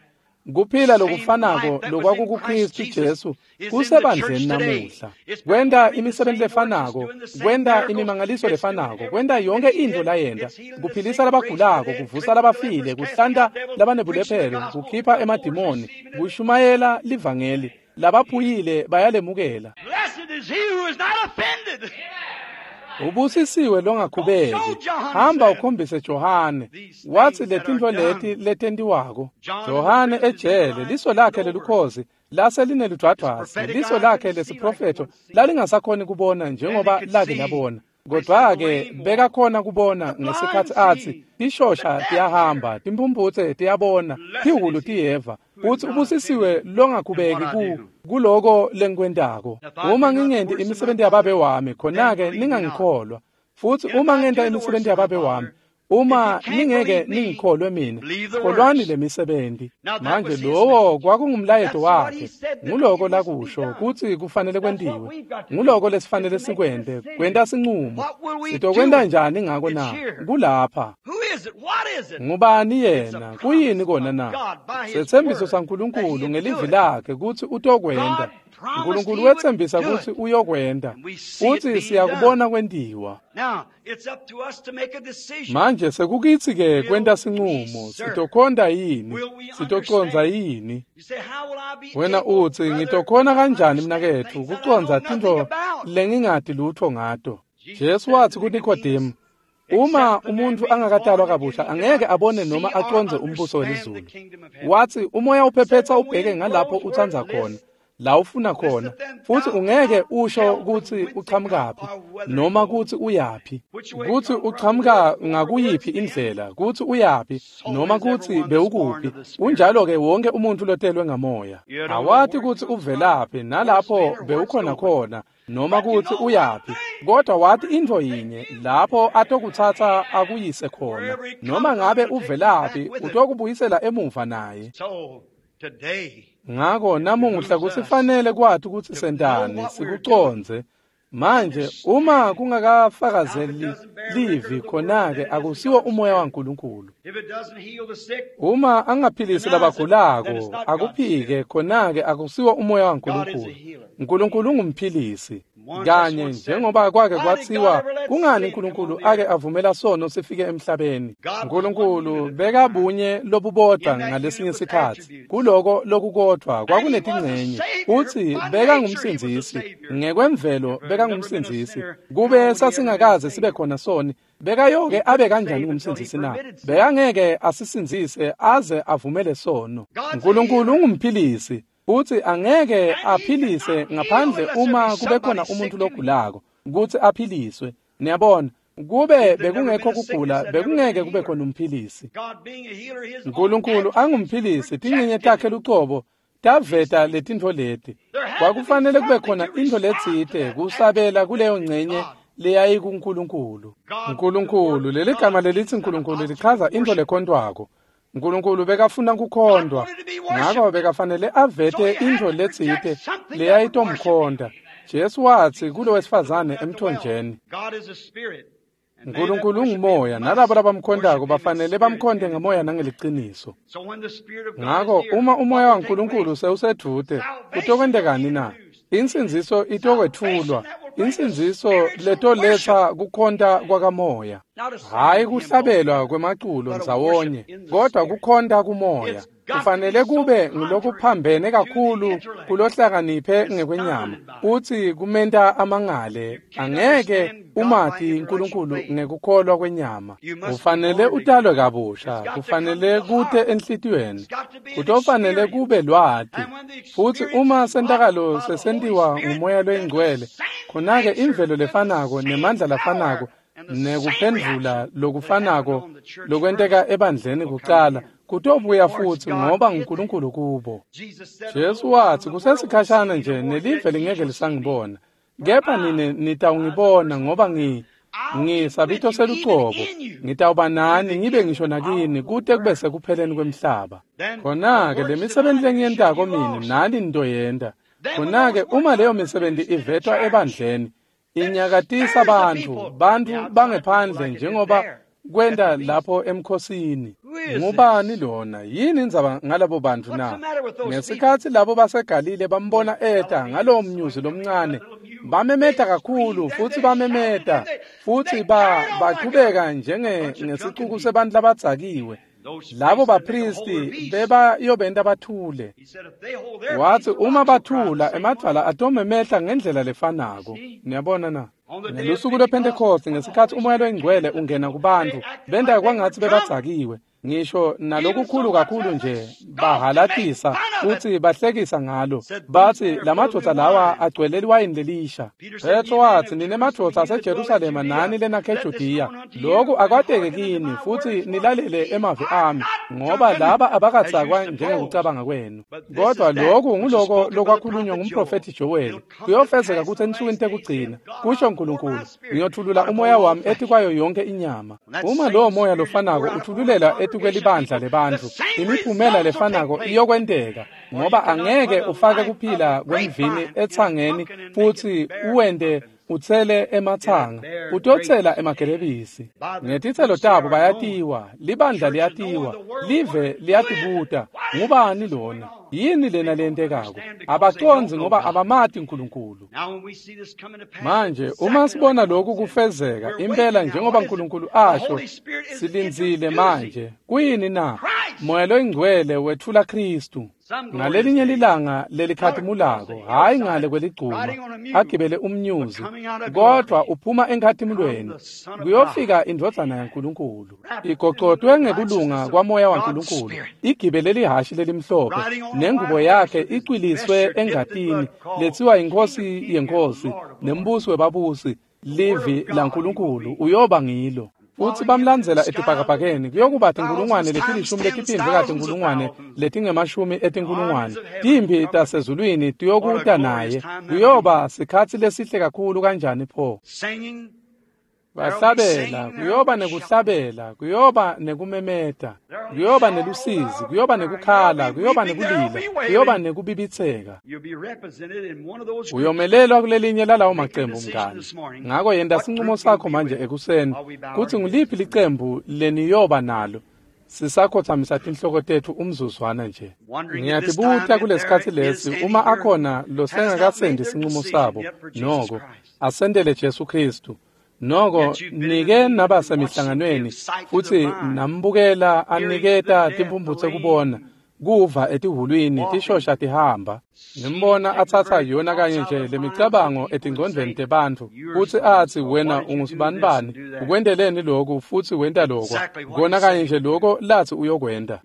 Kuphila lokufanako lokwakukuKristu Jesu kusebandleni namuhla. Kwenta imisebenti lefanako, kwenta imimangaliso lefanako, kwenta yonke intfo layenta, kuphilisa labagulako, kuvusa labafile, kuhlanta labanebulephelo, kukhipha emadimoni, kushumayela livangeli, labaphuyile bayalemukela. Ubusisiwe longakhubeki. Hamba ukhombise Johane. Watsi letintfo leti letentiwako. Johane ejele, liso lakhe lelukhozi lase lineludvwadvwasi, liso lakhe lesiprofetho lalingasakhoni kubona njengoba lake labona. Kodwa-ke bekakhona kubona ngesikhatsi atsi tishosha tiyahamba, timphumphutse tiyabona, tihhulu tiyeva. Utsi ubusisiwe longakhubeki ku kuloko lengikwentako. Uma ngingenti imisebenti yababe wami, khona-ke ningangikholwa. Futsi uma ngenta imisebenti yababe wami, uma ningeke ningikholwe mina, kholwani lemisebenti. Manje lowo kwakungumlayeto wakhe. Nguloko lakusho kutsi kufanele kwentiwe. Nguloko lesifanele sikwente, kwenta sincumo. Sitokwenta njani ngako na? Kulapha. Ngubani yena? Kuyini kona na? Setsembiso saNkulunkulu ngelivi lakhe kutsi utokwenta. Nkulunkulu wetsembisa kutsi uyokwenta, futsi siyakubona kwentiwa. Manje sekukitsi-ke kwenta sincumo, sitokhonta yini, sitocondza yini? Wena utsi, ngitokhona kanjani mnaketfu kucondza tintfo lengingati lutfo ngato? Jesu watsi kuNikodemu, uma umuntfu angakatalwa kabusha angeke abone noma acondze umbuso welizulu. Watsi umoya uphephetsa ubheke ngalapho utsandza khona, la ufuna khona, futsi ungeke usho kutsi uchamukaphi noma kutsi uyaphi, kutsi uchamuka ngakuyiphi indlela, kutsi uyaphi noma kutsi bewukuphi. Unjalo-ke wonke umuntfu lotelwe ngamoya. Awati kutsi uvelaphi nalapho bewukhona khona noma kutsi uyaphi, kodwa wati intfo yinye, lapho atokutsatsa akuyise khona. Noma ngabe uvelaphi, utokubuyisela emuva naye. Ngako namuhla kusifanele kwati kutsi sentani, sikucondze. Manje uma kungakafakazeli livi, khona-ke akusiwo umoya waNkulunkulu. Uma angaphilisi labagulako akuphike khona-ke akusiwo umoya waNkulunkulu. Nkulunkulu ungumphilisi. Kanye njengoba kwake kwatsiwa kungani uNkulunkulu ake avumela sono sifike emhlabeni. Nkulunkulu bekabunye lobubodwa ngalesinye sikhatsi. Kuloko lokukodvwa kwakunetingcenye. Utsi bekangumsindzisi. Ngekwemvelo bekangumsindzisi. Kube sasingakaze sibe khona soni, bekayoke abe kanjani ngumsindzisi na? Bekangeke asisindzise aze avumele sono. Nkulunkulu ungumphilisi. Utsi angeke aphilise ngaphandle uma kube khona umuntu logulako kutsi aphiliswe. Niyabona, kube bekungekho kugula bekungeke kube khona umphilisi. Nkulunkulu angumphilisi, tincenye takhe lucobo taveta letintfo leti. Kwakufanele kube khona intfo letsite kusabela kuleyo ncenye leyayikuNkulunkulu. Nkulunkulu, leli gama lelitsi Nkulunkulu lichaza intfo lekhontwako. Nkulunkulu bekafuna kukhondwa, ngako bekafanele avete intfo letsite leyayitomkhonda. Jesu watsi kulo wesifazane emthonjeni, Nkulunkulu ungumoya, nalabo labamkhondako bafanele bamkhonde ngemoya nangeliciniso. Ngako uma umoya waNkulunkulu sewusedvute, kutokwentekani na? Insindziso itokwetfulwa, insindziso letoletsa kukhonta kwakamoya. Hhayi kuhlabelwa kwemaculo ndzawonye, kodwa kukhonta kumoya. Kufanele kube ngulokuphambene kakhulu kulohlakaniphe ngekwenyama. Utsi kumenta amangale, angeke umati Nkulunkulu ngekukholwa kwenyama. Kufanele utalwe kabusha, kufanele kute enhlitiyweni, kutofanele kube lwati. Futsi uma sentakalo sesentiwa ngumoya loyingcwele, khona-ke imvelo lefanako nemandla lafanako nekuphendvula lokufanako lokwenteka ebandleni kucala kutobuya futsi ngoba nguNkulunkulu kubo. Jesu watsi kusesikhashana nje nelive lingeke lisangibona, kepha nine nitawungibona ngoba ngi ngisabito selucobo, ngitawuba nani ngibe ngisho nakini kute kube sekupheleni kwemhlaba. Khona-ke lemisebenti lengiyentako mine nani nitoyenta. Khona-ke uma leyo misebenti ivetwa ebandleni, inyakatisa bantfu, bantfu bangephandle njengoba kwenta lapho emkhosini. Ngubani lona? Yini indzaba ngalabo bantfu na? Ngesikhatsi labo baseGalile bambona eta ngalowo mnyuzi lomncane, bamemeta kakhulu futsi bamemeta futsi ba bachubeka njenge ngesicuku sebantfu labadzakiwe. Labo bapristi bebayobenta bathule. Watsi uma bathula emadvwala atomemehla ngendlela lefanako. Niyabona na? Ngelusuku lwePhentekhosti ngesikhatsi umoya loyingcwele ungena kubantfu, benta kwangatsi bebadzakiwe. Ngisho nalokukhulu kakhulu nje bahalatisa futsi bahlekisa ngalo. Batsi lamadvodza lawa agcwele liwayini lelisha. Petro watsi nine madvodza aseJerusalema nani lenakhe eJudiya, loku akwateke kini futsi nilalele emavi ami, ngoba laba abakadzakwa njengekucabanga kwenu. Kodwa loku nguloko lokwakhulunywa ngumprofethi Joel. Kuyofezeka kutsi ensukwini tekugcina, kusho Nkulunkulu, ngiyotfulula umoya wami etikwayo yonke inyama. Uma lowo moya lofanako utfululela etikwelibandla lebantfu, imiphumela lefanako iyokwenteka, ngoba angeke ufake kuphila kwemvini etsangeni futsi uwente utsele ematsanga, utotsela emagelebisi. Ngetitselo tabo bayatiwa, libandla liyatiwa, live liyatibuta, ngubani lona? Yini lena lentekako? Abacondzi ngoba abamati Nkulunkulu. Manje uma sibona lokhu kufezeka impela njengoba Nkulunkulu asho, silindzile manje. Kuyini na? Moya loyingcwele wetfula Khristu. Ngalelinye lilanga lelikhatimulako, hhayi ngale kweligcuma, agibele umnyuzi, kodwa uphuma enkhatimulweni, kuyofika indvodzana yaNkulunkulu. Igocotwe ngekulunga kwamoya waNkulunkulu, igibele lihhashi lelimhlophe, nengubo yakhe icwiliswe engatini, letsiwa iNkhosi yenkosi, nembusi webabusi, livi laNkulunkulu uyoba ngilo. Futsi bamlandzela etibhakabhakeni kuyokuba tinkulungwane letilishumi letiphindvwe katinkulungwane letingemashumi etinkulungwane. Timphi tasezulwini tiyokuta naye. Kuyoba sikhatsi lesihle kakhulu kanjani pho? Bahlabela, kuyoba nekuhlabela, kuyoba nekumemeta, kuyoba nelusizi, kuyoba nekukhala, kuyoba nekulila, kuyoba nekubibitseka. Uyomelelwa kulelinye lalawo macembu mngani. Ngako yenta sincumo sakho manje ekuseni kutsi nguliphi licembu leniyoba nalo. Sisakhothamisa tinhloko tetfu umzuzwana nje. Ngiyatibuta kulesikhatsi lesi uma akhona losengakasendi sinqumo sabo noko asendele Jesu Kristu. Noko nike nabasemihlanganweni futsi nambukela aniketa timphumphutse kubona kuva etihulwini tishosha tihamba. Nimbona atsatsa yona kanye nje lemicabango etingcondvweni tebantfu futsi atsi wena ungusibanibani ukwenteleni lokhu futsi wenta lokwa kona kanye nje lokho latsi uyokwenta.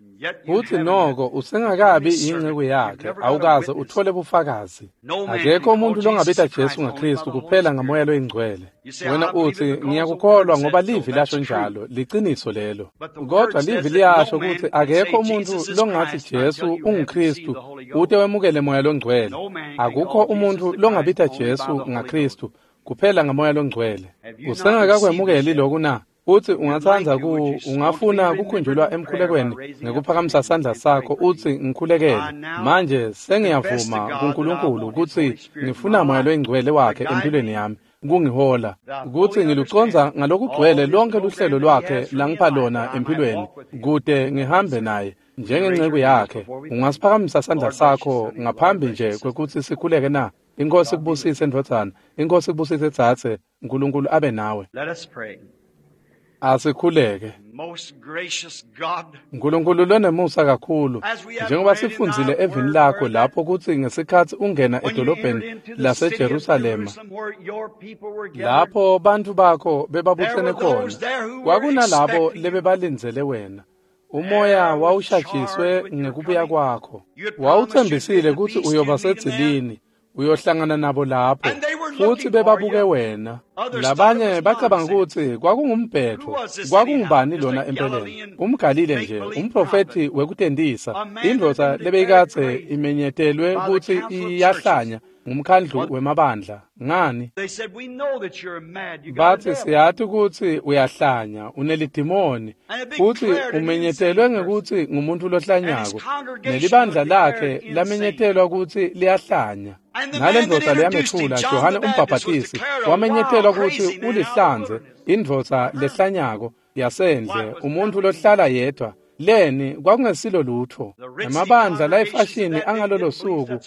Futsi noko usengakabi inceku yakhe awukaze uthole bufakazi. Akekho umuntu longabita Jesu ngaKristu kuphela ngamoya loyingcwele. Wena utsi ngiyakukholwa ngoba livi lasho njalo, liciniso lelo. Kodwa livi liyasho kutsi akekho umuntu longathi Jesu unguKristu ute wemukele moya longcwele. Akukho umuntu longabita Jesu ngaKristu kuphela ngamoya longcwele. Usengakakwemukeli lokhu na? Uthi ungatsandza ku ungafuna kukhunjulwa emkhulekweni ngekuphakamisa sandla sakho utsi ngikhulekele. Manje sengiyavuma kuNkulunkulu kutsi ngifuna moya loyingcwele wakhe empilweni yami kungihola kutsi ngilucondza ngalokugcwele lonke luhlelo lwakhe langipha lona empilweni kute ngihambe naye njengenceku yakhe. Ungasiphakamisa sandla sakho ngaphambi nje kwekutsi sikhuleke na? Inkosi kubusise ndvodzana, inkosi kubusise dzadze, uNkulunkulu abe nawe. Let us pray. Asikhuleke. Most gracious God, Nkulunkulu lonemusa kakhulu, njengoba sifundzile evini lakho lapho kutsi ngesikhatsi ungena edolobheni laseJerusalema lapho bantfu bakho bebabutsene khona, kwakunalabo lebebalindzele wena. Umoya wawushajiswe ngekubuya kwakho. Wawutsembisile kutsi uyoba sedzilini, uyohlangana nabo lapho, futsi bebabuke wena. Labanye bacabanga kutsi kwakungumbhetho, kwakungubani lona empeleni? UmGalile nje, umprofethi wekutentisa, indvodza lebeyikadze imenyetelwe kutsi iyahlanya ngumkhandlu wemabandla. Ngani? They said, we know that you're mad. You got a Bathi devil. siyati kutsi uyahlanya, unelidimoni, futsi umenyetelwe ngekutsi ngumuntu lohlanyako. Nelibandla lakhe lamenyetelwa kutsi liyahlanya. Nale ndvodza leyamethula, Johane umbhabhatisi, wamenyetelwa kutsi ulihlanze, indvodza lehlanyako yasendle, umuntu lohlala yedwa. Leni kwakungesilo lutho. Emabandla layifashini angalolo suku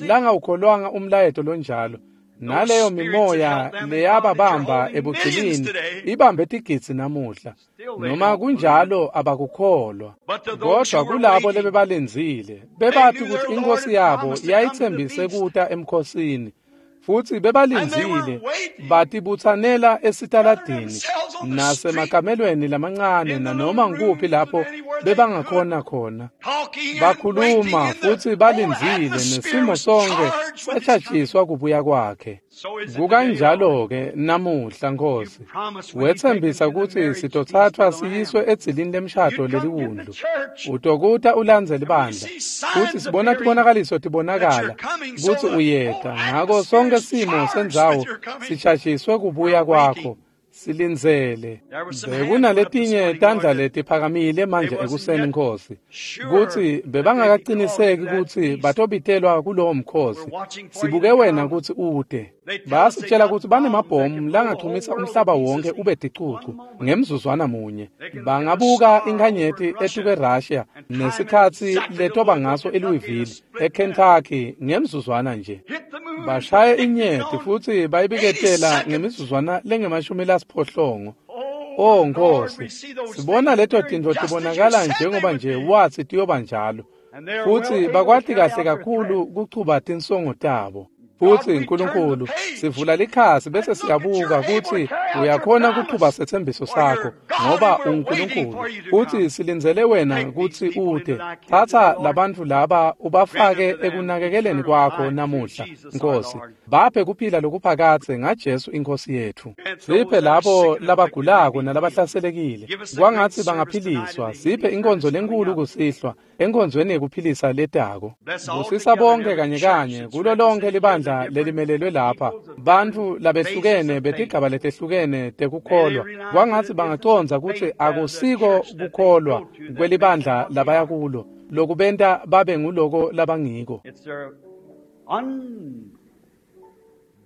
langawukholwanga umlayeto lonjalo. Naleyo mimoya leyababamba ebugcilini ibambe tigidzi namuhla. Noma kunjalo abakukholwa. Kodwa kulabo lebebalindzile, bebathi kutsi inkosi yabo yayitsembise kuta emkhosini. Futsi bebalindzile batibutsanela esitaladini nasemakamelweni lamancane nanoma ngikuphi lapho bebangakhona khona. Talking and Bakhuluma waiting in the futsi whole balindzile atmosphere nesimo was sonke charged with his coming. satshatshiswa kubuya kwakhe. So is it today, Lord. Kukanjalo-ke namuhla Nkosi, You promised when you take wetsembisa us to the kutsi marriage feast sitotsathwa of the Lamb, siyiswe edzilini lemshado you'd come get the leliwundlu. church. Utokuta ulandze And we libandla. see Futsi signs sibona appearing tibonakaliso that tibonakala you're coming, so kutsi the whole uyeta. Ngako atmosphere sonke is simo charged sendzawo with your coming. sitshashiswe kubuya We're kwakho. waiting. Silindzele. There were some hands went up this Bekunaletinye morning, Lord, tandla that letiphakamile they manje wasn't ekuseni yet Nkosi, sure kutsi that they'd be called to bebangakaciniseki that kutsi feast. batobitelwa kulowo We're mkhosi. watching for you Sibuke to wena come. kutsi ute. They tell us they Bayasitshela got kutsi bombs that banemabhomu can blow the whole langachumisa world to umhlaba pieces wonke in ube one ticucu moment. ngemzuzwana munye. They can look at a Bangabuka star over inkhanyeti in Russia etuke Russia and time it nesikhatsi exactly to letoba Louisville, ngaso Kentucky in a eLouisville, split minute. eKentucky ngemzuzwana nje. Hit the moon and Bashaye predict it inyeti on futsi eighty bayibiketela seconds. ngemizuzwana lengemashumi lasiphohlongo. Oh, O Lord, Nkosi, we see those sibona things leto appearing tintfo just as you tibonakala said they njengoba would nje be. watsi tiyoba njalo. And they are well Futsi able to bakwati carry kahle out their kakhulu threat. kuchuba tinsongo tabo. God, Futsi we turn the Nkulunkulu, page sivula likhasi bese and look at siyabuka you're able to kutsi carry out your uyakhona kuchuba promise. setsembiso For sakho you're God ngoba and we're waiting unguNkulunkulu. for you to Futsi come. silindzele wena Take these kutsi people into ute. thy care Tsatsa today, Lord. labantfu laba Grant ubafake unto them ekunakekeleni eternal kwakho life through namuhla, Jesus our Nkosi. Lord. Baphe kuphila lokuphakadze ngaJesu iNkosi yethu. Grant Siphe those that are labo sick and afflicted may labagulako be healed. nalabahlaselekile. Give us a great Kwangatsi service tonight in bangaphiliswa. the Siphe healing inkonzo service coming lenkulu up. kusihlwa enkonzweni yekuphilisa letako. Bless all Busisa together in bonke every kanye church kanye that's kulo lonke represented here, the libandla different lelimelelwe lapha. peoples of different Bantfu phases labehlukene of faith. betigaba letehlukene May they tekukholwa. realize that Kwangatsi it isn't bangacondza kutsi faith of the akusiko church that they kukholwa go to that makes them kwelibandla what they labaya are. kulo lokubenta babe nguloko labangiko. It's their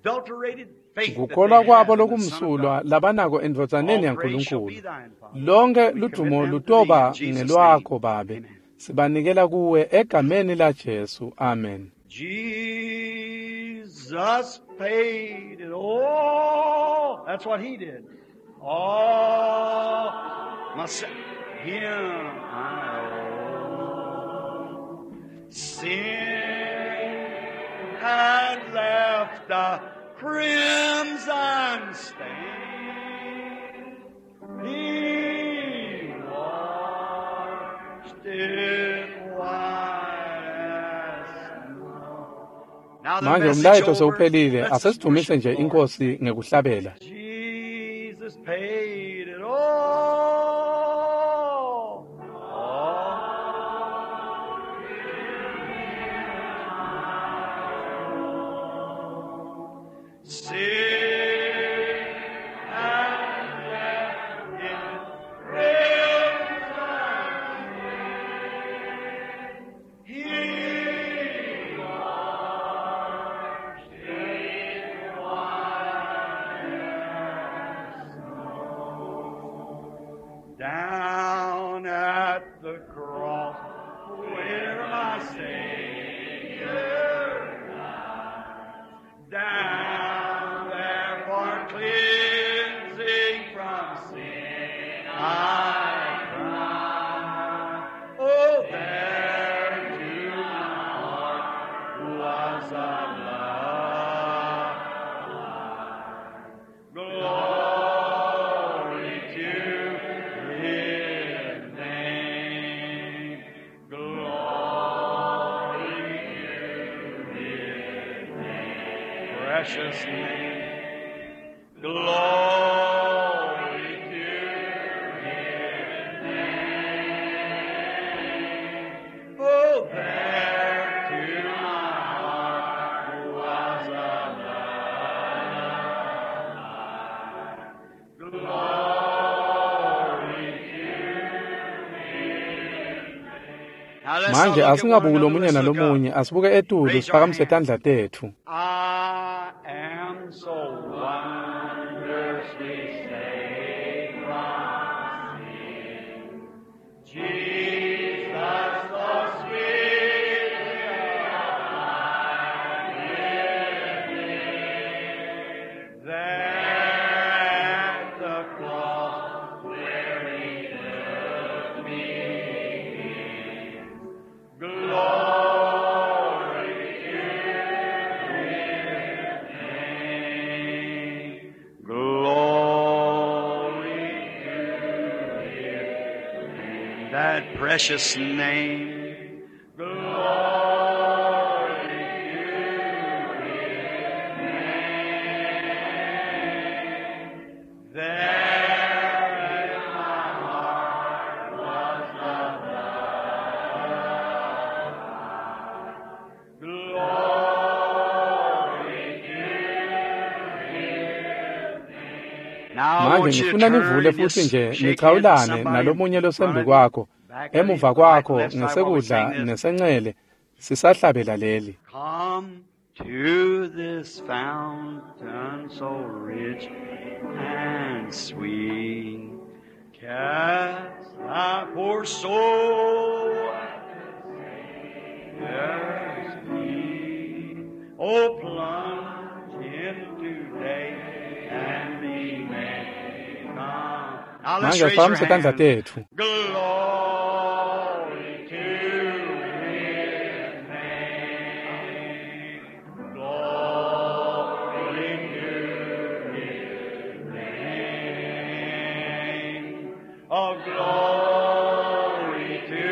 unadulterated Kukholwa kwabo lokumsulwa labanako endvodzaneni yaNkulunkulu. Lonke ludumo lutoba ngelwakho Babe. Sibanikela kuwe egameni la Jesu. Amen. Jesus paid it all. That's what he did. All my him I owe. Sin had left a crimson stain. He washed it white as snow. Now the Manje message umlayeto over. sewuphelile, Let's just asesidumise worship nje the Lord. inkosi ngekuhlabela. Jesus paid it all. All. Sin and death in crimson. He washed it white as snow. Down at the cross where my Savior died. Down there for cleansing from sin I cried. Oh, there to my heart was a love. Glory to His name. Glory to His name. Precious name. Glory to His name. Oh, there to my heart was a love. Glory to His name. Now let's not Manje look at one asingabuki another, lomunye let's look up. nalomunye, asibuke etulu Raise our siphakamise hands. tandla tetfu. I am so wondrously saved from sin. Jesus, so sweetly applied with me. There at the cross where he took me in. Glory to His name. Glory to His name. That precious name. Glory to His name. There in my heart was the love. Glory to His name. Now I Manje want you to ngifuna turn nivule and futhi just nje shake hands with nichawulane somebody nalomunye in losembi front, kwakho, back of you, emuva right, kwakho, left side while we sing ngesekudla this. nesencele, sisahlabela leli. Come to this fountain so rich and sweet. Cast thy poor soul at the Savior's feet. Oh, plunge in today and be made come. Now let's Manje raise your asiphakamise tandla hands. tetfu. Glory to His name. Glory to His name. Oh, glory to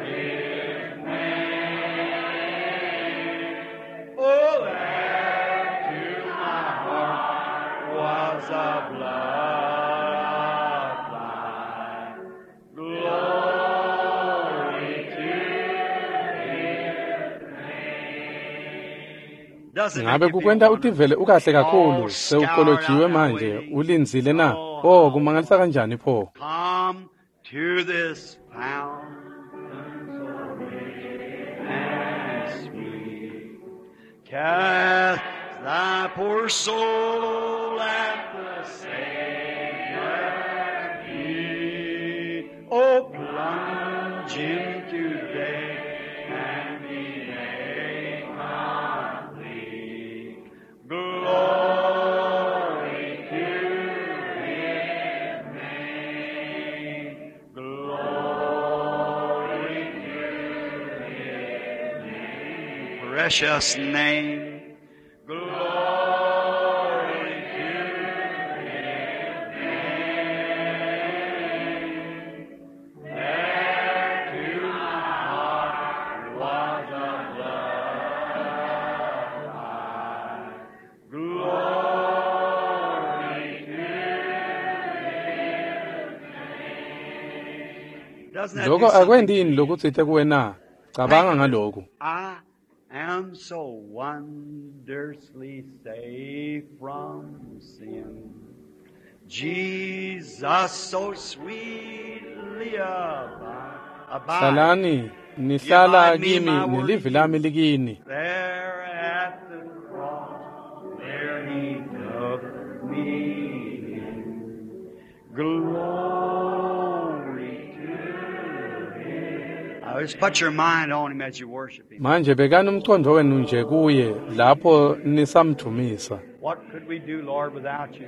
His name. Oh, there to my heart was a blood line. Glory to His name. Doesn't make Ngabe you feel kukwenta wonderful? utivele ukahle kakhulu, All scoured sewukolojiwe out now manje, waiting. ulindzile na? Oh, Oh, how kumangalisa kanjani pho? Come to this fountain so rich and sweet. Cast thy poor soul Acknowledge him today and be made complete. Glory to his name. Glory to his name. Precious name. Glory to his name. There to my heart was a blood line. Glory to his name. Doesn't that do Lokho something akwendi to yini you? lokutsite kuwe na? Cabanga ngalokhu. I am so wondrously safe from sin. Jesus so sweetly abide, abide Hlalani nihlala Abide me, kimi my word nelivi in lami you. likini. There at the cross, there he took me in. Glory to him. I just put your mind on him as you worship him. Manje bekani umqondo wenu nje kuye lapho nisamdumisa. What could we do, Lord, without you?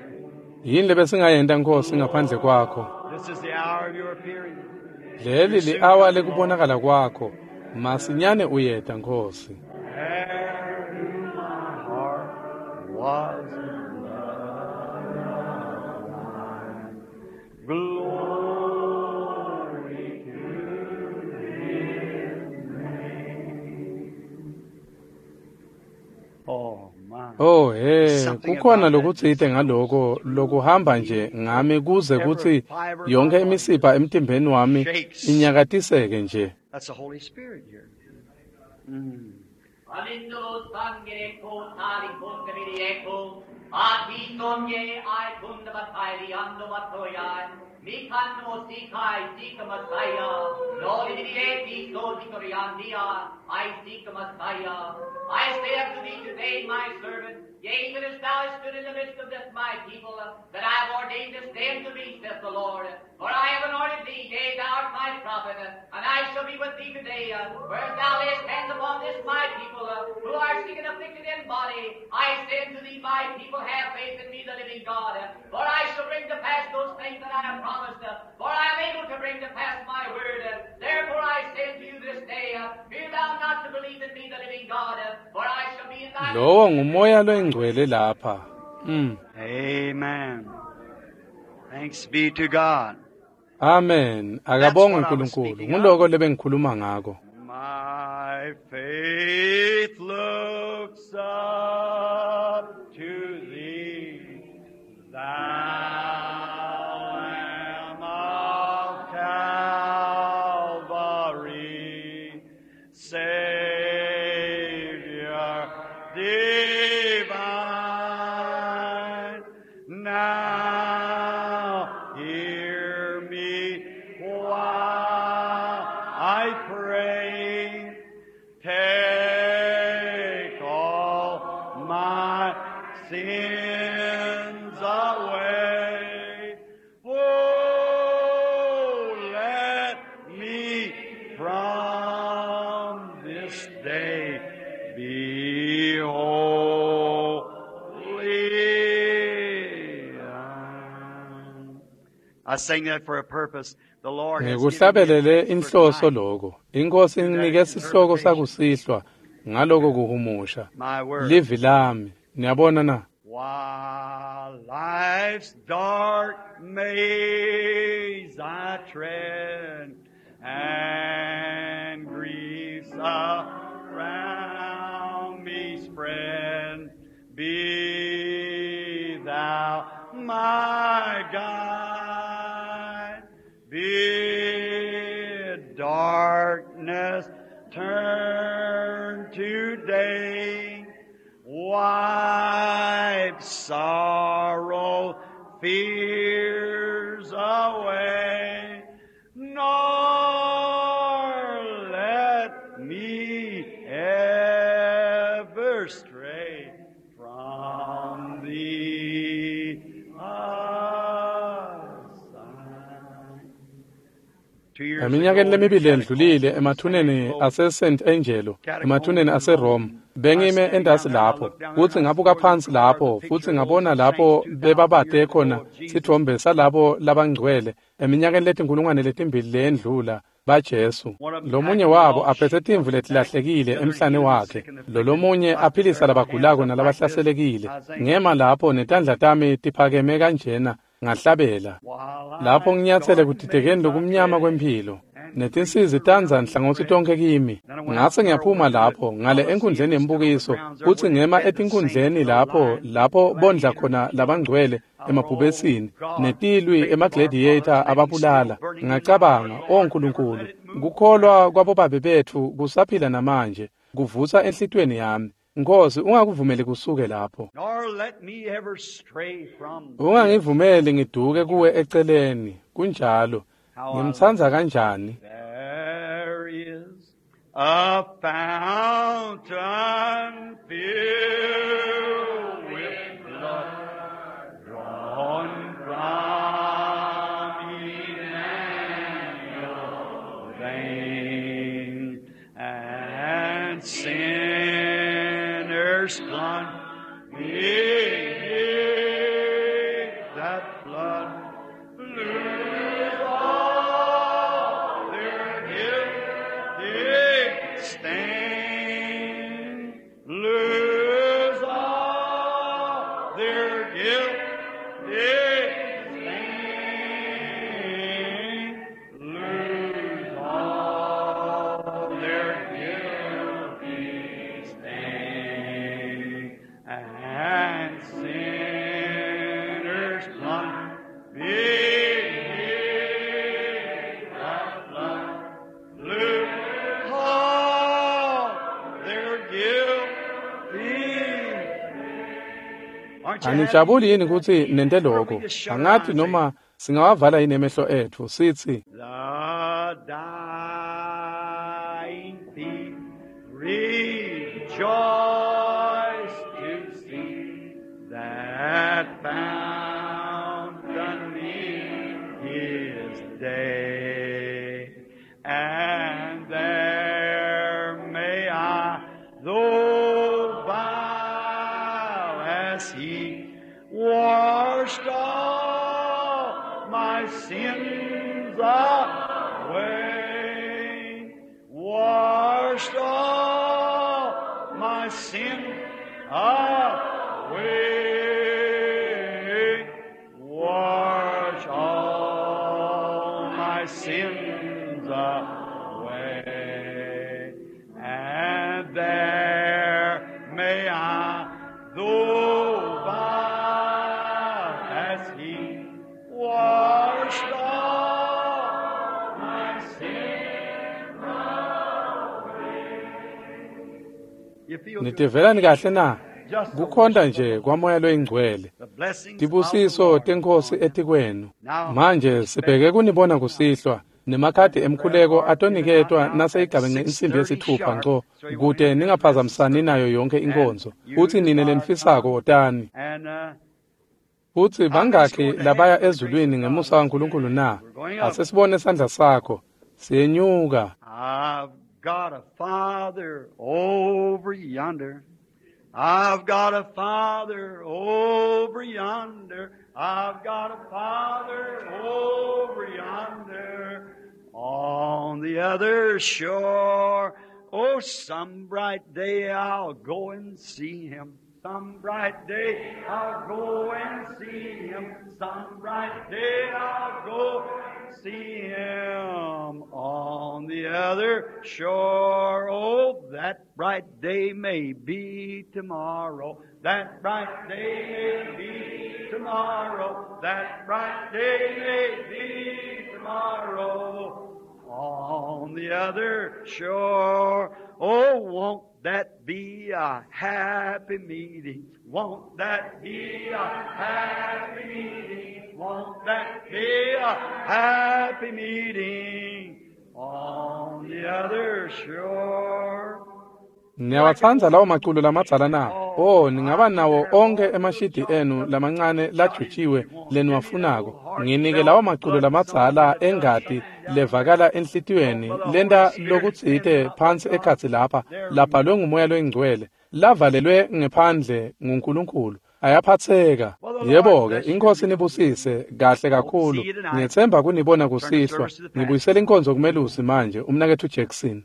Yini lebesingayenta Nkosi ngaphandle kwakho? This is the hour of your appearing. Leli li-awa lekubonakala kwakho. Masinyane uyeta Nkosi. There in my heart was blood. Glory to His name. Oh my. Oh he, Something kukhona about that lokutsite ngaloko lokuhamba nje ngami kuze every kutsi fiber of my yonke body imisipha emtimbeni wami shakes. inyakatiseke nje. That's the Holy Spirit here. Mm. Amindolo sangere ko tali kundamiri eko, ati sonye ai kundamatairi ando matoyai, mi kanno sikai sika masaya, no lidiri so dikoriandia, I seek Messiah. I say unto thee today, my servant, yea, even as thou hast stood in the midst of this my people, that I have ordained this day unto thee, saith the Lord. For I have anointed thee, yea, thou art my prophet, and I shall be with thee today. Whereas thou layest hands upon this my people, who are sick and afflicted in body, I say unto thee, my people, have faith in me, the living God. For I shall bring to pass those things that I have promised, for I am able to bring to pass my word. Therefore I say unto you this day, fear thou not to believe in me, the living God, for I shall be in thy Lowo ngumoya loyingcwele lapha. Mm. Amen. Thanks be to God. Amen. That's Akabongwe what I was uNkulunkulu. speaking of. Nguloko lebengikhuluma ngako. My faith looks up to thee, thou Lamb of Calvary, Savior divine. Now hear me while I pray. Take all my sins away. Oh, let me from this day be holy. I sang that for a purpose. The Lord has given me a Ngikuhlabelele text for inhloso tonight. lokho. Inkosi To that inginike sihloko interpretation, sakusihlwa ngaloko kuhumusha. my word. Livi lami. Niyabona na? While life's dark maze I tread, and griefs around me spread, be thou my guide. Bid darkness turn to day. Wipe sorrow, fears away, nor let me ever stray from thee aside. Two years Eminyakeni lemibili endlulile emathuneni ase-Saint Angelo, emathuneni ase-Rome, bengime entasi lapho, kutsi ngabuka phansi lapho, futsi ngabona lapho bebabate khona sitfombe salabo labangcwele eminyakeni letinkulungwane letimbili leyendlula baJesu. Lomunye wabo aphethe timvu letilahlekile emhlane wakhe, lolomunye aphilisa labagulako nalabahlaselekile. Ngema lapho netandla tami tiphakeme kanjena, ngahlabela. Lapho nginyatsele kudidekeni lokumnyama kwemphilo, netinsizi tandza nhlangothi tonke kimi. Ngase ngiyaphuma lapho ngale enkundleni yembukiso, kutsi ngema etinkundleni lapho lapho bondla khona labangcwele emabhubesini netilwi emagladiator ababulala. Ngacabanga, o Nkulunkulu, kukholwa kwabobabe betfu kusaphila namanje, kuvusa enhlitiyweni yami. Nkosi, ungakuvumeli kusuke lapho. Ungangivumeli ngiduke kuwe eceleni. Kunjalo. Ngimtsandza kanjani? There is a fountain filled with blood drawn from Emmanuel's vein, and sinners plunge beneath that blood lose all their guilty stain, lose all their guilty stain, lose all their guilty stain, and sinners plunge beneath that blood, lose all their guilty. Aren't you happy? Anijabuli yini kutsi nente lokho? Angathi noma singawavala yini emehlo etfu sithi, The dying thief rejoice to see that fountain in his day, and there may I, though vile as he, washed all my sins away, washed all my sins away, wash all my sins away, and there may I, though vile as he, washed all my sins away. You feel good? Nitivelani kahle na? Just the Kukhonta worship of nje kwamoya loyingcwele. the blessings of the Tibusiso Lord tenkosi upon you. etikwenu. Now, Manje sibheke kunibona kusihlwa nemakhadi emkhuleko atoniketwa naseyigabenxe insimbi yesithupha ngco, kute ningaphazamisani nayo yonke inkonzo. Futsi nine lenifisako wotani. And uh, Futsi bangakhi labaya ezulwini ngemusa waNkulunkulu na? Ase sibone sandla sakho. Siyenyuka. I've got a father over yonder. I've got a father over yonder. I've got a father over yonder on the other shore. Oh, some bright day I'll go and see him. Some bright day I'll go and see him. Some bright day I'll go and see him on the other shore. Oh, that bright day may be tomorrow. That bright day may be tomorrow. That bright day may be tomorrow. On the other shore. Oh, won't that be a happy meeting? Won't that be a happy meeting? Won't that be a happy meeting on the other shore? Niyawatsandza lawo maculo lamadzala na? O, ningaba nawo onke emashidi enu lamancane lajutshiwe leniwafunako. Nginike lawo maculo lamadzala engati levakala enhlitiyweni lenta lokutsite phansi ekhatsi lapha labhalwe nguMoya loyiNgcwele lavalelwe ngephandle nguNkulunkulu. Ayaphatheka. Yebo-ke, iNkosi nibusise kahle kakhulu. Ngiyetsemba kunibona kusihlwa. Ngibuyisela inkonzo kumelusi manje, umnaketfu Jackson.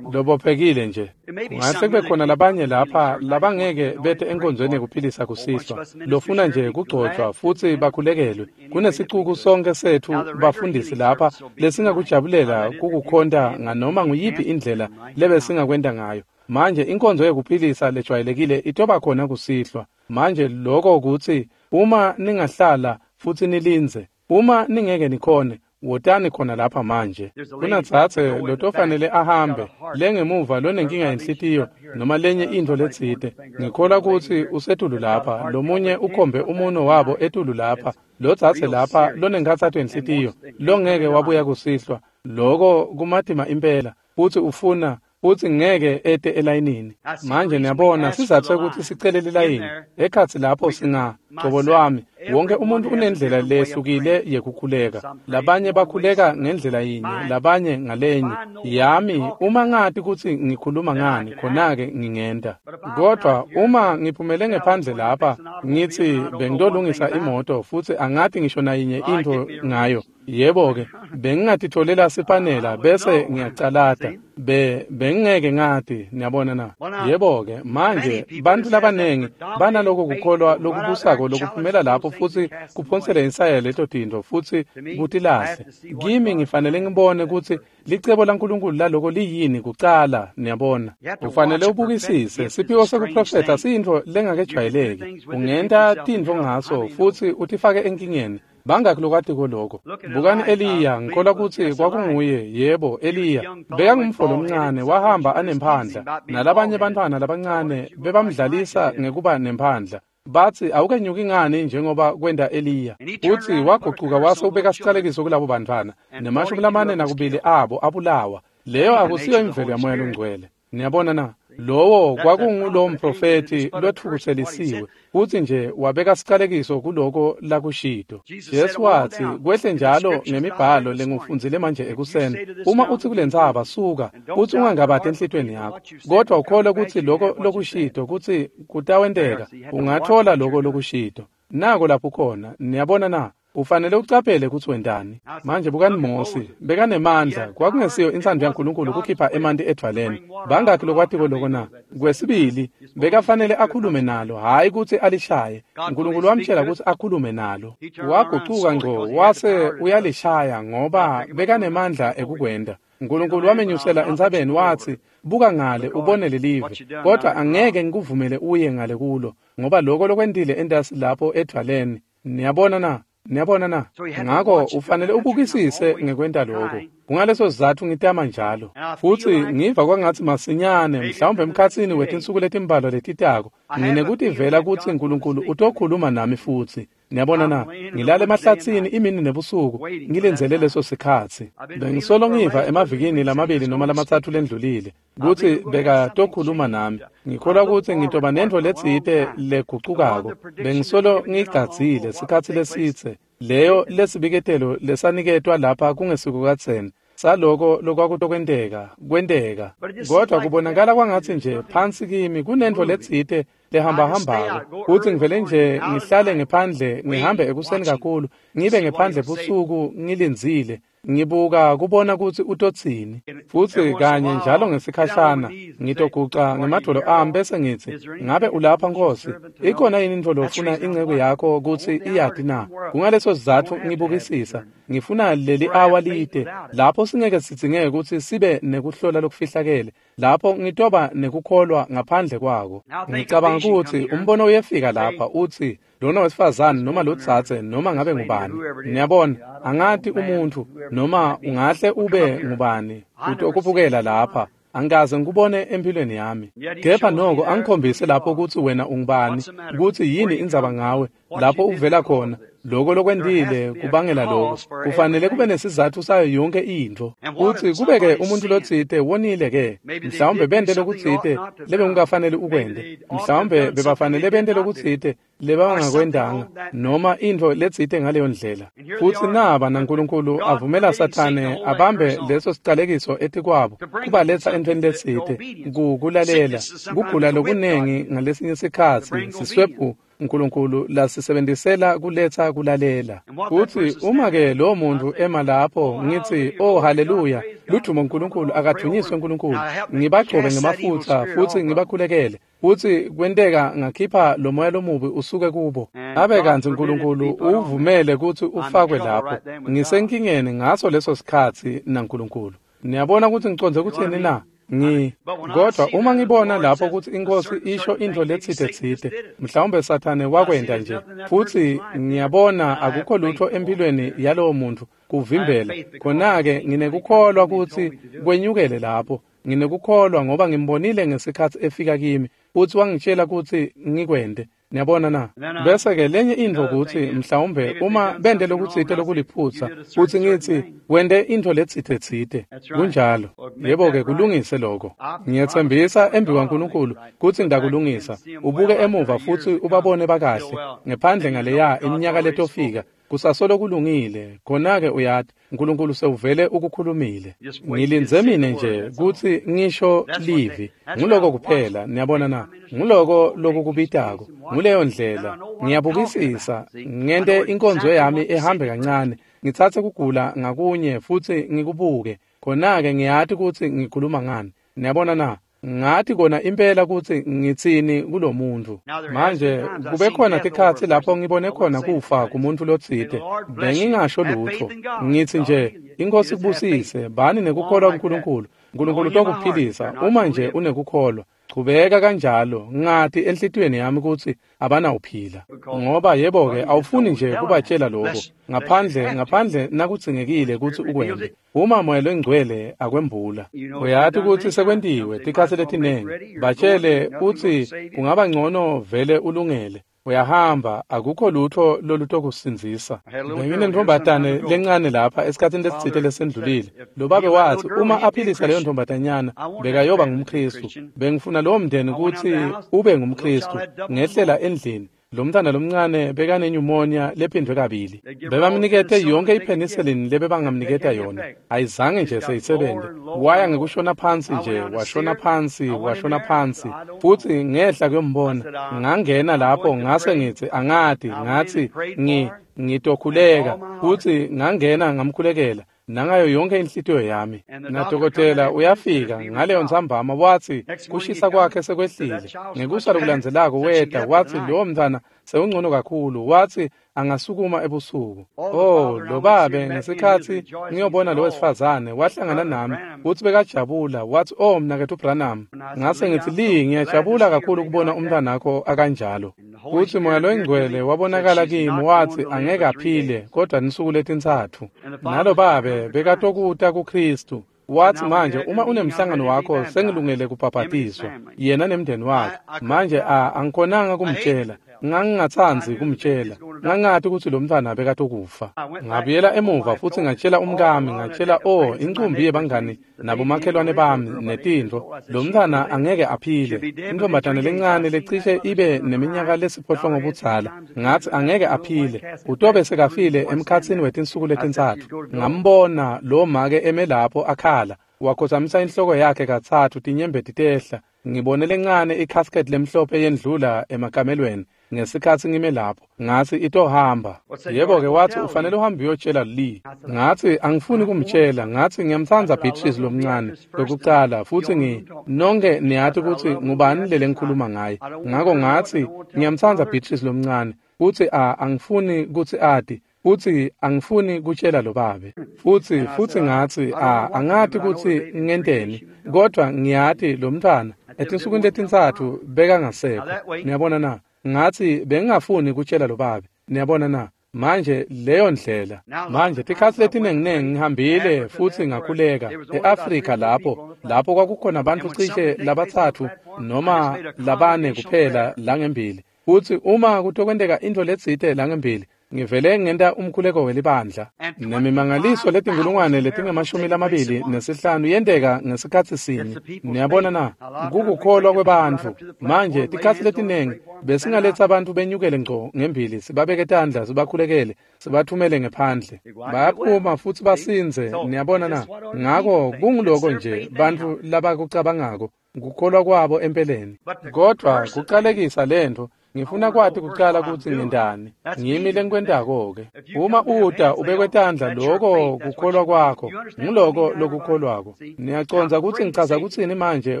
Lobophekile nje. Kungahle kube khona labanye lapha labangeke bete enkonzweni yekuphilisa kusihlwa, lofuna nje kugcotshwa futsi bakhulekelwe. Kunesicuku sonke setfu bafundisi lapha lesingakujabulela kukukhonta nganoma nguyiphi indlela lebesingakwenta ngayo. Manje inkonzo yekuphilisa lejwayelekile itoba khona kusihlwa. Manje lokho kutsi uma ningahlala futsi nilindze, uma ningeke nikhone, wotani khona lapha manje. Kunatsatse lotofanele ahambe lengemuva lonenkinga yenhlitiyo noma lenye intfo letsite. Ngikholwa kutsi usetulu lapha, lomunye ukhombe umuno wabo etulu lapha, lotsatse lapha lonenkhatsato yenhlitiyo longeke wabuya kusihlwa. Loko kumatima impela futsi ufuna futsi ngeke ete elayinini. Manje niyabona sizathu sekuthi sicele lilayini ekhatsi lapho singa cobo lwami. Wonke umuntu unendlela lehlukile yekukhuleka. Labanye bakhuleka ngendlela yinye, labanye ngalenye. Yami uma ngati kutsi ngikhuluma ngani, khona-ke ngingenta. Kodwa uma ngiphumele ngephandle lapha ngithi bengitolungisa imoto futsi angati ngisho nayinye intfo ngayo, yebo-ke bengingatitfolela sipanela bese ngiyacalata. Be bengeke ngati, niyabona na? Yebo-ke manje bantfu labanengi banaloko kukholwa lokubusako lokuphumela lapho futsi kuphonsele insaya leto tintfo futsi kutilahle. Kimi ngifanele ngibone kutsi licebo laNkulunkulu laloko liyini kucala, niyabona. Ufanele ubukisise. Siphiwo sekuprofetha siyintfo lengakejwayeleki. Ungenta tintfo ngaso futsi utifake enkingeni. Bangaki lokwatiko lokho? Bukani Eliya, ngikholwa kutsi kwakunguye, yebo, Eliya. Bekangumfo lomncane, wahamba anemphandla, nalabanye bantfwana labancane bebamdlalisa ngekuba nemphandla. Batsi awukenyuki ngani njengoba kwenta Eliya. Utsi wagucuka wase ubeka sicalekiso kulabo bantfwana, nemashumi lamane nakubili abo abulawa. Leyo akusiyo imvelo yaMoya loNgcwele. Niyabona na? Lowo kwakungulo mprofethi lotfukutselisiwe futsi nje wabeka sicalekiso kuloko lakushito. Jesu watsi kwehle njalo ngemibhalo lengufundzile manje ekuseni. Uma utsi kulentsaba suka, utsi ungangabati enhlitiyweni yakho, kodwa ukholwe kutsi loko lokushito kutsi kutawenteka, ungathola loko lokushito. Nako lapho khona, niyabona na? Ufanele ucaphele kutsi wentani. Manje bukani Mosi, bekanemandla, kwakungesiyo intsandvo yaNkulunkulu kukhipha emanti edvwaleni. Bangaki lokwatiko loko na? Kwesibili, bekafanele akhulume nalo, hhayi kutsi alishaye. Nkulunkulu wamtjela kutsi akhulume nalo. Wagucuka ngco wase uyalishaya ngoba bekanemandla ekukwenta. Nkulunkulu wamenyusela entsabeni watsi, buka ngale ubone lelive, kodwa angeke ngikuvumele uye ngale kulo, ngoba loko lokwentile entasi lapho edvwaleni. Niyabona na? Niyabona na? Ngako ufanele ubukisise ngekwenta lokho. Kungaleso sizatfu ngitama njalo. Futsi ngiva kwangatsi masinyane, mhlawumbe emkhatsini wetinsuku letimbalwa letitako, nginekutivela kutsi Nkulunkulu utokhuluma nami futsi. Niyabona na? Ngilala emahlatsini imini nebusuku, ngilindzele leso sikhatsi. Bengisolo ngiva emavikini lamabili noma lamatsatfu lendlulile kutsi bekatokhuluma nami. Ngikholwa kutsi ngitoba nentfo letsite legucukako. Bengisolo ngigadzile sikhatsi lesitse. Leyo lesibiketelo lesaniketwa lapha kungesiko kadzeni saloko lokwakutokwenteka kwenteka, kodwa kubonakala kwangatsi nje phansi kimi kunentfo letsite lehambahambako kutsi ngivele nje ngihlale ngephandle, ngihambe ekuseni kakhulu, ngibe ngephandle busuku ngilindzile, ngibuka kubona kutsi utotsini. Futsi kanye njalo ngesikhashana ngitoguca ngemadvolo ami bese ngitsi, ngabe ulapha Nkosi? Ikhona yini intfo lofuna inceku yakho kutsi iyati na? Kungaleso sizatfu ngibukisisa. Ngifuna leli awa lide lapho singeke sidzingeke kutsi sibe nekuhlola lokufihlakele, lapho ngitoba nekukholwa ngaphandle kwako. Ngicabanga kutsi umbono uyefika lapha utsi lona wesifazane noma lotsatse noma ngabe ngubani. Niyabona, angati umuntu noma ungahle ube ngubani utokubukela lapha. Angikaze ngikubone empilweni yami. Kepha noko angikhombise lapho kutsi wena ungubani, kutsi yini indzaba ngawe, Lapho uvela khona, loko lokwentile kubangela lokho. Kufanele kube nesizathu sayo yonke intfo. Kutsi kube-ke umuntu lotsite wonile-ke, mhlawumbe bente lokutsite lebekungafanele ukwente, mhlawumbe bebafanele bente lokutsite lebangakwentanga, noma intfo letsite ngaleyo ndlela. Futsi naba naNkulunkulu avumela Sathane abambe leso sicalekiso etikwabo, kubaletsa entfweni letsite, kukulalela, kugula lokunengi ngalesinye sikhatsi, siswebhu uNkulunkulu lasisebenzisela kuletsa kulalela. Futsi uma-ke lowo muntu ema lapho ngithi, oh haleluya, ludumo uNkulunkulu, akadvunyiswe uNkulunkulu, ngibagcobe ngemafutsa futsi ngibakhulekele, futsi kwenteka ngakhipha lo moya lomubi usuke kubo, abe kantsi uNkulunkulu uvumele kutsi ufakwe lapho. Ngisenkingeni ngaso leso sikhatsi naNkulunkulu. Niyabona kutsi ngicondze kutsini na? Ngi kodwa uma ngibona lapho kutsi inkosi isho intfo letsite tsite, mhlawumbe Sathane wakwenta nje, futsi ngiyabona akukho lutho empilweni yalowo muntu kuvimbela, khona-ke nginekukholwa kutsi kwenyukele lapho. Nginekukholwa ngoba ngimbonile ngesikhatsi efika kimi futsi wangitshela kutsi ngikwente. Niyabona na? Bese-ke lenye intfo kutsi mhlawumbe uma bente lokutsite lokuliphutsa, futsi ngitsi wente intfo letsite tsite. Kunjalo. Yebo-ke, kulungise lokho. Ngiyetsembisa embikwaNkulunkulu kutsi ngidakulungisa. Ubuke emuva futsi ubabone bakahle ngephandle ngaleya iminyaka letofika. Kusasolo kulungile, khona-ke uyati, uNkulunkulu sewuvele ukukhulumile. Ngilindze mine nje kutsi ngisho livi. Nguloko kuphela, niyabona na? Nguloko lokukubitako. Nguleyo ndlela. Ngiyabukisisa, ngente inkonzo yami ehambe kancane, ngitsatse kugula ngakunye futsi ngikubuke. Khona-ke ngiyati kutsi ngikhuluma ngani. Niyabona na? Ngathi kona impela kutsi ngitsini kulomuntu. Manje kube khona tikhatsi lapho ngibone khona kufa kumuntu lotsite, bengingasho lutfo. Ngitsi nje, inkosi kubusise, bani nekukholwa kuNkulunkulu. uNkulunkulu utokuphilisa uma nje unekukholwa. Chubeka kanjalo, ngati enhlitiyweni yami kutsi abanawuphila. Ngoba yebo-ke awufuni nje kubatshela lokho, ngaphandle ngaphandle nakudzingekile kutsi ukwente. Uma Moya loNgcwele akwembula, uyati kutsi sekwentiwe tikhatsi letinengi. Batshele kutsi kungaba ngcono vele ulungele. Uyahamba, akukho lutho lolutokusindzisa. Benginentombatane lencane lapha esikhatsini lesitsite lesendlulile. Lo babe wathi uma aphilisa leyo ntombatanyana bekayoba ngumKhristu. Bengifuna lowo mndeni kutsi ube ngumKhristu. Ngehlela endlini, lo mntana lomncane bekane-pneumonia lephindwe kabili. Bebamnikete yonke ipenicillin lebebangamniketa yona. Ayizange nje seyisebente. Waya ngekushona phansi nje, washona phansi, washona phansi. Futsi ngehla kuyombona. Ngangena lapho ngase ngitsi angati, ngatsi ngi ngitokhuleka. Futsi ngangena ngamkhulekela nangayo yonke inhlitiyo yami. Nadokotela uyafika ngaleyo ntsambama watsi kushisa kwakhe sekwehlile. Ngekusa lokulandzelako weta watsi lowo mntfwana sewungcono kakhulu, watsi angasukuma ebusuku. Oh, lo babe ngesikhatsi ngiyobona lo wesifazane wahlangana nami futsi bekajabula, watsi oh mnaketfu Branham. Ngase ngitsi Lee, ngiyajabula kakhulu kubona umntwanakho akanjalo. Futsi Moya loNgcwele wabonakala kimi watsi angeke aphile kodwa insuku letintsatfu. Nalo babe bekatokuta kuKhristu. Watsi manje uma unemhlangano wakho sengilungele kubhabhatiswa, yena nemndeni wakhe. Manje a angikhonanga kumtshela, ngangingatsandzi kumtshela, ngangati kutsi lo mntfwana bekatokufa. Ngabuyela emuva futsi ngatshela umkami, ngatshela oh incumbi yebangani nabomakhelwane bami netintfo, lo mntfwana angeke aphile. Intombatane lencane lecishe ibe neminyaka lesiphohlongo budzala, ngatsi angeke aphile, utobe sekafile emkhatsini wetinsuku letintsatfu. Ngambona lo make eme lapho akhala, wakhotsamisa inhloko yakhe katsatfu tinyembeti tehla. Ngibone lencane i-casket lemhlophe yendlula emakamelweni ngesikhatsi ngime lapho. Ngatsi itohamba. Yebo-ke wathi ufanele uhambe uyotshela Lee. Ngatsi angifuni kumtshela, ngatsi ngiyamtsandza Beatrice lomncane lokucala futsi ngi nonke niyati kutsi ngubani lele ngikhuluma ngaye. Ngako ngatsi ngiyamtsandza Beatrice lomncane futsi a angifuni kutsi ati. Futsi angifuni kutshela lo babe. Futsi futsi ngatsi a angati kutsi ngenteni, kodwa ngiyati lo mntfwana etinsukwini letintsatfu bekangasekho. Niyabona na? Ngatsi bengingafuni kutshela lo babe. Niyabona na? Manje leyo ndlela. Manje tikhatsi letinenginengi ngihambile futsi ngakhuleka e-Afrika lapho lapho kwakukhona bantfu cishe labatsatfu noma labane kuphela langembili. Futsi uma kutokwenteka intfo letsite langembili, ngivele ngenta umkhuleko welibandla. Nemimangaliso letinkulungwane letingemashumi lamabili nesihlanu yenteka ngesikhatsi sinye. Niyabona na? Kukukholwa kwebantfu. Manje tikhatsi letinengi besingaletsa abantu benyukele ngco ngembili, sibabeke tandla, sibakhulekele, sibathumele ngephandle. Bayaphuma futsi basindze. Niyabona na? Ngako kunguloko nje bantfu labakucabangako, kukholwa kwabo empeleni. Kodvwa kucalekisa lentfo, ngifuna kwati kucala kutsi ngentani. Ngimi lengikwentako-ke. Uma uta ubekwe tandla, loko kukholwa kwakho, nguloko lokukholwako. Niyacondza kutsi ngichaza kutsini manje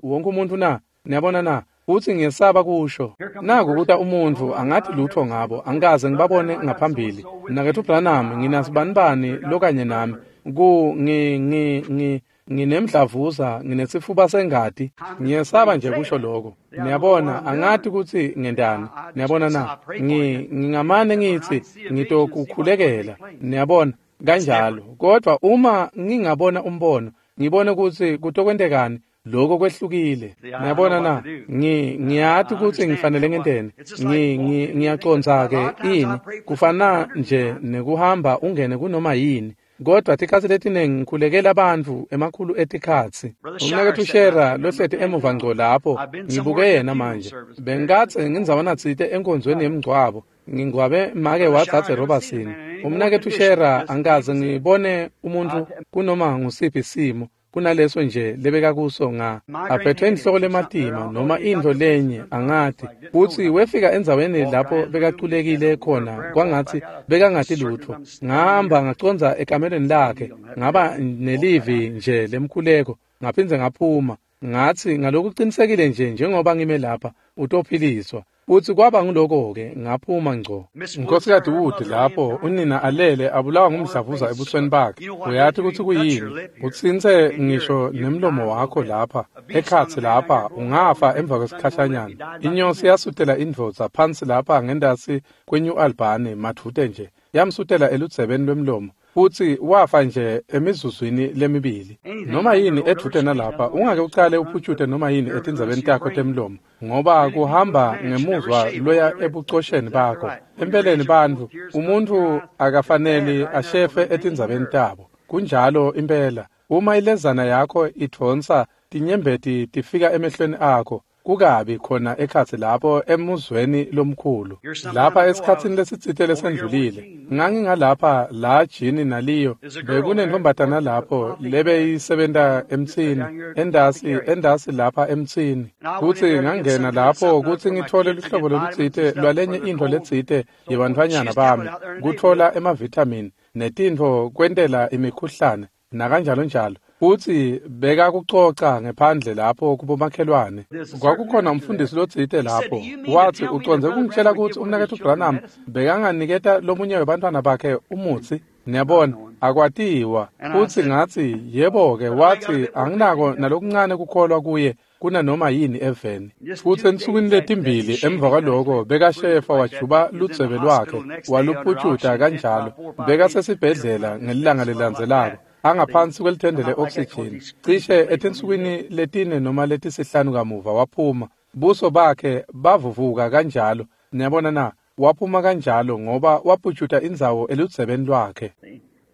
wonke umuntfu na? Niyabona na? Futsi ngiyesaba kusho. Naku kuta umuntfu angathi lutho ngabo, angikaze ngibabone ngaphambili. Mnaketfu Branham, nginasibanibani lokanye nami. Ku ngi ngi ngi nginemdlavuza, nginesifuba sengati. Ngiyesaba nje kusho lokho. Niyabona, angati kutsi ngentani. Niyabona na? Ngi ngingamane ngitsi ngitokukhulekela. Niyabona, kanjalo. Kodwa uma ngingabona umbono, ngibone kutsi kutokwentekani, lokho kwehlukile. Niyabona na? Ngi ngiyati kutsi ngifanele ngenteni. Ngi ngi ngiyacondza ke ini. Kufana nje nekuhamba ungene kunoma yini. Kodwa tikhatsi letinengi ngikhulekela bantfu emakhulu etikhatsi. Umnaketfu Shera lohleti emuva ngco lapho, ngibuke yena manje. Bengikadze ngindzawana tsite enkonzweni yemngcwabo, ngingcwabe make wadzadze Robertson. Umnaketfu Shera angikaze ngibone umuntfu kunoma ngusiphi simo kunaleso nje lebekakuso nga aphethwe inhloko lematima noma intfo lenye angati. Futsi wefika endzaweni lapho bekaculekile khona kwangatsi bekangati lutfo. Ngahamba ngacondza ekamelweni lakhe, ngaba nelivi nje lemkhuleko, ngaphindze ngaphuma. Ngatsi ngalokucinisekile nje njengoba ngime lapha utophiliswa. Futsi kwaba nguloko-ke ngaphuma ngco. Nkhosikati Wood lapho unina alele abulawa ngumdlavuza ebusweni bakhe. Uyati kutsi kuyini? Utsintse ngisho nemlomo wakho lapha, ekhatsi lapha, ungafa emva kwesikhashanyana. Inyosi yasutela indvodza phansi lapha ngendasi kweNew Albany madvute nje. Yamsutela eludzebeni lwemlomo. Futsi wafa nje emizuzwini lemibili. Noma yini edvute nalapha, ungake ucale uphutshute noma yini etindzabeni takho temlomo, ngoba kuhamba ngemuzwa loya ebucosheni bakho. Empeleni bantfu, umuntfu akafaneli ashefe etindzabeni tabo. Kunjalo impela. Uma ilezana yakho idvonsa tinyembeti tifika emehlweni akho, kukabi khona ekhatsi lapho emuzweni lomkhulu. Lapha esikhatsini lesitsite lesendlulile, ngangingalapha la Jini naliyo, bekunentombatana lapho lebeyisebenta emtsini, endasi endasi lapha emtsini. Futsi ngangena lapho kutsi ngithole luhlobo lolutsite lwalenye intfo letsite yebantfwanyana bami, kutfola emavithamini netintfo kwentela imikhuhlane nakanjalo njalo. Futsi bekakucoca ngephandle lapho kubomakhelwane. Kwakukhona umfundisi lotsite lapho. Watsi ucondze kungitshela kutsi umnaketfu Branham bekanganiketa lomunye webantfwana bakhe umutsi. Niyabona, akwatiwa. Futsi ngatsi, yebo-ke, watsi anginako nalokuncane kukholwa kuye kunanoma yini eveni. Futsi ensukwini letimbili emva kwaloko bekashefa wajuba ludzebe lwakhe waluphutshuta kanjalo. Bekasesibhedlela ngelilanga lelilandzelako, angaphansi kwelithende le-oxygen. Cishe etinsukwini letine noma letisihlanu kamuva waphuma. Buso bakhe bavuvuka kanjalo. Niyabona na? Waphuma kanjalo ngoba waphutshuta indzawo eludzebeni lwakhe.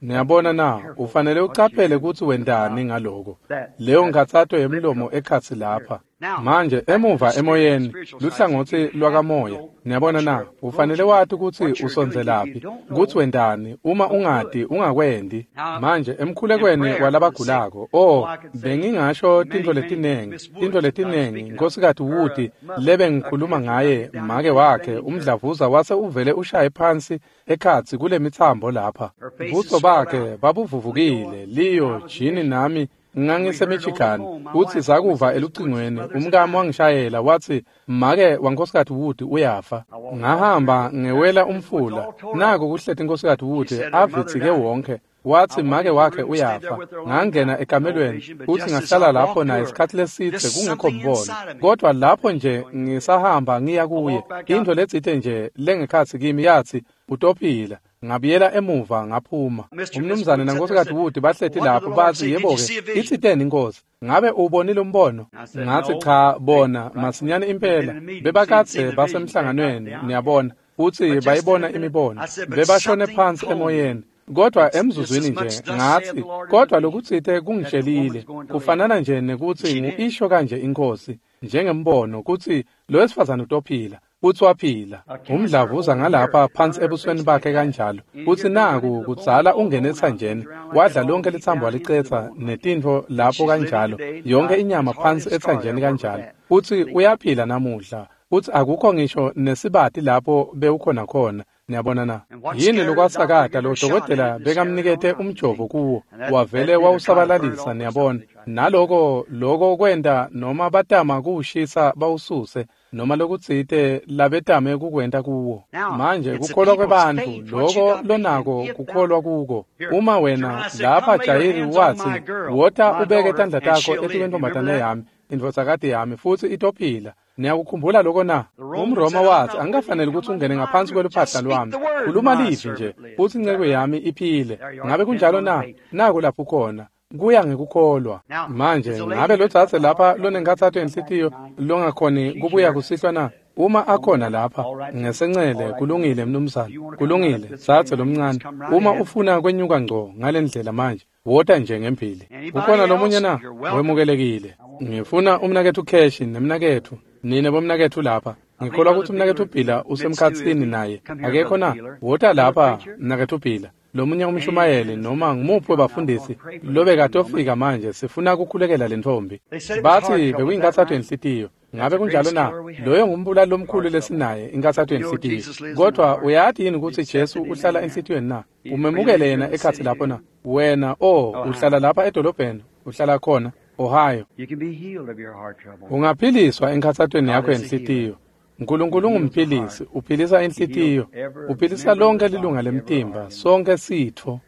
Niyabona na? Ufanele ucaphele kutsi wentani ngaloko. Leyo nkhatsato yemlomo ekhatsi lapha. Manje emuva emoyeni, luhlangotsi lwakamoya. Niyabona na? Ufanele wati kutsi usondzelaphi, kutsi wentani. Uma ungati, ungakwendi. Manje emkhulekweni walabagulako, oh, bengingasho tintfo letinengi, tintfo letinengi. Nkhosikati Wood lebe ngikhuluma ngaye, make wakhe, umdlavuza wase uvele ushaye phansi ekhatsi kulemitsambo lapha. Buso bakhe babuvuvukile, Leo, Jini nami ngangiseMichigan. Futsi sakuva elucingweni, umkami wangishayela watsi make waNkhosikati Wood uyafa. Ngahamba ngewela umfula, naku kuhleti Nkhosikati Wood avitsike wonke. Watsi make wakhe uyafa. Ngangena ekamelweni futsi ngahlala lapho naye isikhatsi lesidze kungekho mbono. Kodwa lapho nje ngisahamba ngiya kuye, intfo letsite nje lengekhatsi kimi yatsi utophila. Ngabuyela emuva ngaphuma. Umnumzane nankosikazi Wood bahleti lapho bathi, yebo-ke, itsiteni inkosi, ngabe uwubonile umbono? Ngathi cha, bona masinyane impela bebakadze basemhlanganweni, niyabona, futsi bayibona imibono, bebashone phansi emoyeni. Kodwa emzuzwini nje ngathi, kodwa lokutsite kungitshelile, kufanana nje nekutsi ngu-isho kanje inkosi, njengembono kutsi lo wesifazane utophila. Futsi waphila. Umdlavuza ngalapha phansi ebusweni bakhe kanjalo. Futsi naku kudzala ungene etsanjeni, wadla lonke litsambo walicetsa netintfo lapho kanjalo, yonke inyama phansi etsanjeni kanjalo. Futsi uyaphila namuhla. Futsi akukho ngisho nesibati lapho bewukhona khona. Niyabona na? Yini lokwasakata lo dokotela bekamnikete umjovo kuwo, wavele wawusabalalisa, niyabona. Naloko loko kwenta noma batama kuwushisa bawususe, noma lokutsite labetame kukwenta kuwo. Manje kukholwa kwebantfu, loko lonako kukholwa kuko. Uma wena lapha Jayiri watsi, wota ubeke tandla takho etikwentombazane yami, indvodzakati yami, futsi itophila. Niyakukhumbula loko na? UmRoma wathi, angikafanele ukuthi ungene ngaphansi kweluphahla lwami. Khuluma livi nje, futsi inceku yami iphile. Ngabe kunjalo na? Naku lapho khona. Kuya ngekukholwa. Manje ngabe lodzadze lapha lonenkhatsato yenhlitiyo longakhoni kubuya kusihlwa na? Uma akhona lapha ngesencele, kulungile mnumzane, kulungile dzadze lomncane. Uma ufuna kwenyuka ngco ngalendlela manje, wota nje ngembili. Ukhona lomunye na? Wemukelekile. Ngifuna umnaketfu Cash nemnaketfu, nine bomnaketfu lapha. Ngikholwa ukuthi umnaketfu Phila usemkhatsini naye. Akekho na? Wota lapha mnaketfu Phila. Lomunye umshumayeli noma ngumuphi webafundisi lobekatofika manje, sifuna kukhulekela lentfombi. Bathi bekuyinkhatsato yenhlitiyo. Ngabe kunjalo na? Loyo ngumbulali lomkhulu lesinaye, inkhatsato yenhlitiyo. Kodwa uyati yini kutsi Jesu uhlala enhlitiyweni na? Umemukele yena ekhatsi lapho na? Wena, oh, uhlala lapha edolobheni, uhlala khona, Ohio. Ungaphiliswa enkhatsatweni yakho yenhlitiyo. Nkulunkulu ungumphilisi, uphilisa inhlitiyo, uphilisa lonke lilunga lemtimba, sonke sitfo.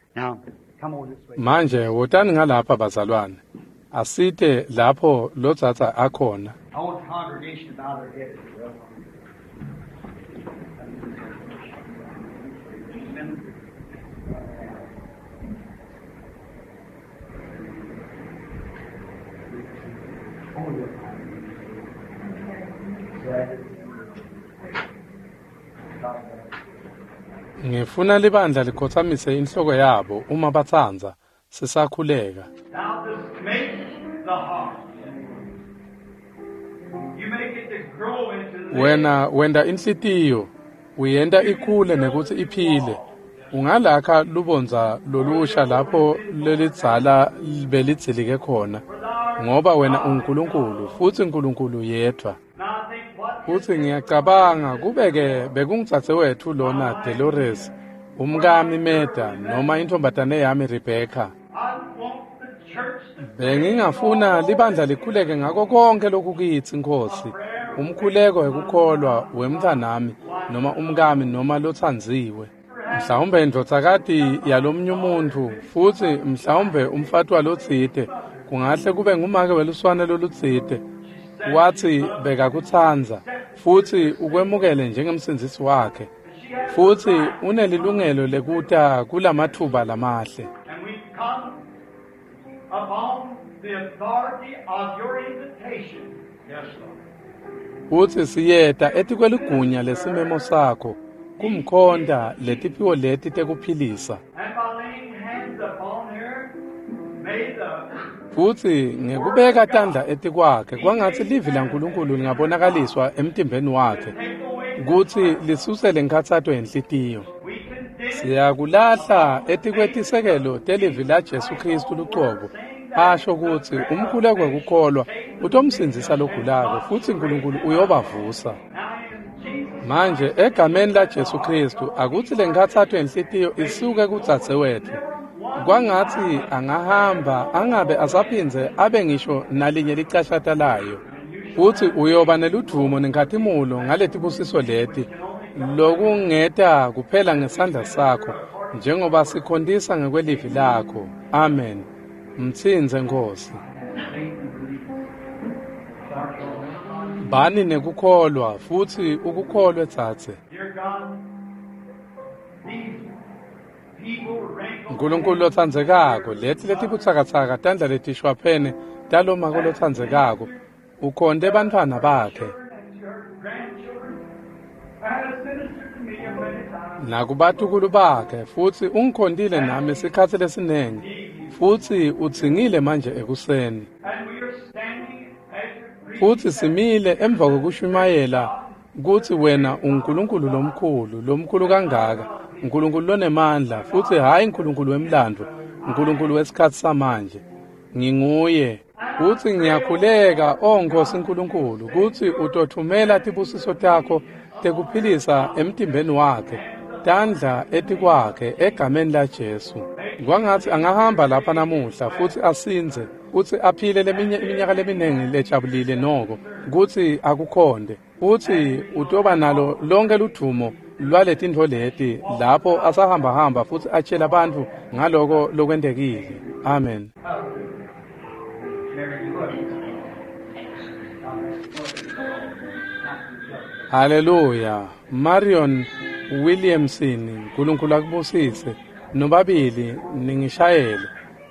Manje wotani ngalapha bazalwane. Asite lapho lodzadza akhona. Ngifuna libandla likhotsamise inhloko yabo uma batsandza, sisakhuleka. Wena wenta inhlitiyo, uyenta ikhule nekutsi iphile. Ungalakha lubondza lolusha lapho lelidzala belidzilike khona, ngoba wena unguNkulunkulu futsi uNkulunkulu yedvwa. Futsi ngiyacabanga kube-ke bekungdzadzewetfu lona Dolores, umkami Meda, noma intfombatane yami Rebecca. Bengingafuna libandla likhuleke ngako konke lokukitsi Nkosi. Umkhuleko wekukholwa wemntfanami noma umkami noma lotsandziwe. Mhlawumbe indvodzakati yalomunye umuntfu, futsi mhlawumbe umfati walotsite, kungahle kube ngumake weluswane lolutsite. Watsi bekakutsandza futsi ukwemukele njengemsindzisi wakhe, futsi unelilungelo lekuta kulamatfuba lamahle. Futsi siyeta etikweligunya lesimemo sakho kumkhonta letiphiwo leti tekuphilisa. Futsi ngekubeka tandla etikwakhe, kwangatsi livi laNkulunkulu lingabonakaliswa emtimbeni wakhe, kutsi lisuse lenkhatsato yenhlitiyo. Siyakulahla etikwetisekelo telivi laJesu Khristu lucobo, asho kutsi umkhuleko wekukholwa utomsindzisa logulako, futsi Nkulunkulu uyobavusa. Manje egameni laJesu Khristu, akutsi lenkhatsato yenhlitiyo isuke kudzadzewetfu. Kwangatsi angahamba angabe asaphindze abe ngisho nalinye licashata layo. Futsi uyoba neludvumo nenkhatimulo ngaletibusiso leti, lokungeta kuphela ngesandla sakho, njengoba sikhontisa ngekwelivi lakho. Amen. Mtsintse Nkosi. Bani nekukholwa futsi ukukholwe dzadze. Nkulunkulu lotsandzekako, leti letibutsakatsaka tandla letishwaphene talomake lotsandzekako ukhonte bantfwana bakhe nakubatukulu bakhe, futsi ungikhontile nami sikhatsi lesinengi, futsi udzingile manje ekuseni. Futsi simile emva kwekushumayela kutsi wena unguNkulunkulu lomkhulu, lomkhulu kangaka, uNkulunkulu lonemandla, futsi hhayi uNkulunkulu wemlandvo, uNkulunkulu wesikhatsi samanje. Nginguye. Futsi ngiyakhuleka, o Nkosi Nkulunkulu, kutsi utothumela tibusiso takho tekuphilisa emtimbeni wakhe, tandla etikwakhe egameni laJesu. Kwangatsi angahamba lapha namuhla futsi asindze, futsi aphile leminye iminyaka leminengi lejabulile noko, kutsi akukhonde, futsi utoba nalo lonke ludvumo lwaletintfo leti lapho asahambahamba futsi atshela bantfu ngaloko lokwentekile. Amen. Haleluya. Marion Williamson, Nkulunkulu akubusise. Nobabili ningishayele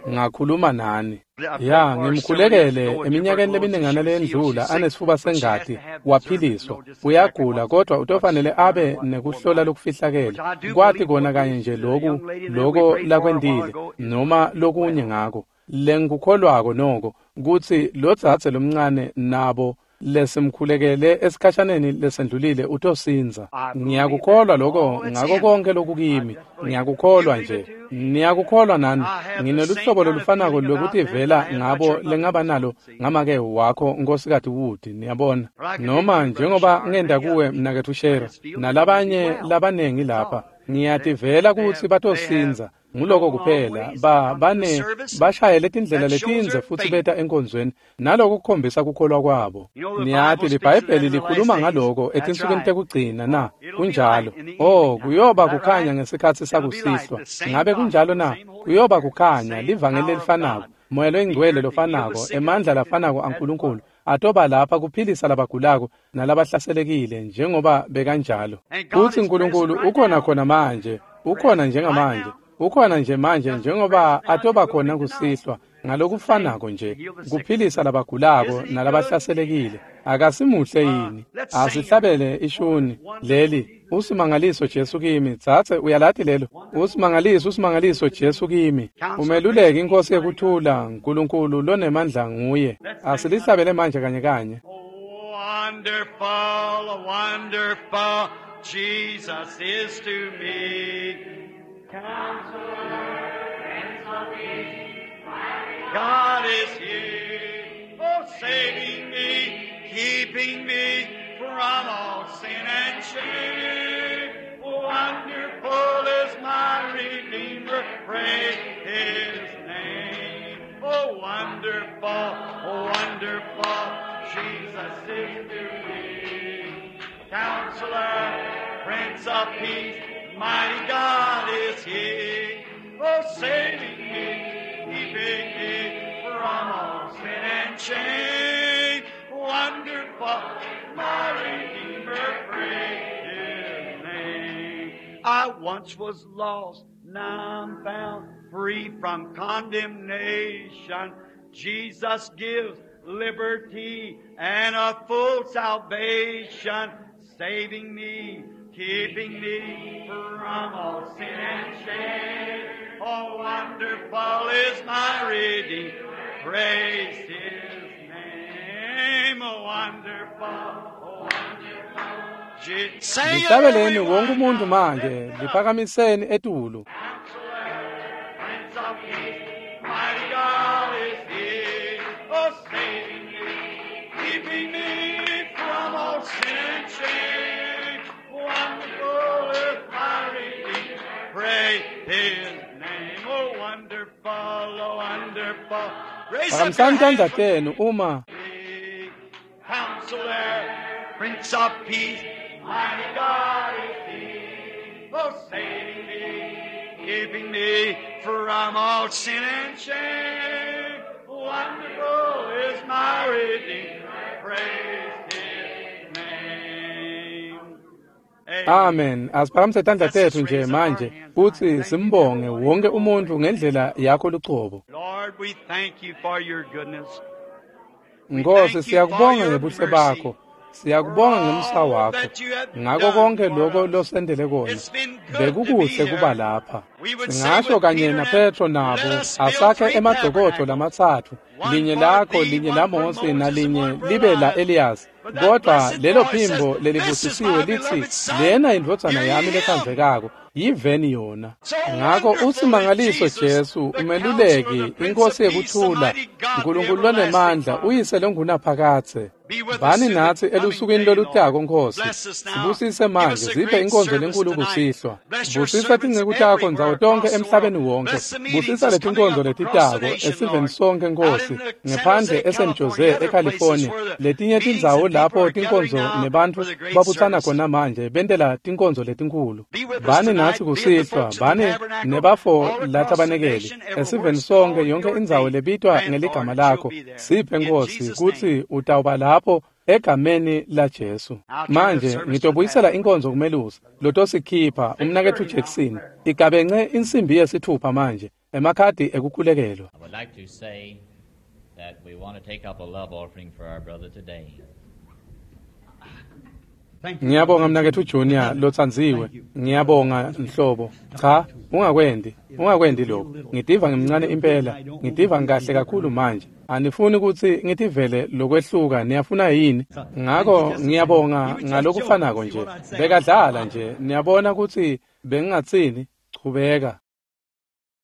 ngakhuluma nani. Ya, ngimkhulekele eminyakeni leminingana leyendlula anesifuba sengati waphiliswa. Uyagula kodwa utofanele abe nekuhlola lokufihlakele. Kwati kona kanye nje loku loko lakwentile noma lokunye ngako. Lengikukholwako noko kutsi lodzadze lomncane nabo lesimkhulekele esikhashaneni lesendlulile utosindza. Ngiyakukholwa lokho ngako konke lokukimi. Ngiyakukholwa nje. Niyakukholwa nani. Ngineluhlobo lolufanako lwekutivela ngabo lengaba nalo ngamake wakho Nkosikati Wood, niyabona. Noma njengoba ngenda kuwe mnaketfu Shera nalabanye labanengi lapha, ngiyativela kutsi batosindza. Nguloko kuphela ba bane bashayele tindlela letindze futsi beta enkonzweni naloko kukhombisa kukholwa kwabo. Niyati liBhayibheli likhuluma ngaloko etinsukwini tekugcina na kunjalo. Oh, kuyoba kukhanya ngesikhatsi sakusihlwa. Ngabe kunjalo na? Kuyoba kukhanya livangeli lelifanako, Moya loyingcwele lofanako, emandla lafanako aNkulunkulu atoba lapha kuphilisa labagulako nalabahlaselekile njengoba bekanjalo. Futsi Nkulunkulu ukhona khona manje, ukhona njengamanje. Ukhona nje manje njengoba atoba khona kusihlwa ngalokufanako nje kuphilisa labagulako nalabahlaselekile. Akasimuhle yini? Asihlabele ishuni leli usimangaliso Jesu kimi. Tsatse uyalati lelo usimangaliso, usimangaliso Jesu kimi. Umeluleki inkosi yekuthula, Nkulunkulu lonemandla nguye. Asilihlabele manje kanye kanye. Wonderful, wonderful Jesus is to me. Counselor, Prince of Peace, God is here, oh, saving me, keeping me from all sin and shame. Wonderful is my Redeemer, praise His name. Oh, wonderful, wonderful Jesus is to me. Counselor, Prince of Peace, mighty God is He, oh, saving me, keeping me from all sin and shame. Wonderful, my Redeemer, praise His name. I once was lost, now I'm found, free from condemnation. Jesus gives liberty and a full salvation, saving me, keeping me from all sin and shame. Oh, wonderful is my Redeemer, praise His name. Oh, wonderful, oh, wonderful. Lihlabeleni wonke umuntu manje, liphakamiseni etulu. Prince of Peace, mighty God is He, oh, saving me, keeping me from all sin and shame. Wonderful is my Redeemer, praise His name. Oh, wonderful, oh, wonderful. Raise up your Phakamisani tandla hands. tenu uma Counselor, Prince of Peace, mighty God is He, oh, saving me, keeping me from all sin and shame. Wonderful is my Redeemer, praise His name. Amen. Asiphakamise tandla tetfu nje manje kutsi simbonge wonke umuntfu ngendlela yakho lucobo. Lord, we thank you for your goodness. Nkosi, siyakubonga ngebuhle bakho. Siyakubonga ngemsa wakho. Ngako konke lokho losendele kona. Bekukuhle kuba lapha. Singasho kanye naPetro nabo asakhe emadokodo lamatsatfu, linye lakho, linye laMose nalinye libe la Elias. Kodwa lelo phimbo lelibusisiwe litsi, lena indvodzana yami letsandzekako, yiveni yona. Ngako usimangaliso Jesu, umeluleki, inkosi yekuthula, Nkulunkulu lonemandla, uyise longunaphakadze. Bani natsi elusukwini lolutako Nkosi. Sibusise manje, ziphe inkonzo lenkulu kusihlwa. Busisa tinceku takho ndzawo tonkhe emhlabeni wonke. Busisa letinkonzo letitako esiveni sonke Nkosi, ngephandle eSan Jose eCalifornia, letinye tindzawo lapho tinkonzo nebantfu babutsana khona manje bentela tinkonzo letinkhulu. Bani natsi kusihlwa, bani nebafo latabanekeli esiveni sonke, yonke indzawo lebitwa ngeligama lakho. Siphe Nkosi kutsi utawuba lapho egameni la Jesu. Manje ngitobuyisela inkonzo kumelusi lotosikhipha umnaketfu Jackson. Igabence insimbi yesithupha manje, emakhadi ekukhulekelwa. I would like to say that we want to take up a love offering for our brother today. Ngiyabonga mnaketfu Junior lotsandziwe. Ngiyabonga nhlobo. Cha, ungakwendi, ungakwendi lokho. Ngitiva ngimncane impela, ngitiva ngikahle kakhulu manje. Anifuni kutsi ngitivele lokwehluka, niyafuna yini? Ngako ngiyabonga ngalokufanako nje. Bekadlala nje, niyabona kutsi bengingatsini? Chubeka.